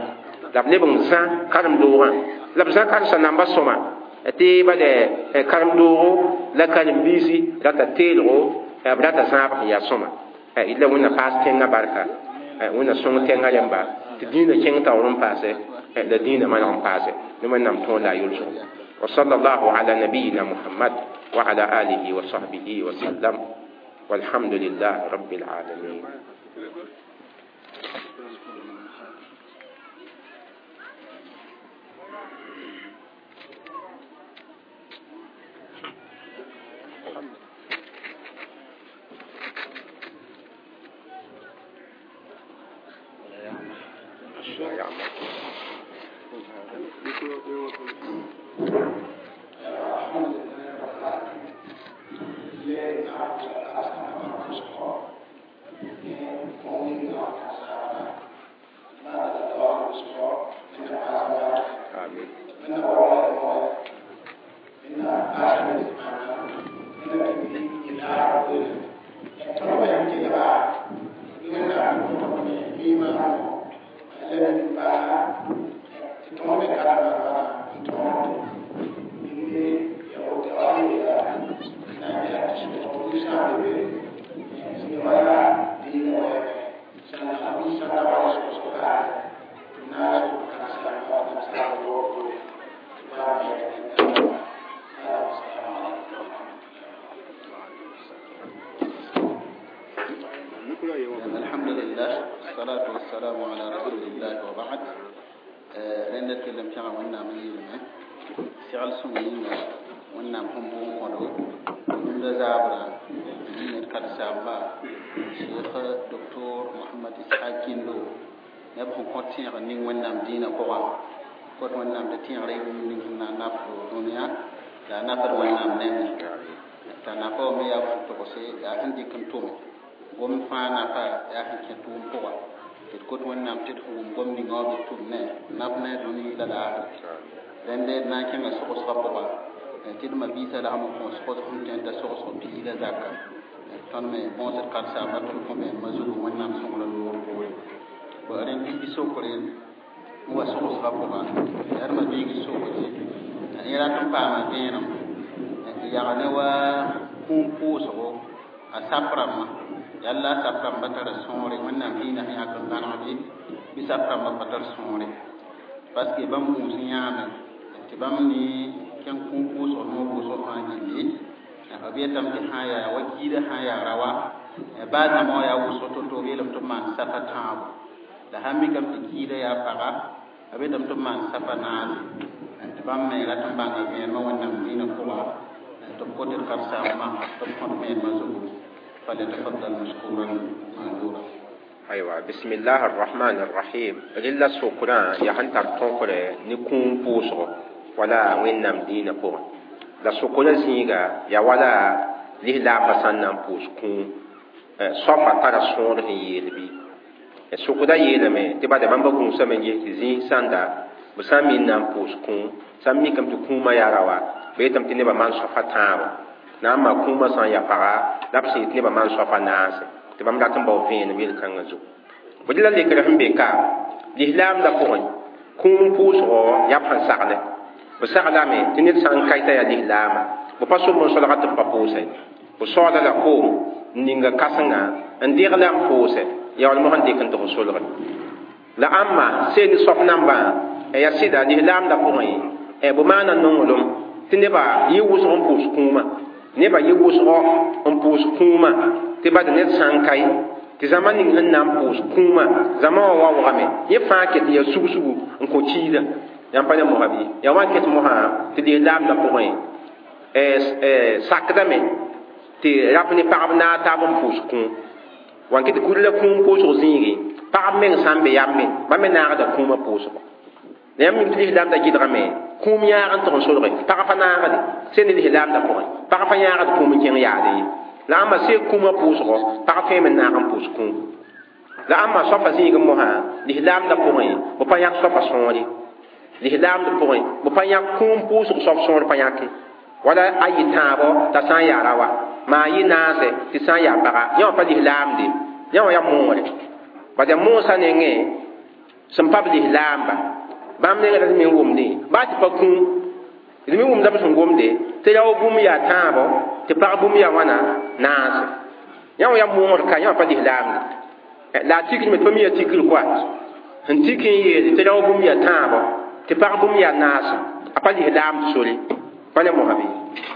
la b leb n zã karem-doogã la b zã karsa namba sõma tɩ bale karem-doogo la karen-biisi rata teelgo b rata zãab sẽn yaa sõma la wẽnna paas tẽngã barka wẽnna sõng tẽngã rẽmba tɩ dĩinã kẽng taoor n paase la dĩinã maneg n paase ne wẽnnaam tõog la a yʋlsgo وصلى الله على نبينا محمد وعلى آله وصحبه وسلم والحمد لله رب العالمين. Parce que bãmb gũus yãame tɩ bãmb ne kẽng kũum pʋʋsg noor wʋsg fãa gilli b yetame tɩ sã n yaa wa kiidã sã n yaa rawa baa zãma wã yaa wʋsg to-to b yeelame tɩ b maan safa tãabo la sãn mikame tɩ kiidã yaa paga b yetame tɩ b maan safa naase tɩ bãmb me rat n bãnga vẽenemã wẽnnaam dĩinã pʋga tɩ b kot d karen-saambã tɩ b kõt vẽenemã zugu falyatafaddal mashkuran majura. أيوة بسم الله الرحمن الرحيم رلا سكرا يهن ترتون نكون بوسو ولا وين نام دين بور لا سكرا زيغا يا ولا ليه لا بسان نام بوس كون صفا ترى سون يلبي سكرا يلمي تبا ده بامبا كون سمنجي زين ساندا بسامي نام بوس كون سامي كم تكون ما يراوا بيتم تنبا مان صفا تاو نام ما كون ما سان يا فغا لابسي تنبا مان صفا ناس tɩ bãmb rat n bao vẽenem yel-kãngã zugu fo la lekr sẽn be ka lislaam la pʋgẽ kũum pʋʋsgɔ yaa b sẽn sagle b saglame tɩ ned sã n ka t'a yaa lislaama b pa somb n solga tɩ b pa pʋʋsɛ b soaala la koom N ninga kãsenga n degla n pʋʋse ya wall mosã n dɩk n tɩ f solge la ãmba seen soap nambã ya sɩda lislaamdã pʋgẽ b maana nonglem tɩ nebã yɩ wʋsg n pʋʋs kũumã nebã yɩ wʋsgo n pʋʋs kũumã tɩ bad ned sã n ka ye tɩ zãma ning sẽn na n pʋʋs kũumã zãma wã waoogame yẽ fãa ket n yaa sugsugu n kõ kiida yãmb pa ne mosã bɩ yaa wã ket mosã tɩ lislaamdã pʋgẽ sakdame tɩ rap ne pagb naag taab n pʋʋs kũum wan kɩ tɩ kul la kũum pʋʋsg zĩigi pagb meng sã n be yambe bãmb me naagda kũumã pʋʋsgo la yãmb mim tɩ lislaamda gɩdgame kũum yãag n tʋg n solge pag pa naagde sẽn ne lislaamda pʋgẽ pag pa yãagd kũum n kẽng yaade ye la ãmba see kũumã pʋʋsgo pag tõeme n naag n pʋʋs kũum la ãmba soapa zĩig mosã lislaamda pʋgẽ b pa yãk soapa sõore lislaamd pʋgẽ b pa yãk kũum pʋʋsg soab sõor pa yãke wala a yɩ tãabo t'a sã n yaa rawa maa yɩ naase tɩ sã n yaa paga yã wã pa lislaamde yã wã yaa moore bad yaa moosã nengẽ sẽn pa b lislaamba bãmb nengã la d me n wʋmdẽ baa tɩ pa kũum d me wʋmda b sẽn gomde tɩ rao bũmb yaa tãabo tɩ pag bũmb yaa wãna naase yã wã yaa moogr ka yã wã pa lislaamde la a tikr me tɩ pa mi yaa tikr koa sẽn tik n yeele tɩ rao bũmb yaa tãabo tɩ pag bũmb yaa naase a pa lislaamd sore pa ne mosã bɩ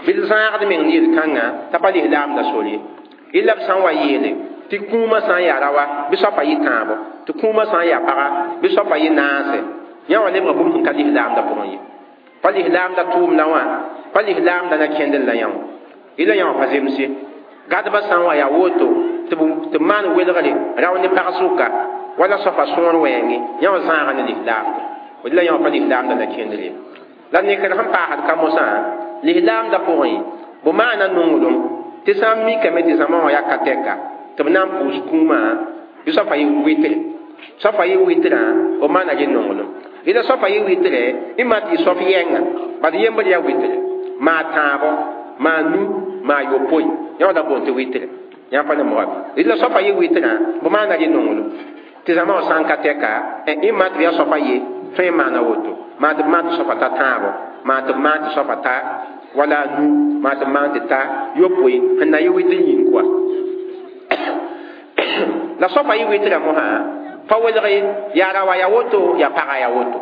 bɩ d zãagd meng ne yel-kãngã t'a pa lislaamda sore illa b sã n wa yeele tɩ kũumã sã n yaa rawa bɩ soapa yɩ tãabo tɩ kũumã sã n yaa paga bɩ soapa yɩ naase yã wã lebga bũmb sẽn ka lislaamda pʋgẽ ye pa lislaamda tʋʋmdã wã pa lislaamda na kẽndr la yã wã illa yã wã pa zemse gadbã sã n wa yaa woto tɩ b maan welgre rao ne pag sʋka wala soapa sõor wɛɛngẽ yã wã zãaga ne lislaamda la yã wã pa lislaamda na kẽndr ye la nekr sẽn paasd ka mosã lislaamda pʋgẽ b maana nonglem tɩ sã n mikame tɩ zãma wã yaa ka tɛka tɩ b na n pʋʋs kũumã bɩ soapa yɩ wɩtre soapa yɩ wɩtrã b maana yɩ nonglem ila soapa yɩ wɩtre y ma tɩ yɩ soap yɛnga bad yembr yaa wɩtre maa tãabo maa nu maa yopoe yã wã la boond tɩ wɩtre yã pa ne moga ila soapa yɩ wɩtrã b maana yɩ nonglem tɩ zãma wã sã n ka tɛka y ma tɩ b yaa soapa ye tõe n maana woto maa tɩ b maan tɩ soapa ta tãabo maa tɩ b maan tɩ soapa ta wala nu maa tɩ b maan tɩ ta yopoe sẽn na yɩ wɩtr yĩng koa la soapa yɩ wɩtrã mosã pa welg yaa rawa yaa woto yaa paga yaa woto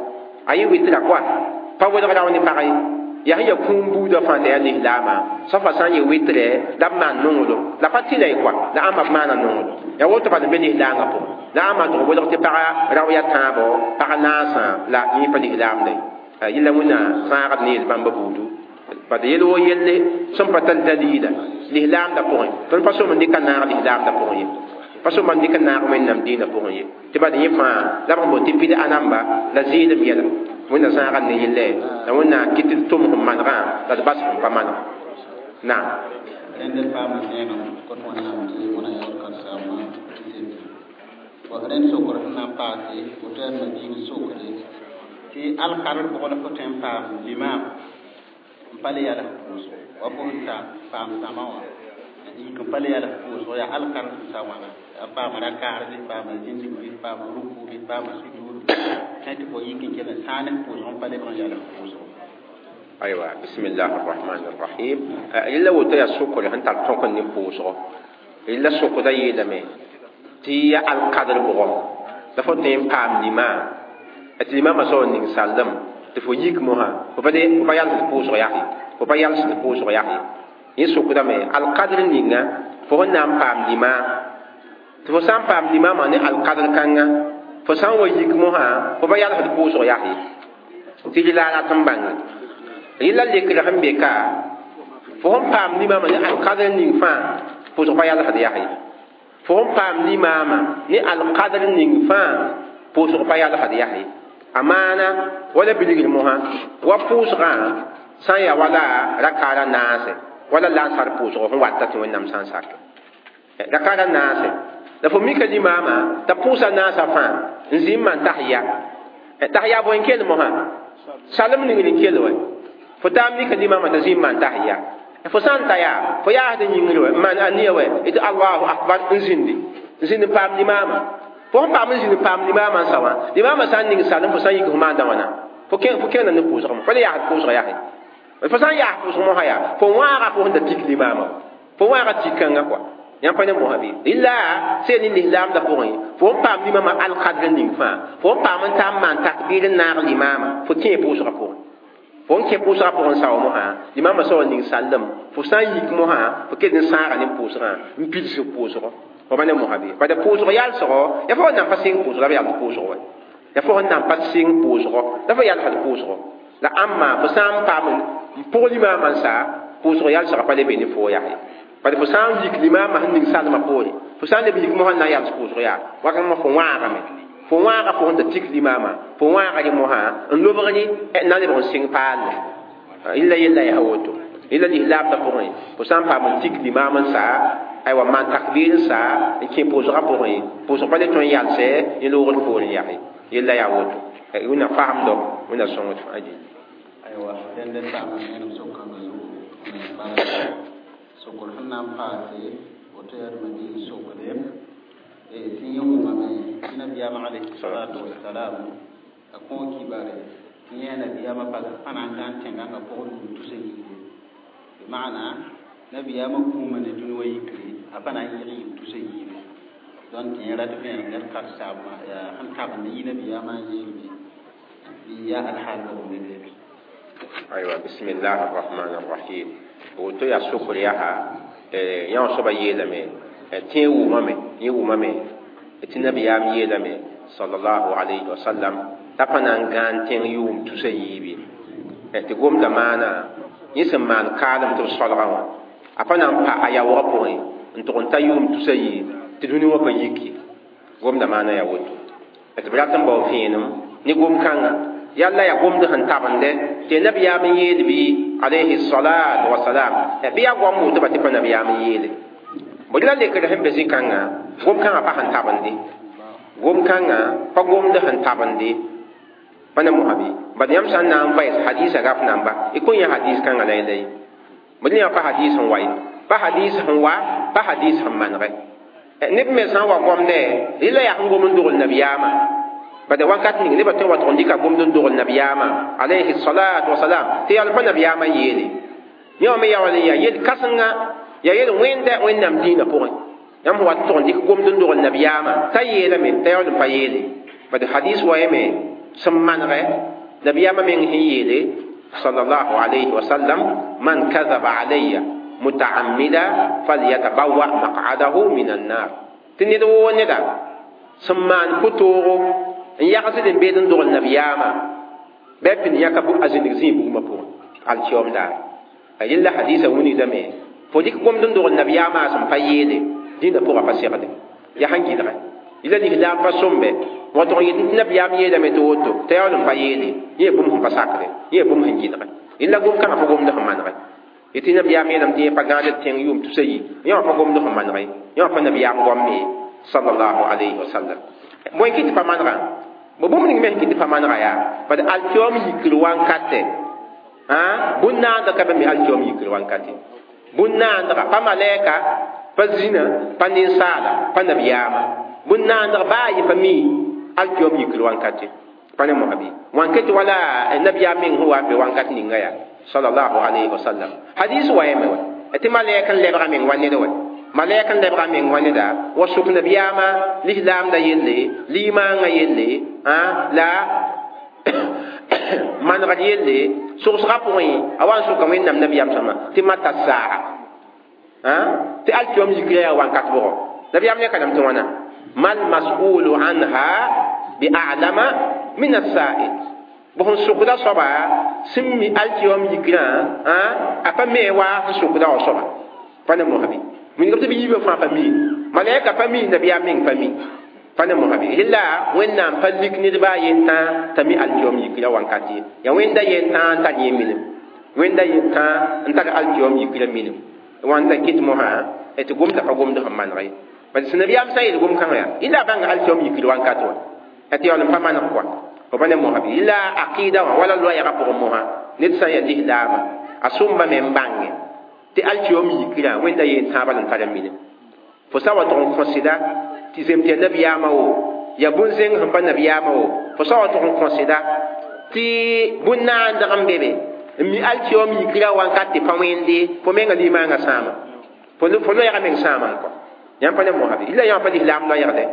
a yɩ wɩtra koa pa welg rao ne pag ye yaa sẽn yaa kũum buudã fãa t'a yaa lislaamã soapa sã n yɩ wɩtrɛ la b maan nonglem la pa tɩla ye koa la ãmba b maana nonglem yaa woto bad n be lislaangã pʋgẽ la ãmba tɩg welg tɩ paga rao yaa tãabo pag naasã la yẽ pa lislaamda ye yella wẽnna zãagd ne yel bãmba buudu bad yel wo yelle sẽn pa tar dalila lislaamda pʋgẽ tõnd pa som n dɩka naag lislaamda pʋgẽ ye pa som n dɩk naag wẽnnaam dĩinã pʋgẽ ye tɩ bad yẽ fãa la b sẽn boond tɩ bɩd-a namba la zɩɩlem yɛla wẽnna zãagd ne yelle la wẽnna kɩt d tʋm sẽn manegã la d bas sẽn pa maneg naam rẽnd d paam zẽegem kõt wẽnnaam tɩ wẽna yaood karen-saambã rẽnd sokr sẽn na n paase woto yaa mabiig sokre tɩ alkadr pʋgẽ la fo tõe n paam limaam n pa le yals pʋʋsgo wa fo sẽn ta paam zãma wã yik n pa le yals pʋʋsgo yaa alkadr sẽn sa wãna a paam rakaarbe paam zĩndigbe paam rukube paam sujud sã tɩ fo yik n kell n sãan pʋʋsg n pa lebg n yals pʋʋsgo aywa bismillah arrahman arrahim yella woto yaa sokre sẽn tar tõk n ne pʋʋsgo yella sokda yeelame tɩ ya alkadr bʋgɔ la fo tõe n paam limaam tɩ limaamã soab n ning sallem tɩ fo yik mosã fo pa fo pa yalsd pʋʋsg yak ye fo pa yalsd pʋʋsg yak ye yẽ sokdame alkadr ninga fo sẽn na n paam limaam tɩ fo sã n paam limaamã ne alkadr kãnga fo sã n wa yik mosã fo pa yalsd pʋʋsg yak ye tɩ la a rat n bãnge yella lekr sẽn be ka fo sẽn paam limaamã ne alkadr ning fãa pʋʋsg pa yalsd yak ye fo sẽn paam limaamã ne alkadr ning fãa pʋʋsg pa yalsd yak ye a maana wala bilgr mosã wa pʋʋsgã sã n yaa wala rakaara naase wala lansar pʋʋsgo sẽn wata tɩ wẽnnaam sã n sak rakaara naase la fo mika limaamã t'a pʋʋsa naasã fãa n zĩ n maan tahiya tahiya bõe n kell mosã salem ningr n kell wɛ fo taa mika limaamã t'a zĩ n maan tahiya fo sã n ta yaa fo yaasd yĩngr wɛ n maan aniya wɛ tɩ allahu akbar n zĩndi n zĩnd n paam limaamã fo sẽn paam n zĩnd n paam limaamã n sa wã limaamã sã n ning salem fo sã n yik fo maanda wãna fo kẽngda ne pʋʋsgame fo le yaasd pʋʋsg yaa fo sã n yaas pʋʋsg mosã yaa fo wãaga fo sẽn da tik limaamã fo wãaga tik kãngã kɔa Yãmb pa ne mosã bɩ rɩla sẽn ne lislaamdã pʋgẽ fo n paam limamã alkadr ning fãa fo n paam n ta n maan takbir n naag limaamã fo kẽ pʋʋsgã pʋgẽ fo n kẽ pʋʋsgã pʋgẽ n sao mosã limaamã soab ning sallem fo sã n yik mosã fo ket n sãaga ne pʋʋsgã n pids pʋʋsgɔ fo pa ne mosã bɩ bad pʋʋsg yalsgɔ ya fo nan pa sɩng pʋʋsg la b yals pʋʋsg wa ya fo sẽn nan pa sɩng pʋʋsgɔ la fo yalsd pʋʋsgɔ la ãmma fo sã n paam n pʋg limaamã n sa pʋʋsg yalsgã pa le be ne fo yaa ye bad fo sã n yik limaamã sẽn ning salmã poore fo sã n leb yik mosã n na n yals pʋʋsg yaa wakãngã fo wãagame fo wãaga fo sẽn da tik limaamã fo wãaga rẽ mosã n lobg rẽ na lebg n sɩng paalle illa yella yaa woto illa lislaamdã pʋgẽ fo sã n paam n tik limaam n sa aywa maan takbir n sa n kẽ pʋʋsgã pʋgẽ pʋʋsg pa le tõe n yalsɛ ne loogd poorẽ yaa yella yaa woto wẽnna faamdo wẽnna sõngd fãa gilli aywa dẽnd n paam n sokãngã zugu barka sokr sẽn na n paase woto yaa d mabiig sokde tɩ yẽ wʋmame tɩ nabiyaamã alayhi salatu wasalam a kõ kibare tɩ yẽ nabiyaamã pa na n gãn tẽngãngã pʋgẽ yʋʋm tusa yiibe bɩ maana nabiyaamã kũuma ne dũni wã yikre a pa na n yɩg yɩm tusa yiibe donc tɩ yẽ rat vẽenem ned karsaabmã yaa sẽn tabend yɩ nabiyaamã n yeelme bɩ yaa alhaal bʋgẽ be beebe aywa bismillah arrahman arrahim woto yaa sokr yaa yã wã soaba yeelame tẽ wʋmame yẽ wʋmame tɩ nabiyaam yeelame sallallahu alayhi wa sallam t'a pa na n gãan tẽng yʋʋm tusa yiibe tɩ gomda maana yẽ sẽn maan kaalem tɩ b solgã wã a pa na n pa a yaoogã pʋgẽ n tʋg n ta yʋʋm tusa yii tɩ dũni wã pa yiki gomda maana yaa woto tɩ b rat n bao vẽenem ne gom-kãnga yalla ya gomd sẽn tabende tɩ nabiyaam n yeel bɩ alayhi salatu wasalam bɩ yaa goam woto ba tɩ pa nabiyaam n yeele bõe la lekr sẽn be zĩ-kãngã gom-kãngã pa sẽn tabende gom-kãngã pa gomd sẽn tabende pa ne mosã bɩ bad yãmb sã n na n vaɩs hadisa gaf namba y kõn yã hadis kãngã la la ye bõe yã pa hadis sẽn wa ye pa hadis sẽn wa pa hadis sẽn manegɛ neb me sã n wa gomdɛ rɩla yaa sẽn gom n dogl nabiyaamã bad wakat ning nebã tõe n wa tʋg n dɩka gomd n dogl nabiyaamã alayhi salatu wasalam tɩ yaa pa nabiyaamã yeele yẽ wã me yaa wall n yaa yel kãsenga yaa yel wẽnda wẽnnaam dĩinã pʋgẽ yãmb sẽn wa tʋg n dɩk gomd n dogl nabiyaamã t'a yeelame t'a yaool n pa yeele bad hadis wa yame sẽn manegɛ nabiyaamã meng sẽn yeele sallallahu alayhi wa sallam man kadaba alayya mutaammida falyatabawa maq'adahu min annar tɩ ned woo neda sẽn maan pʋtoogo n yagsd n beed n dogl nabiyaamã bɩ a pid yãka a zĩnig zĩig bugmã pʋgẽ alkiom daar yella hadisa wilgdame fo dɩk gomd n dogl nabiyaamã sẽn pa yeele dĩinã pʋgã pa segde yaa sẽn gɩlgɛ yella lislaam pa sõmbe wa tʋg n yet tɩ nabiyaam yeelame tɩ woto t'a yaool n pa yeele yẽ bũmb sẽn pa sakde yẽ bũmb sẽn gɩlgɛ yella gom-kãngã pa gomd sẽn manegɛ tɩ nabiyaam yeelame tɩ yẽ pa gãad tẽng yʋʋm tusa yi yẽ wã pa gomd sẽn manegɛ yẽ wã pa nabiyaam goam ye sallallahu alayhi wa sallam bõe kɩ tɩ pa manegã bo bũmb ning me sẽn kɩ tɩ pa manega yaa bad alkiom yikr wankatɛ bũn-naandg ka be me alkiom yikr wankate bũn-naandga pa malɛɛka pa zĩna pa ninsaala pa nabiyaama bũn-naandg baa yẽ pa mi alkiom yikr wankate pa ne mosã bɩ wankete wala nabiyaam meng sẽn wa n be wankat ninga yaa sallallahu alayhi wa sallam hadis wa yame wa tɩ malɛɛk n lebga meng wa ned wa malɛɛk n lebga meng wa neda wa sʋk nabiyaamã lislaamdã yelle limaangã yelle la manegd yelle sogsgã pʋgẽ a wa n sʋka wẽnnaam nabiyaam sõma tɩ mata saa tɩ alkiom yikra yaa wankat bʋgɔ nabiyaam yãka lame tɩ wãna mal mas'ulu anha bi a'lama min as-sa'il bõ sẽn sʋkda soaba sẽn mi alkiom yikrã a pa me wa sẽn sʋkda wã soaba pa ne mosã bɩ wilgb tɩ b yiibã fãa pa mi malɛka pa mi nabiyaam meng pa mi pa ne mosã bɩ rɩla wẽnnaam pa lik ned baa yen-tãa t'a mi alkiom yikra wankat ye yaa wẽnda yen-tãa n tar yẽ minim wẽnda yen-tãa n tar alkiom yikra minim wãnda kɩt mosã tɩ gomda pa gomd sẽn maneg ye bad sẽn nabiyaam sã n yeel gom-kãngã yaa yẽla a bãnga alkiom yikr wankat wã tɩ yaool n pa maneg kɔa fo pa ne mosã bɩ yẽla aqɩɩda wã wala loɛɛgã pʋgẽ mosã ned sã n yaa lislaamã a sõmba me n bãnge tɩ alkiom yikrã wẽnda yen-tãabã la n tar n minim fo sã wa tʋg n kõsɩda tɩ zem tɩ yaa nabiyaamã wo yaa bũn-zẽng sẽn pa nabiyaamã wo fo sã wa tʋg n kõsɩda tɩ bũn-naandg n be be n mi alkiom yikra wankat tɩ pa wẽnde fo menga limaangã sãama fo loɛɛgã meng sãama n kɔ Yãmb pa ne mosã bɩ la yã pa lislaam loɛɛgdɛ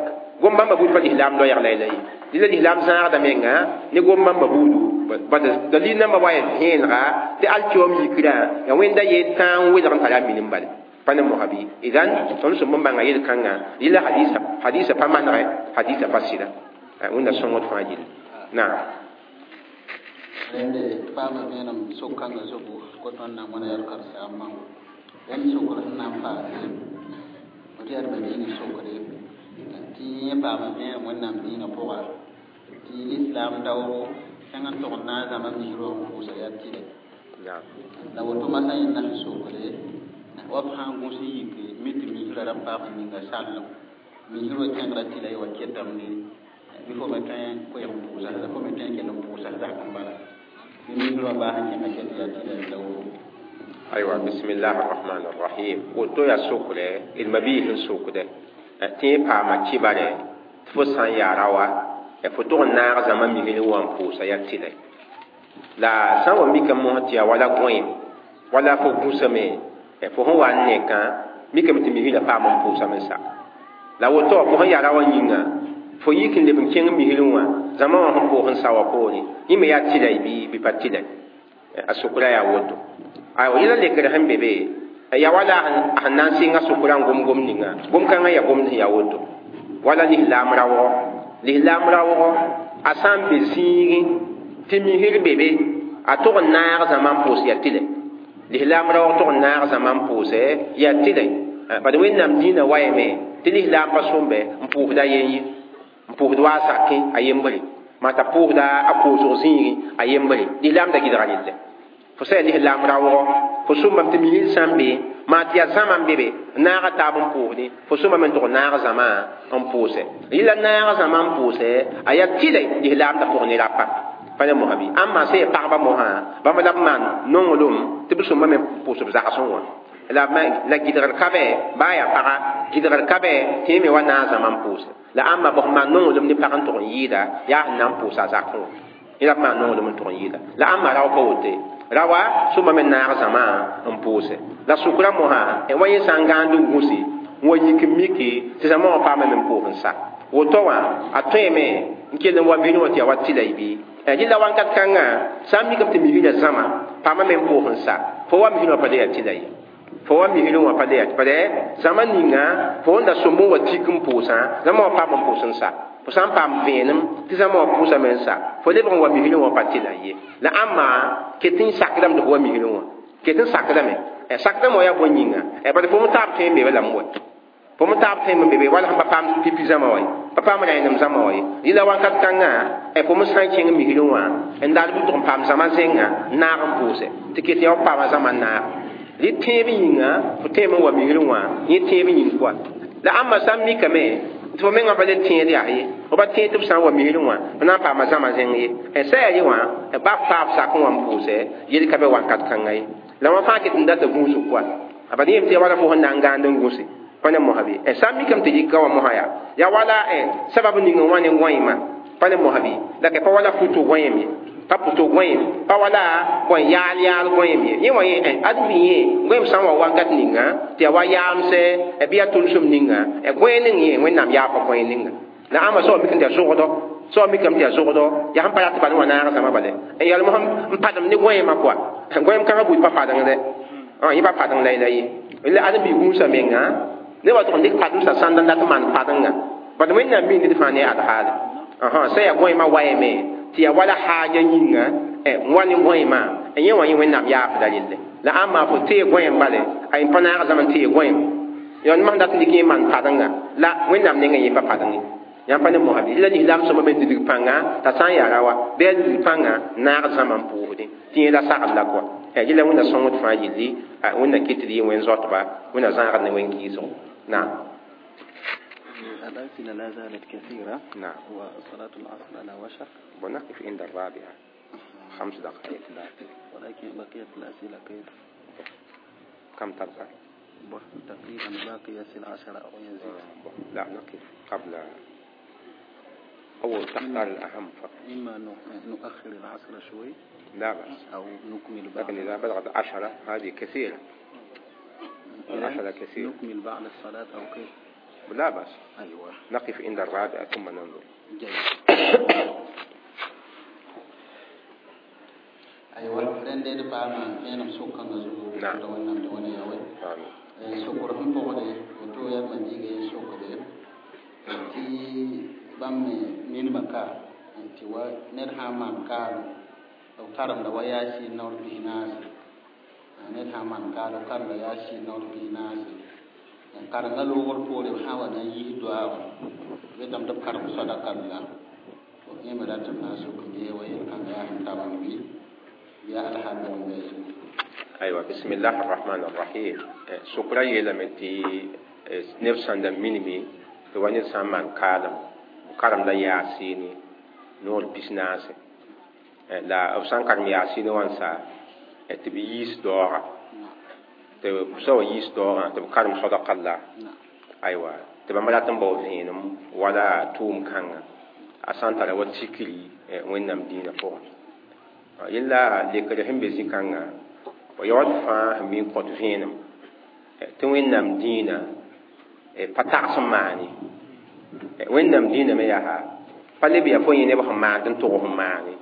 gom bãmba buud pa lislaam loɛɛg la la ye la lislaam zãagda menga ne gom bãmba buudu bad dalil namba wa vẽenega tɩ alkiom yikrã ya wẽnda yeel tãa n welg n tara a minim bale pa ne mosã bɩ idan tõnd sẽn bõn-bãnga yel-kãngã yɩla hadisa hadisa pa manegɛ hadisa pa sɩda wẽnda sõngd fãa yelle naam rẽnde paama vẽenem sok-kãngã zobu ko tõnd na n wãna yaa karen-saambã rẽnd sokr sẽn na n paase tɩ yaa d diinã sokre tɩ yẽ paama vẽenem wẽnnaam diinã pʋga tɩ lislaam daoogo sẽng n tog n na n zãma misr wã n pʋʋsa yaa tɩlɛ la woto masã yẽnda sẽn sokre wa b sã n gũs n yik mi tɩ misrã ra paam ninga sallem misr wã kẽngra tɩla y wa ketame bɩ fo me tõe n koɛɛg n pʋʋsa la fo me tõe n kell n pʋʋsa zak n bala bɩ misr wã baa sẽn kẽnga ket yaa tɩla la woto. Aywa, bismillah arrahman arrahim. Woto yaa sokre d mabiis n sokdɛ tɩ yẽ paama kibare tɩ fo sã n yaa raowa fo tog n naag zãma misr wã n pʋʋsa yaa tɩlɛ la sã n wa mikame mosã tɩ yaa wala gõeem wala fo gũsame fo sẽn wa n nekã mikame tɩ misrã paam n pʋʋsame sa la woto fo sẽn yaa raoã yĩnga fo yik n leb n kẽng misr wã zãma wã sẽn pʋʋs n sa wã poore yẽ me yaa tɩlɛ bɩ bɩ pa tɩlɛ a sokra yaa woto. Aywa, yẽla lekr sẽn be be ya wala a sẽn na n sɩnga sokra n gom-gom ninga gom-kãngã yaa gomd sẽn yaa woto wala lislaam raoogɔ lislaam raoogɔ a sã n be zĩigẽ tɩ misr be be a tog n naag zãma n pʋʋs yaa tɩlɛ lislaam raoog tog n naag zãma n pʋʋsɛ yaa tɩlɛ bad wẽnnaam dĩinã wayame tɩ lislaam pa sõmbe n pʋʋsda a yen ye n pʋʋsd wa a sakẽ a yembre maa t'a pʋʋsda a koosg zĩigẽ a yembre lislaam da gɩdga relle fo sã yaa lislaam raoogɔ fo sõmbame tɩ misr sã n be maa tɩ yaa zãma n be be naaga taab n pʋʋsdẽ fo sõmbame n tog naag zãma n pʋʋsɛ yẽla naag zãma n pʋʋsɛ a yaa tɩlɛ lislaam da pʋg ne rapa pa ne mosã bɩ ãmba sã yaa pagba mosã bãmb la b maan nonglem tɩ b sõmbame pʋʋs b zagsẽ wã la la gɩdgr ka bɛ baa yaa paga gɩdgr ka bɛ tɩ yẽ me wa naag zãma n pʋʋsɛ la ãmba bõs maan nonglem ne pag n tog n yɩɩda yaa sẽn na n pʋʋsa a zakẽ wã yẽ la b maan nonglem n tog n yɩɩda la ãmba rao pa wote rawa sõmbame naag zãma n pʋʋsɛ la sʋkra mosã wa yẽ sã n gãand n gũsi n wa yik n miki tɩ zãma wã paame me n pʋʋs n sa woto wã a tõeme n kell n wa misr wã tɩ yaa wa tɩla y bɩ rɩla wãnkat kãngã sã n mikame tɩ misrã zãma paama me n pʋʋs n sa fo wa misr wã pa le yaa tɩla ye fo wa misr wã pa le yaa pa zãma ninga fo n da sõmb n wa tik n pʋʋsã zãma wã paam n pʋʋs n sa fo sã n paam vẽenem tɩ zãma wã pʋʋsame n sa fo lebg n wa misr wã pa tɩla ye la ãmba ket n sakdame tɩ fo wa misr wã ket n sakdame sakdame wã yaa bõe yĩnga bad fo me taab tõe n be lame wa fo me taab tõe n be be wala sẽn pa paam pipi zãma wa ye pa paam rẽenem zãma wa ye yɩla wãnkat kãngã fo me sã n kẽng misr wã n daal bɩ tʋg n paam zãma zẽnga n naag n pʋʋsɛ tɩ ket yaa f paama zãma n naag rɩ tẽeb yĩnga fo tẽem n wa misr wã yẽ tẽeb yĩng koa la ãmba sã n mikame tɩ fo mengã pa le tẽed yaa ye fo pa tẽed tɩ b sã n wa misr wã f na n paama zãma zẽng ye sã yaa ye wã ba f paab sak n wa n pʋʋsɛ yel ka be wãnkat kãngã ye la wã fãa ket n data gũusg koa a bad yem tɩ ya wala fo sẽn na n gãand n gũse pa ne mosã bɩ sã n mikame tɩ yika wã mosã yaa yaa wala sabab ning n wa ne gõeemã pa ne mosã bɩ la pa wala futo gõeem ye pa pʋto gõeem pa wala bõe yaal yaal gõeem ye yẽ wã yẽ ad bɩ yẽ gõeem sã n wa wãnkat ninga tɩ yaa wa yaamsɛ bɩ yaa tʋlsem ninga gõe ning yẽ wẽnnaam yaa pa gõe ninga la ãmba soab mikame tɩ yaa zʋgdɔ soab mikame tɩ yaa zʋgdɔ yaa sẽn pa rat bal wã naag zãma bale n yɛl mosã n padem ne gõeemã koa gõeem kãngã buud pa padengdɛ yẽ pa padeng la la ye la ad n bɩ gũusã menga ne wa tʋg n dɩk pademsã sãnd n dat n maan padenga bad wẽnnaam mi ned fãa ne ad haale sã yaa gõeemã wayame tɩ yaa wala haaja yĩnga n wa ne gõeemã yẽ wã yẽ wẽnnaam yaafda relle la ãmba fo tee gõeem bale a yẽ pa naag zãma n tee gõeem yaa masẽn dat n dɩk yẽ maan padenga la wẽnnaam nengã yẽ pa padeng ye yãmb pa ne mosã bɩ la lislaam sõma me didig pãnga t'a sã n yaa raowa bɩ a didig pãnga naag zãma n pʋʋsdẽ tɩ yẽ la sagl la koa yẽla wẽnna sõngd fãa yilli wẽnna ket d yɩ wẽn-zoatba wẽnna zãagd ne wẽn-kɩɩsgo naam. الأسئلة لا زالت كثيرة. نعم. وصلاة العصر على وشك. ونقف عند الرابعة خمس دقائق. ولكن بقية الأسئلة كيف؟ كم تبقى؟ تقريبا باقي يصل عشرة أو يزيد. لا نقف قبل أو تختار الأهم فقط. إما نؤخر العصر شوي. لا بأس. أو نكمل بعد. لكن إذا بلغت عشرة هذه كثيرة. عشرة كثير. نكمل بعد الصلاة أو كيف؟ لا بأس. أيوة. نقف عند الرابعة ثم ننظر. جيد. أيوة رندي دبا ما سوكان زو نعم. دوانا دوانا يا وي. آمين. sokor sẽn pʋgde woto yaa ma-biiga sokde tɩ bãmb me minimã ka tɩ wa ned sã n maan kaalem b karemda wa yaasiin naoor pis-naase ned sã n maan kaalem b karemda yaasiin naoor pis-naase karenga loogr poore b sã n wa na n yiis doaagã b yetame tɩ b karem sadaka la yẽ me ratame na n sok n gee wa yel-kãngã yaa sẽn tabend bɩ yaa alhamd n be. أيوة بسم الله الرحمن الرحيم. سكرا يلمتي نفسا منمي تواني سامان كالم كارم لا ياسيني نور بيسناس لا أفسان كارم ياسيني وانسا تبيس دورا تبسو يس دورا تب كارم صدق الله. أيوة تبى ما لاتن بوزينم ولا توم كان أسان ترى وتشكلي وين نم دينا فوق إلا لكرهم بيزي كان ويعد فا من قد فينم توين نم دينا فتعصم معني وين نم دينا ما يها فاللي بيفوني نبهم ما عندن تغهم معني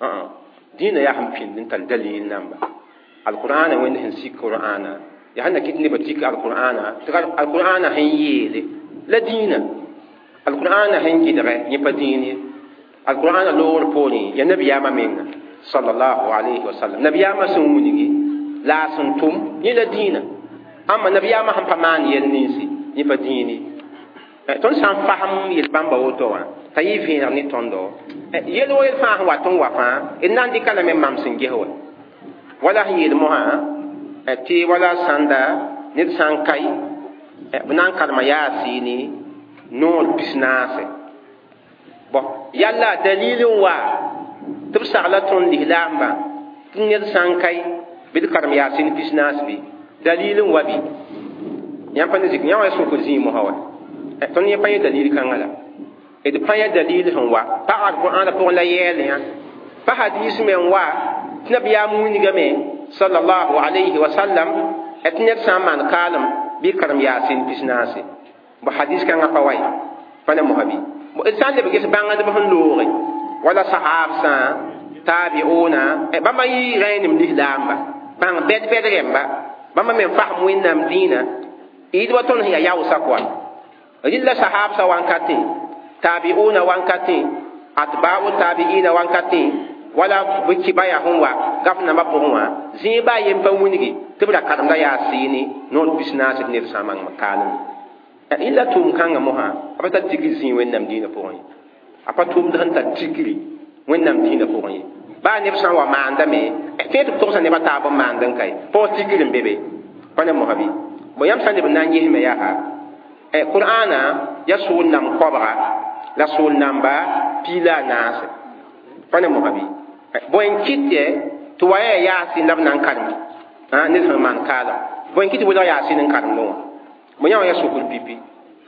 أه دينا يا هم فين انت الدليل نمبا القرآن وين هنسي القرآن يا هنا كنت نبتيك القرآن تقال القرآن هنيلي لا دينا القرآن هنجي دغ يبديني القرآن لور بوني يا نبي يا مين صلى الله عليه وسلم نبي يا ما سونيجي لا سنتم يلا دينا أما نبي ما هم فمان يلنيسي يبديني تون سان فهم يلبان بوتوا تايفين ني توندو يلو يلفان واتون وفان إن عندي كلام مام سنجيه ولا هي المها تي ولا ساندا نيت سان كاي بنان كلمة ياسيني نور بسناس بو يلا دليل وا تبصر لا تون لهلامبا نيت سان كاي بذكر ياسين بسناس بي دليل وبي يام بان زيك يام يسوك زي مهوا تون يبان دليل كان لا إذا بان دليل هو با القرآن بقول لا يلي فحديث من وا تنبي ياموني جمي صلى الله عليه وسلم اتنيت سامان كالم بكرم ياسين بسناس بحديث كان قوي فانا مهبي وإنسان اللي بيجي بان هذا بفن لوري ولا صحاب سان تابعونا بما يغين من الإسلام بان بيت بيت رمبا بما من فهم وين مدينة إذا وطن هي ياو سكوا إلا صحاب سوان كاتين تابعونا وان كاتين أتباع التابعين وان كاتين ولا بكبايا هم وا غفنا ما بقوا زيبا ينبوني تبلا كلام لا ياسيني نور بسناس نير سامان مكانم إلا توم كان مها أبدا تيجي زين وين نمدينة بقوا أبا توم دهن تيجي وين نمدينة بقوا با نفسا wa maandame fẽe tɩ b togsa nebã taab n maand n kae paoog tikr n be be pa ne mosã bɩ bõ yãmb sã n leb n na n gesme yaa qur'aana ya sool nam koabga la sool namba piig la a naase pa ne mosã bɩ bõe n kɩt tɩ wa yaa yaasin la b na n karem ned sẽn maan kaalem bõe n kɩt tɩ welg yaasin n karemdẽ wã bõ yã wã yaa sokr pipi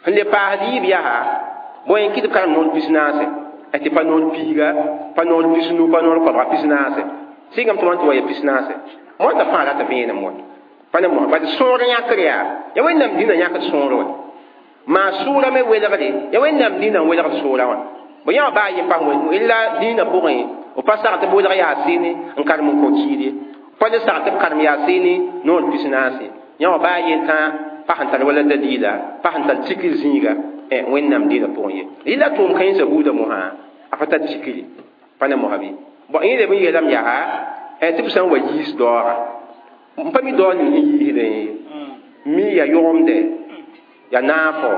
sẽn le paasd yiib yaa bõe n kɩt b karem noor pis-naase tɩ pa noor piiga pa noor pisnu pa noor koabga pis-naase sɩngame tɩ wã tɩ wa ya pis-naase moata fãa rata vẽenem wa pa ne mosã bad sõor yãkr yaa ya wẽnnaam dĩnã yãkd sõor wa maa sʋʋra me welgde ya wẽnnaam dĩnã n welgd sʋʋra wã bõ yã wã baa yen pas illa dĩinã pʋgẽ b pa sag tɩ b welg yaasɩne n karem n kõ kiid ye pa le sag tɩ b karem yaasɩne noor pis-naase yã wã baa yen tã pa sẽn tar wala dalila pa sẽn tar tikr zĩiga wẽnnaam dĩinã pʋgẽ ye yɩla tʋʋm kãensã buudã mosã a pa tar tikri pa ne mosã bɩ bõ yẽ leb n yeelame yaa tɩ b sã n wa yiis daooga n pa mi daoog ning sẽn yiisdẽ mi ya yʋgemdɛ ya naafo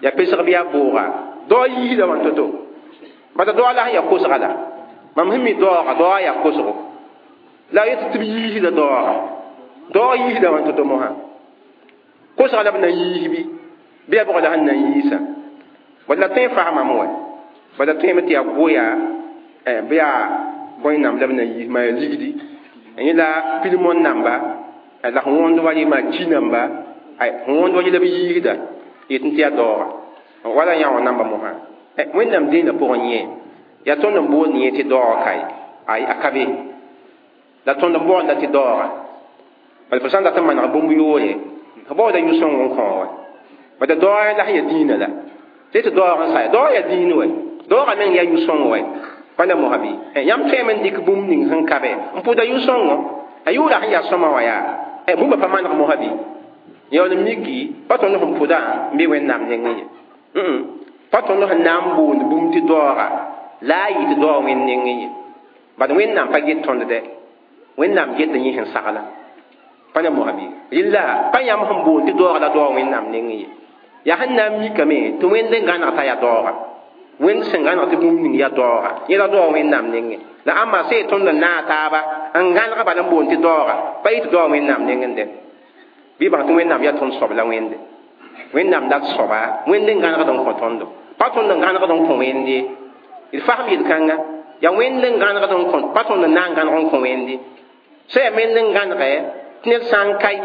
ya pesg bɩ ya bʋʋga daoog yiisda wã to-to bata daoog la sẽn ya kosga la mam sẽn mi daooga daoog ya kosgo la a yet tɩ b yiisda daooga daoog yiisda wã to-to mosã kosga la b na n yiis bɩ bɩ ya bʋg la sẽn na n yiisa bad la tõe n fasamame wa bad la tõeme tɩ yaa goya bɩ yaa bõe-namb la b na n yiis maa ligdi yẽ la pilmon namba la sẽn wõnd wa rɩ maa ki namba sẽn wõnd wa rɩ la b yiisda yetɩ tɩ yaa daooga wala yã wã namba mosã wẽnnaam dĩinã pʋgẽ yẽ yaa tõnd n boond yẽ tɩ daooga kae ay a ka be la tõnd n baoonda tɩ daooga bala fo sã n dat n maneg bũmb yoore f baooda yʋ-sõng n kõ wa Bada doora la ya diina la tɩ doog n sa doog ya diin wɛ doogã meng yaa yʋ-sõng wɛ pa la mosã bɩ yãmb tõeme n dɩk bũmb ning sẽn ka be n pʋda yʋ-sõngo a yʋʋra sẽn yaa sõma wã yaa bũmba pa maneg mosã bɩ yaool n miki pa tõnd sẽn pʋdã n be wẽnnaam nengẽ ye pa tõnd sẽn na n boond bũmb tɩ daooga la a yɩ tɩ daoog wẽnd nengẽ ye bad wẽnnaam pa get tõnd dɛ wẽnnaam get yẽ sẽn sagla pa na mosã bɩ rɩlla pa yãmb sẽn boond tɩ daooga la daoog wẽnnaam nengẽ ye yaa sẽn na n mikame tɩ wẽnd n gãneg t'a yaa daooga wẽnd sẽn gãneg tɩ bũmb ning yaa daooga yẽ la daoog wẽnnaam nengẽ la ãmba sẽn tõnd n naag taaba n gãneg bala n boond tɩ daooga pa yɩ tɩ daoog wẽnnaam nengẽ dɛ bɩ bãng tɩ wẽnnaam yaa tõnd soab la wẽnde wẽnnaam la soaba wẽnd n gãnegd n kõ tõndo pa tõnd n gãnegd n kõ wẽnde d fasem yel-kãnga yaa wẽnd n gãnegd n kõ pa tõnd n na n gãneg n kõ wẽnde sã yaa wẽnd n gãnege tɩ ned sã n kae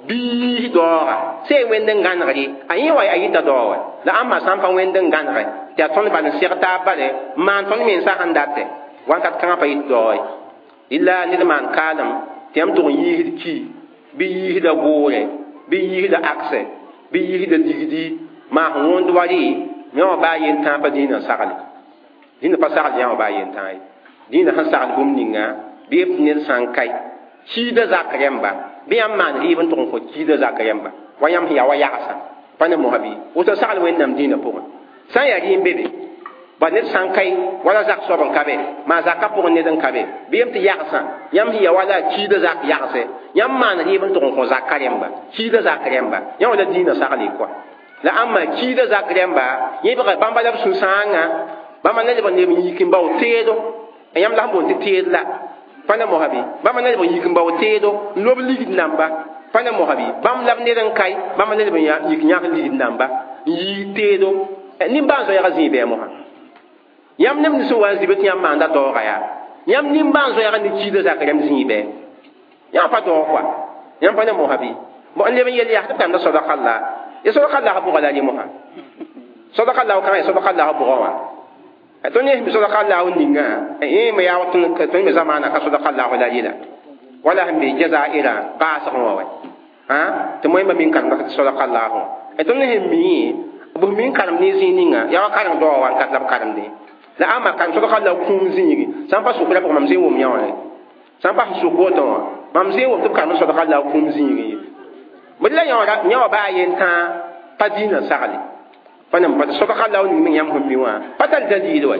bii daooga sã yaa wẽnd n gãnegre a yẽ wa a yɩta daoog wɛ la ãmba sã n pa wẽnd n gãnege tɩ yaa tõnd bal n seg taab bale n maan tõnd mensã sẽn datɛ wakat kãngã pa yɩt daoog ye rɩla ned maan kaalem tɩ yãmb tʋg n yiisd ki bɩ yiisda goore bɩ yiisda akse bɩ yiisda ligdi maa sẽn wõnd wa rɩ yã wã baa yen tãag pa dĩinã n sagle dĩnã pa sagl yã wã baa yen tãag ye dĩinã sẽn sagl bũmb ninga bɩ b ned sã n kae kiida zak rẽmba bɩ yãmb maan rɩɩb n tʋg n kõ kiida zak rẽmba wa yãmb sẽn yaa wa yagsã pa ne mosã bɩ woto sagl wẽnnaam dĩinã pʋgẽ sã n yaa rɩ n be be ba ned sã n kae wala zak soab n ka be maa zakã pʋgẽ ned n ka be bɩ yem tɩ yagsã yãmb sẽn yaa wala kiida zak yagse yãmb maan rɩɩb n tʋg n kõ zakã rẽmba kiida zak rẽmba yã wã la dĩinã sagle kɔa la ãmba kiida zak rẽmba yẽbga bãmba la b sũ-sãangã bãmba na leb n leb n yik n bao teedo yãmb la sẽn boond tɩ teed la pa na mosã bɩ bãmba na leb n yik n bao teedo n lob ligd namba pa na mosã bɩ bãmb la b ned n kae bãmba na leb n yik yãk ligd namba n yii teedo nimbãan zoɛɛga zĩig bɩ mosã yãmb neb nins sẽn wa n zibd tɩ yãmb maanda daooga yaa yãmb nimbãan zoɛɛga ne kiida zak rẽmb zĩig bɩ yãmb pa daoog kɔa yãmb pa na mosã bɩ n leb n yel yaa tɩ b karemda sadaka la ya sadaka la bʋga la rɩ mosã sadaka la kãngã ya sadaka la bʋgã wã tõnd ne sẽn sadaka la ninga yẽ me yaa tõnd me zamaana ka sadaka la la rɩla wala sẽn be jazairã baasgẽ wã wɛ tɩ moẽmba min karemda tɩ sadaka la wã tõnd sẽn mi b min karemd ne zĩig ninga yaa wa kareng daoog wã n kat la b karemdẽ la ãmba karem sadaka la kũum zĩigi sã n pa sʋk la pʋgẽ mam zẽn wʋm yã wã sã n pa sẽn sʋk woto wã mam zẽn wʋm tɩ b karemd sadaka la kũum zĩigi ye b la yã wã baa yen tãa pa dĩinã sagle pa nem pa sadaka la ning meng yãmb sẽn mi wã pa tar dalil wɛ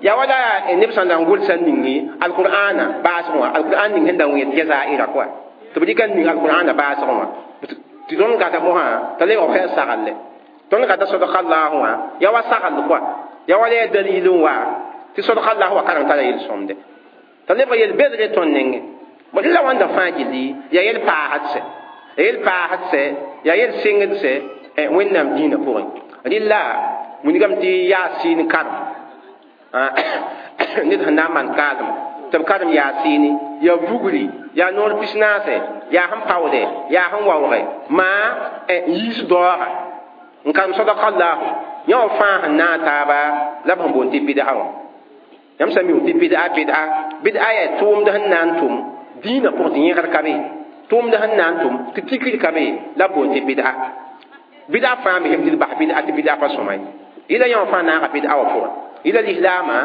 yaa wala neb sẽn da n gʋlsã ningi alqur'ana baasgẽ wã alqur'an ning sẽn da wẽed jazaira kɔa tɩ b dɩka n ning alqur'ana baasgẽ wã tɩ tõnd gata mosã t'a lebg b sẽn saglle tõnd gata sadaka lahu wã yaa wa sagl kɔa yaa wala yaa dalil n wa tɩ sadaka lahu wã kareng tara yel-sõmde t'a lebg yel-bedre tõnd nengẽ b la wãnda fãa gilli yaa yel paasd sɛ yel paasd sɛ yaa yel sengd sɛ wẽnnaam dĩinã pʋgẽ rɩla wilgame tɩ yaasiin karem ned sẽn na n maan kaalem tɩ b karem yaasiini yaa vugri yaa noor pis-naase yaa sẽn paoode yaa sẽn waooge maa n yiis daooga n karem sadaka lahu yã wã fãa sẽn naag taaba la b sẽn boond tɩ bɩd'a wã yãmb sã mi tɩ bɩd'a bɩd'a bɩd'a yaa tʋʋmd sẽn na n tʋm dĩinã pʋgẽ tɩ yẽgr ka be tʋʋmd sẽn na n tʋm tɩ tikr ka be la b boond tɩ bɩd'a bɩd'a fãa misem tɩ d bas bɩd'a tɩ bɩd'a pa sõma ye yɩla yã wã fãa naaga bɩd'a wã pʋgẽ yɩla lislaamã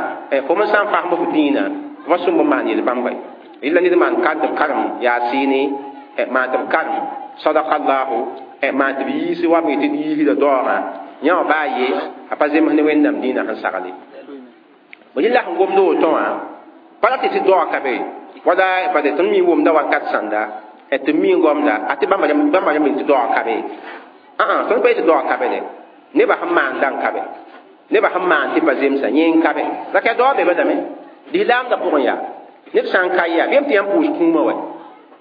fo n sã n fasem f dĩinã fa sõmb n maan yel-bãmba ye yɩla ned maan ka tɩ b karem yaasiini maan tɩ b karem sadaka lahu maan tɩ b yiis wa b tɩ d yiisda daoogã yã wã baa ye a pa zems ne wẽnnaam dĩinã sẽn sagle yẽla sẽn gomd woto wã pa ra tɩ tɩ daoog ka be wala bad tõnd mi wʋmda wakat sãnda tɩ mi n gomda a tɩ bãmba rãmb tɩ daoog ka be tõnd pa yetɩ daoog ka be dɛ nebã sẽn maanda n ka be nebã sẽn maan tɩ pa zemsa yẽ n ka be la ka daoog be badame lislaamdã pʋgẽ yaa ned sã n ka yaa bɩ tɩ yãmb pʋʋs kũumã wɛ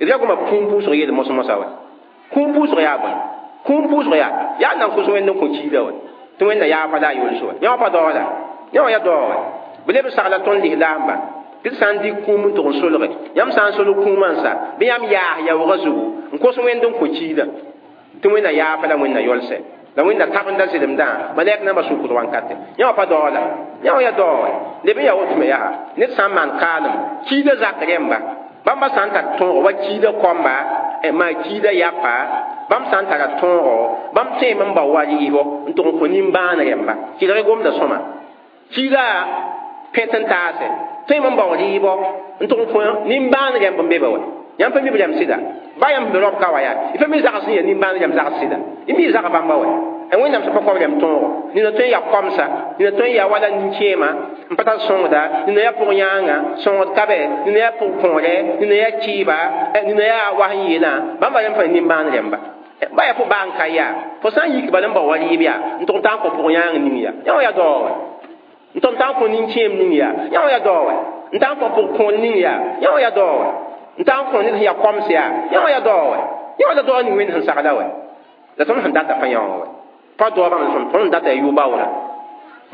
d ra goma kũum pʋʋsg yeel mos-mosã wɛ kũum pʋʋsg yaa bõe kũum pʋʋsg yaa yaa nan kos wẽnd n kõ kiida wɛ tɩ wẽnna yaa pa la a yols wɛ yã wã pa daoog la yã wã yaa daoog wɛ b leb n sagla tõnd lislaamba tɩ d sã n dɩk kũum n tʋg n solge yãmb sã n solg kũumã n sa bɩ yãmb yaas yaoogã zugu n kos wẽnd n kõ kiida tɩ wẽnna yaa pa la wẽnna yolsɛ la wẽnna tabenda zelemdã malɛk nambã sʋkd wankate yã wã pa daoog la yã wã yaa daoog wɛ leb n yaa woto me yaa ned sã n maan kaalem kiida zak rẽmba bãmba sã n tar tõog wa kiida kɔmba maa kiida yapa Bãmb sã n tara tõogo, bãmb tõeme n bao wa rɩɩbɔ n tʋg n kõ nimbãan rẽmba. Kɩlg gomda sõma. Kiida pẽt n taase. Tõeme n bao rɩɩbɔ n tʋg n kõ nimbãan rẽmb n be be wa. Yãmb pa mi b rẽmb sɩda. Ba yãmb sẽn be roab ka wa yaa. Y pa mi zags sẽn yaa nimbãan rẽmb zags sɩda. Y mi zag bãmba wa. Wẽnnaam sẽn pa kõ b rẽmb tõogo. Nina tõe n yaa komsa, nina tõe n yaa wala nin-kẽema n pa tar sõngda, nina yaa pʋg-yãanga, sõngd ka be, nina yaa pʋg-kõore, nina yaa kɩɩba, nina yaa was n yeelã, bãmba rẽmb fãa nimbãan rẽmba. Ba yaa fo baa n ka yaa. Fo sã n yik bala n bao wa rɩɩb yaa, n tʋg n taa n kõ pʋg-yãang ning yaa. Yã wã yaa daoog wɛ. N tʋg n taa n kõ nin-kẽem ning yaa. Yã wã yaa daoog wɛ. N taa n kõ pʋg-kõor ning yaa. Yã wã yaa daoog wɛ. N taa n kõ ned sẽn yaa koms yaa. Yã wã yaa daoog wɛ. Yã wã la daoog ning Wẽnd sẽn sagla wɛ. La tõnd sẽn data pa yã wã wɛ. Pa daoog bãmb sẽn tõnd data yaa yʋ-baoorã.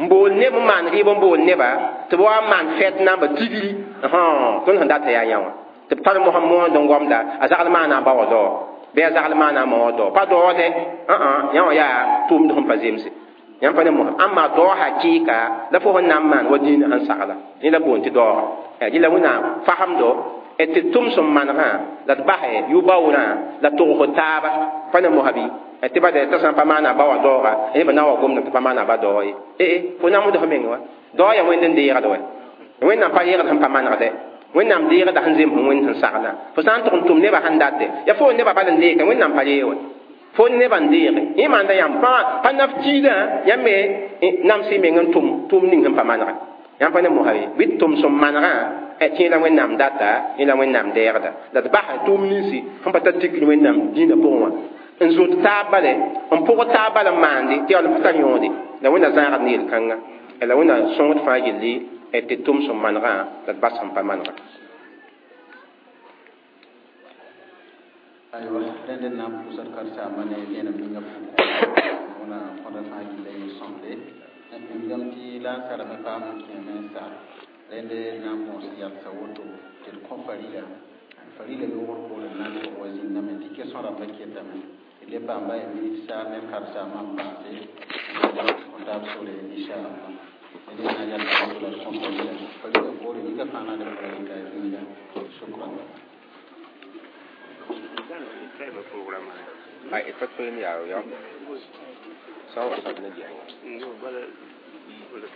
N bool neb n maan rɩɩb n bool neba tɩ b wa n maan fɛt namba tigri, tõnd sẽn data yaa yã wã. Tɩ b tar mosã moond n gomda, a zagl maana a ba wã daoog, bɩ a zagl maana a ma wã daoog. Pa daoode, yã wã yaa tʋʋmd sẽn pa zemse. Yãmb pa ne mosã. Ãmba daoog hakɩɩka la fo sẽn na n maan wa dĩinã sẽn sagla. Rẽ la boond tɩ daooga. Rɩ la Wẽnnaam fasemdo tɩ tʋm sẽn manegã la d basɛ yʋ-baoorã la togsd taaba. Pa ne mosã bɩ tɩ ba t'a sã n pa maana a ba wã daooga, neba na n wa gomdame tɩ pa maana a ba daoog ye. Ee, fo namsd f meng wa. Daoog yaa Wẽnd n deegd wɛ. Wẽnnaam pa reegd sẽn pa manegdɛ. Wẽnnaam deegda sẽn zems Wẽnd sẽn saglã. Fo sã n tʋg n tʋm nebã sẽn date, yaa fo nebã bal n deeke, Wẽnnaam pa reeg wɛ. Fo nebã n deege. Yẽ maanda yãmb pa pa naf kiidã, yãmb me nams y meng n tʋm tʋʋm ning sẽn pa manegã. Yãmb pa ne mosã ye. Bɩ tʋm sẽn manegã, tɩ yẽ la Wẽnnaam data, yẽ la Wẽnnaam deegda. La d basa tʋʋm ninsi sẽn pa tar tikr Wẽnnaam dĩinã pʋgẽ wã. N zot taab bale, n pʋg taab bala n maande tɩ yaa pa tar yõode. La Wẽnna zãagd ne yel-kãnga. La Wẽnna sõngd fãa gilli tɩ tʋm sẽn manegã la d bas sẽn pa manegã. Aywa, rẽnd n na n pʋʋsd karen-saambã ne vẽenem ninga pʋgẽ. Wẽna kõda fãa gilla yel-sõmde. N tɩ la n sarame paam n kẽeme n sa. Rẽnd na n moos yalsa woto tɩ d kõ farila. Farila yogr poore n na n tog wa zĩndame tɩ kesõ rãmbã ketame. Le paamba ya minit saar ne karen-saambã n paase n taab sore inchallah. Rẽnd na yalsa woto la d kõ farila. Farila poore nika fãa na d pʋga rɩka zĩnda. Shukran. Ai, pa tõe n yaa ya. Sã n wa sab ne gɛɛngã. Bala, bala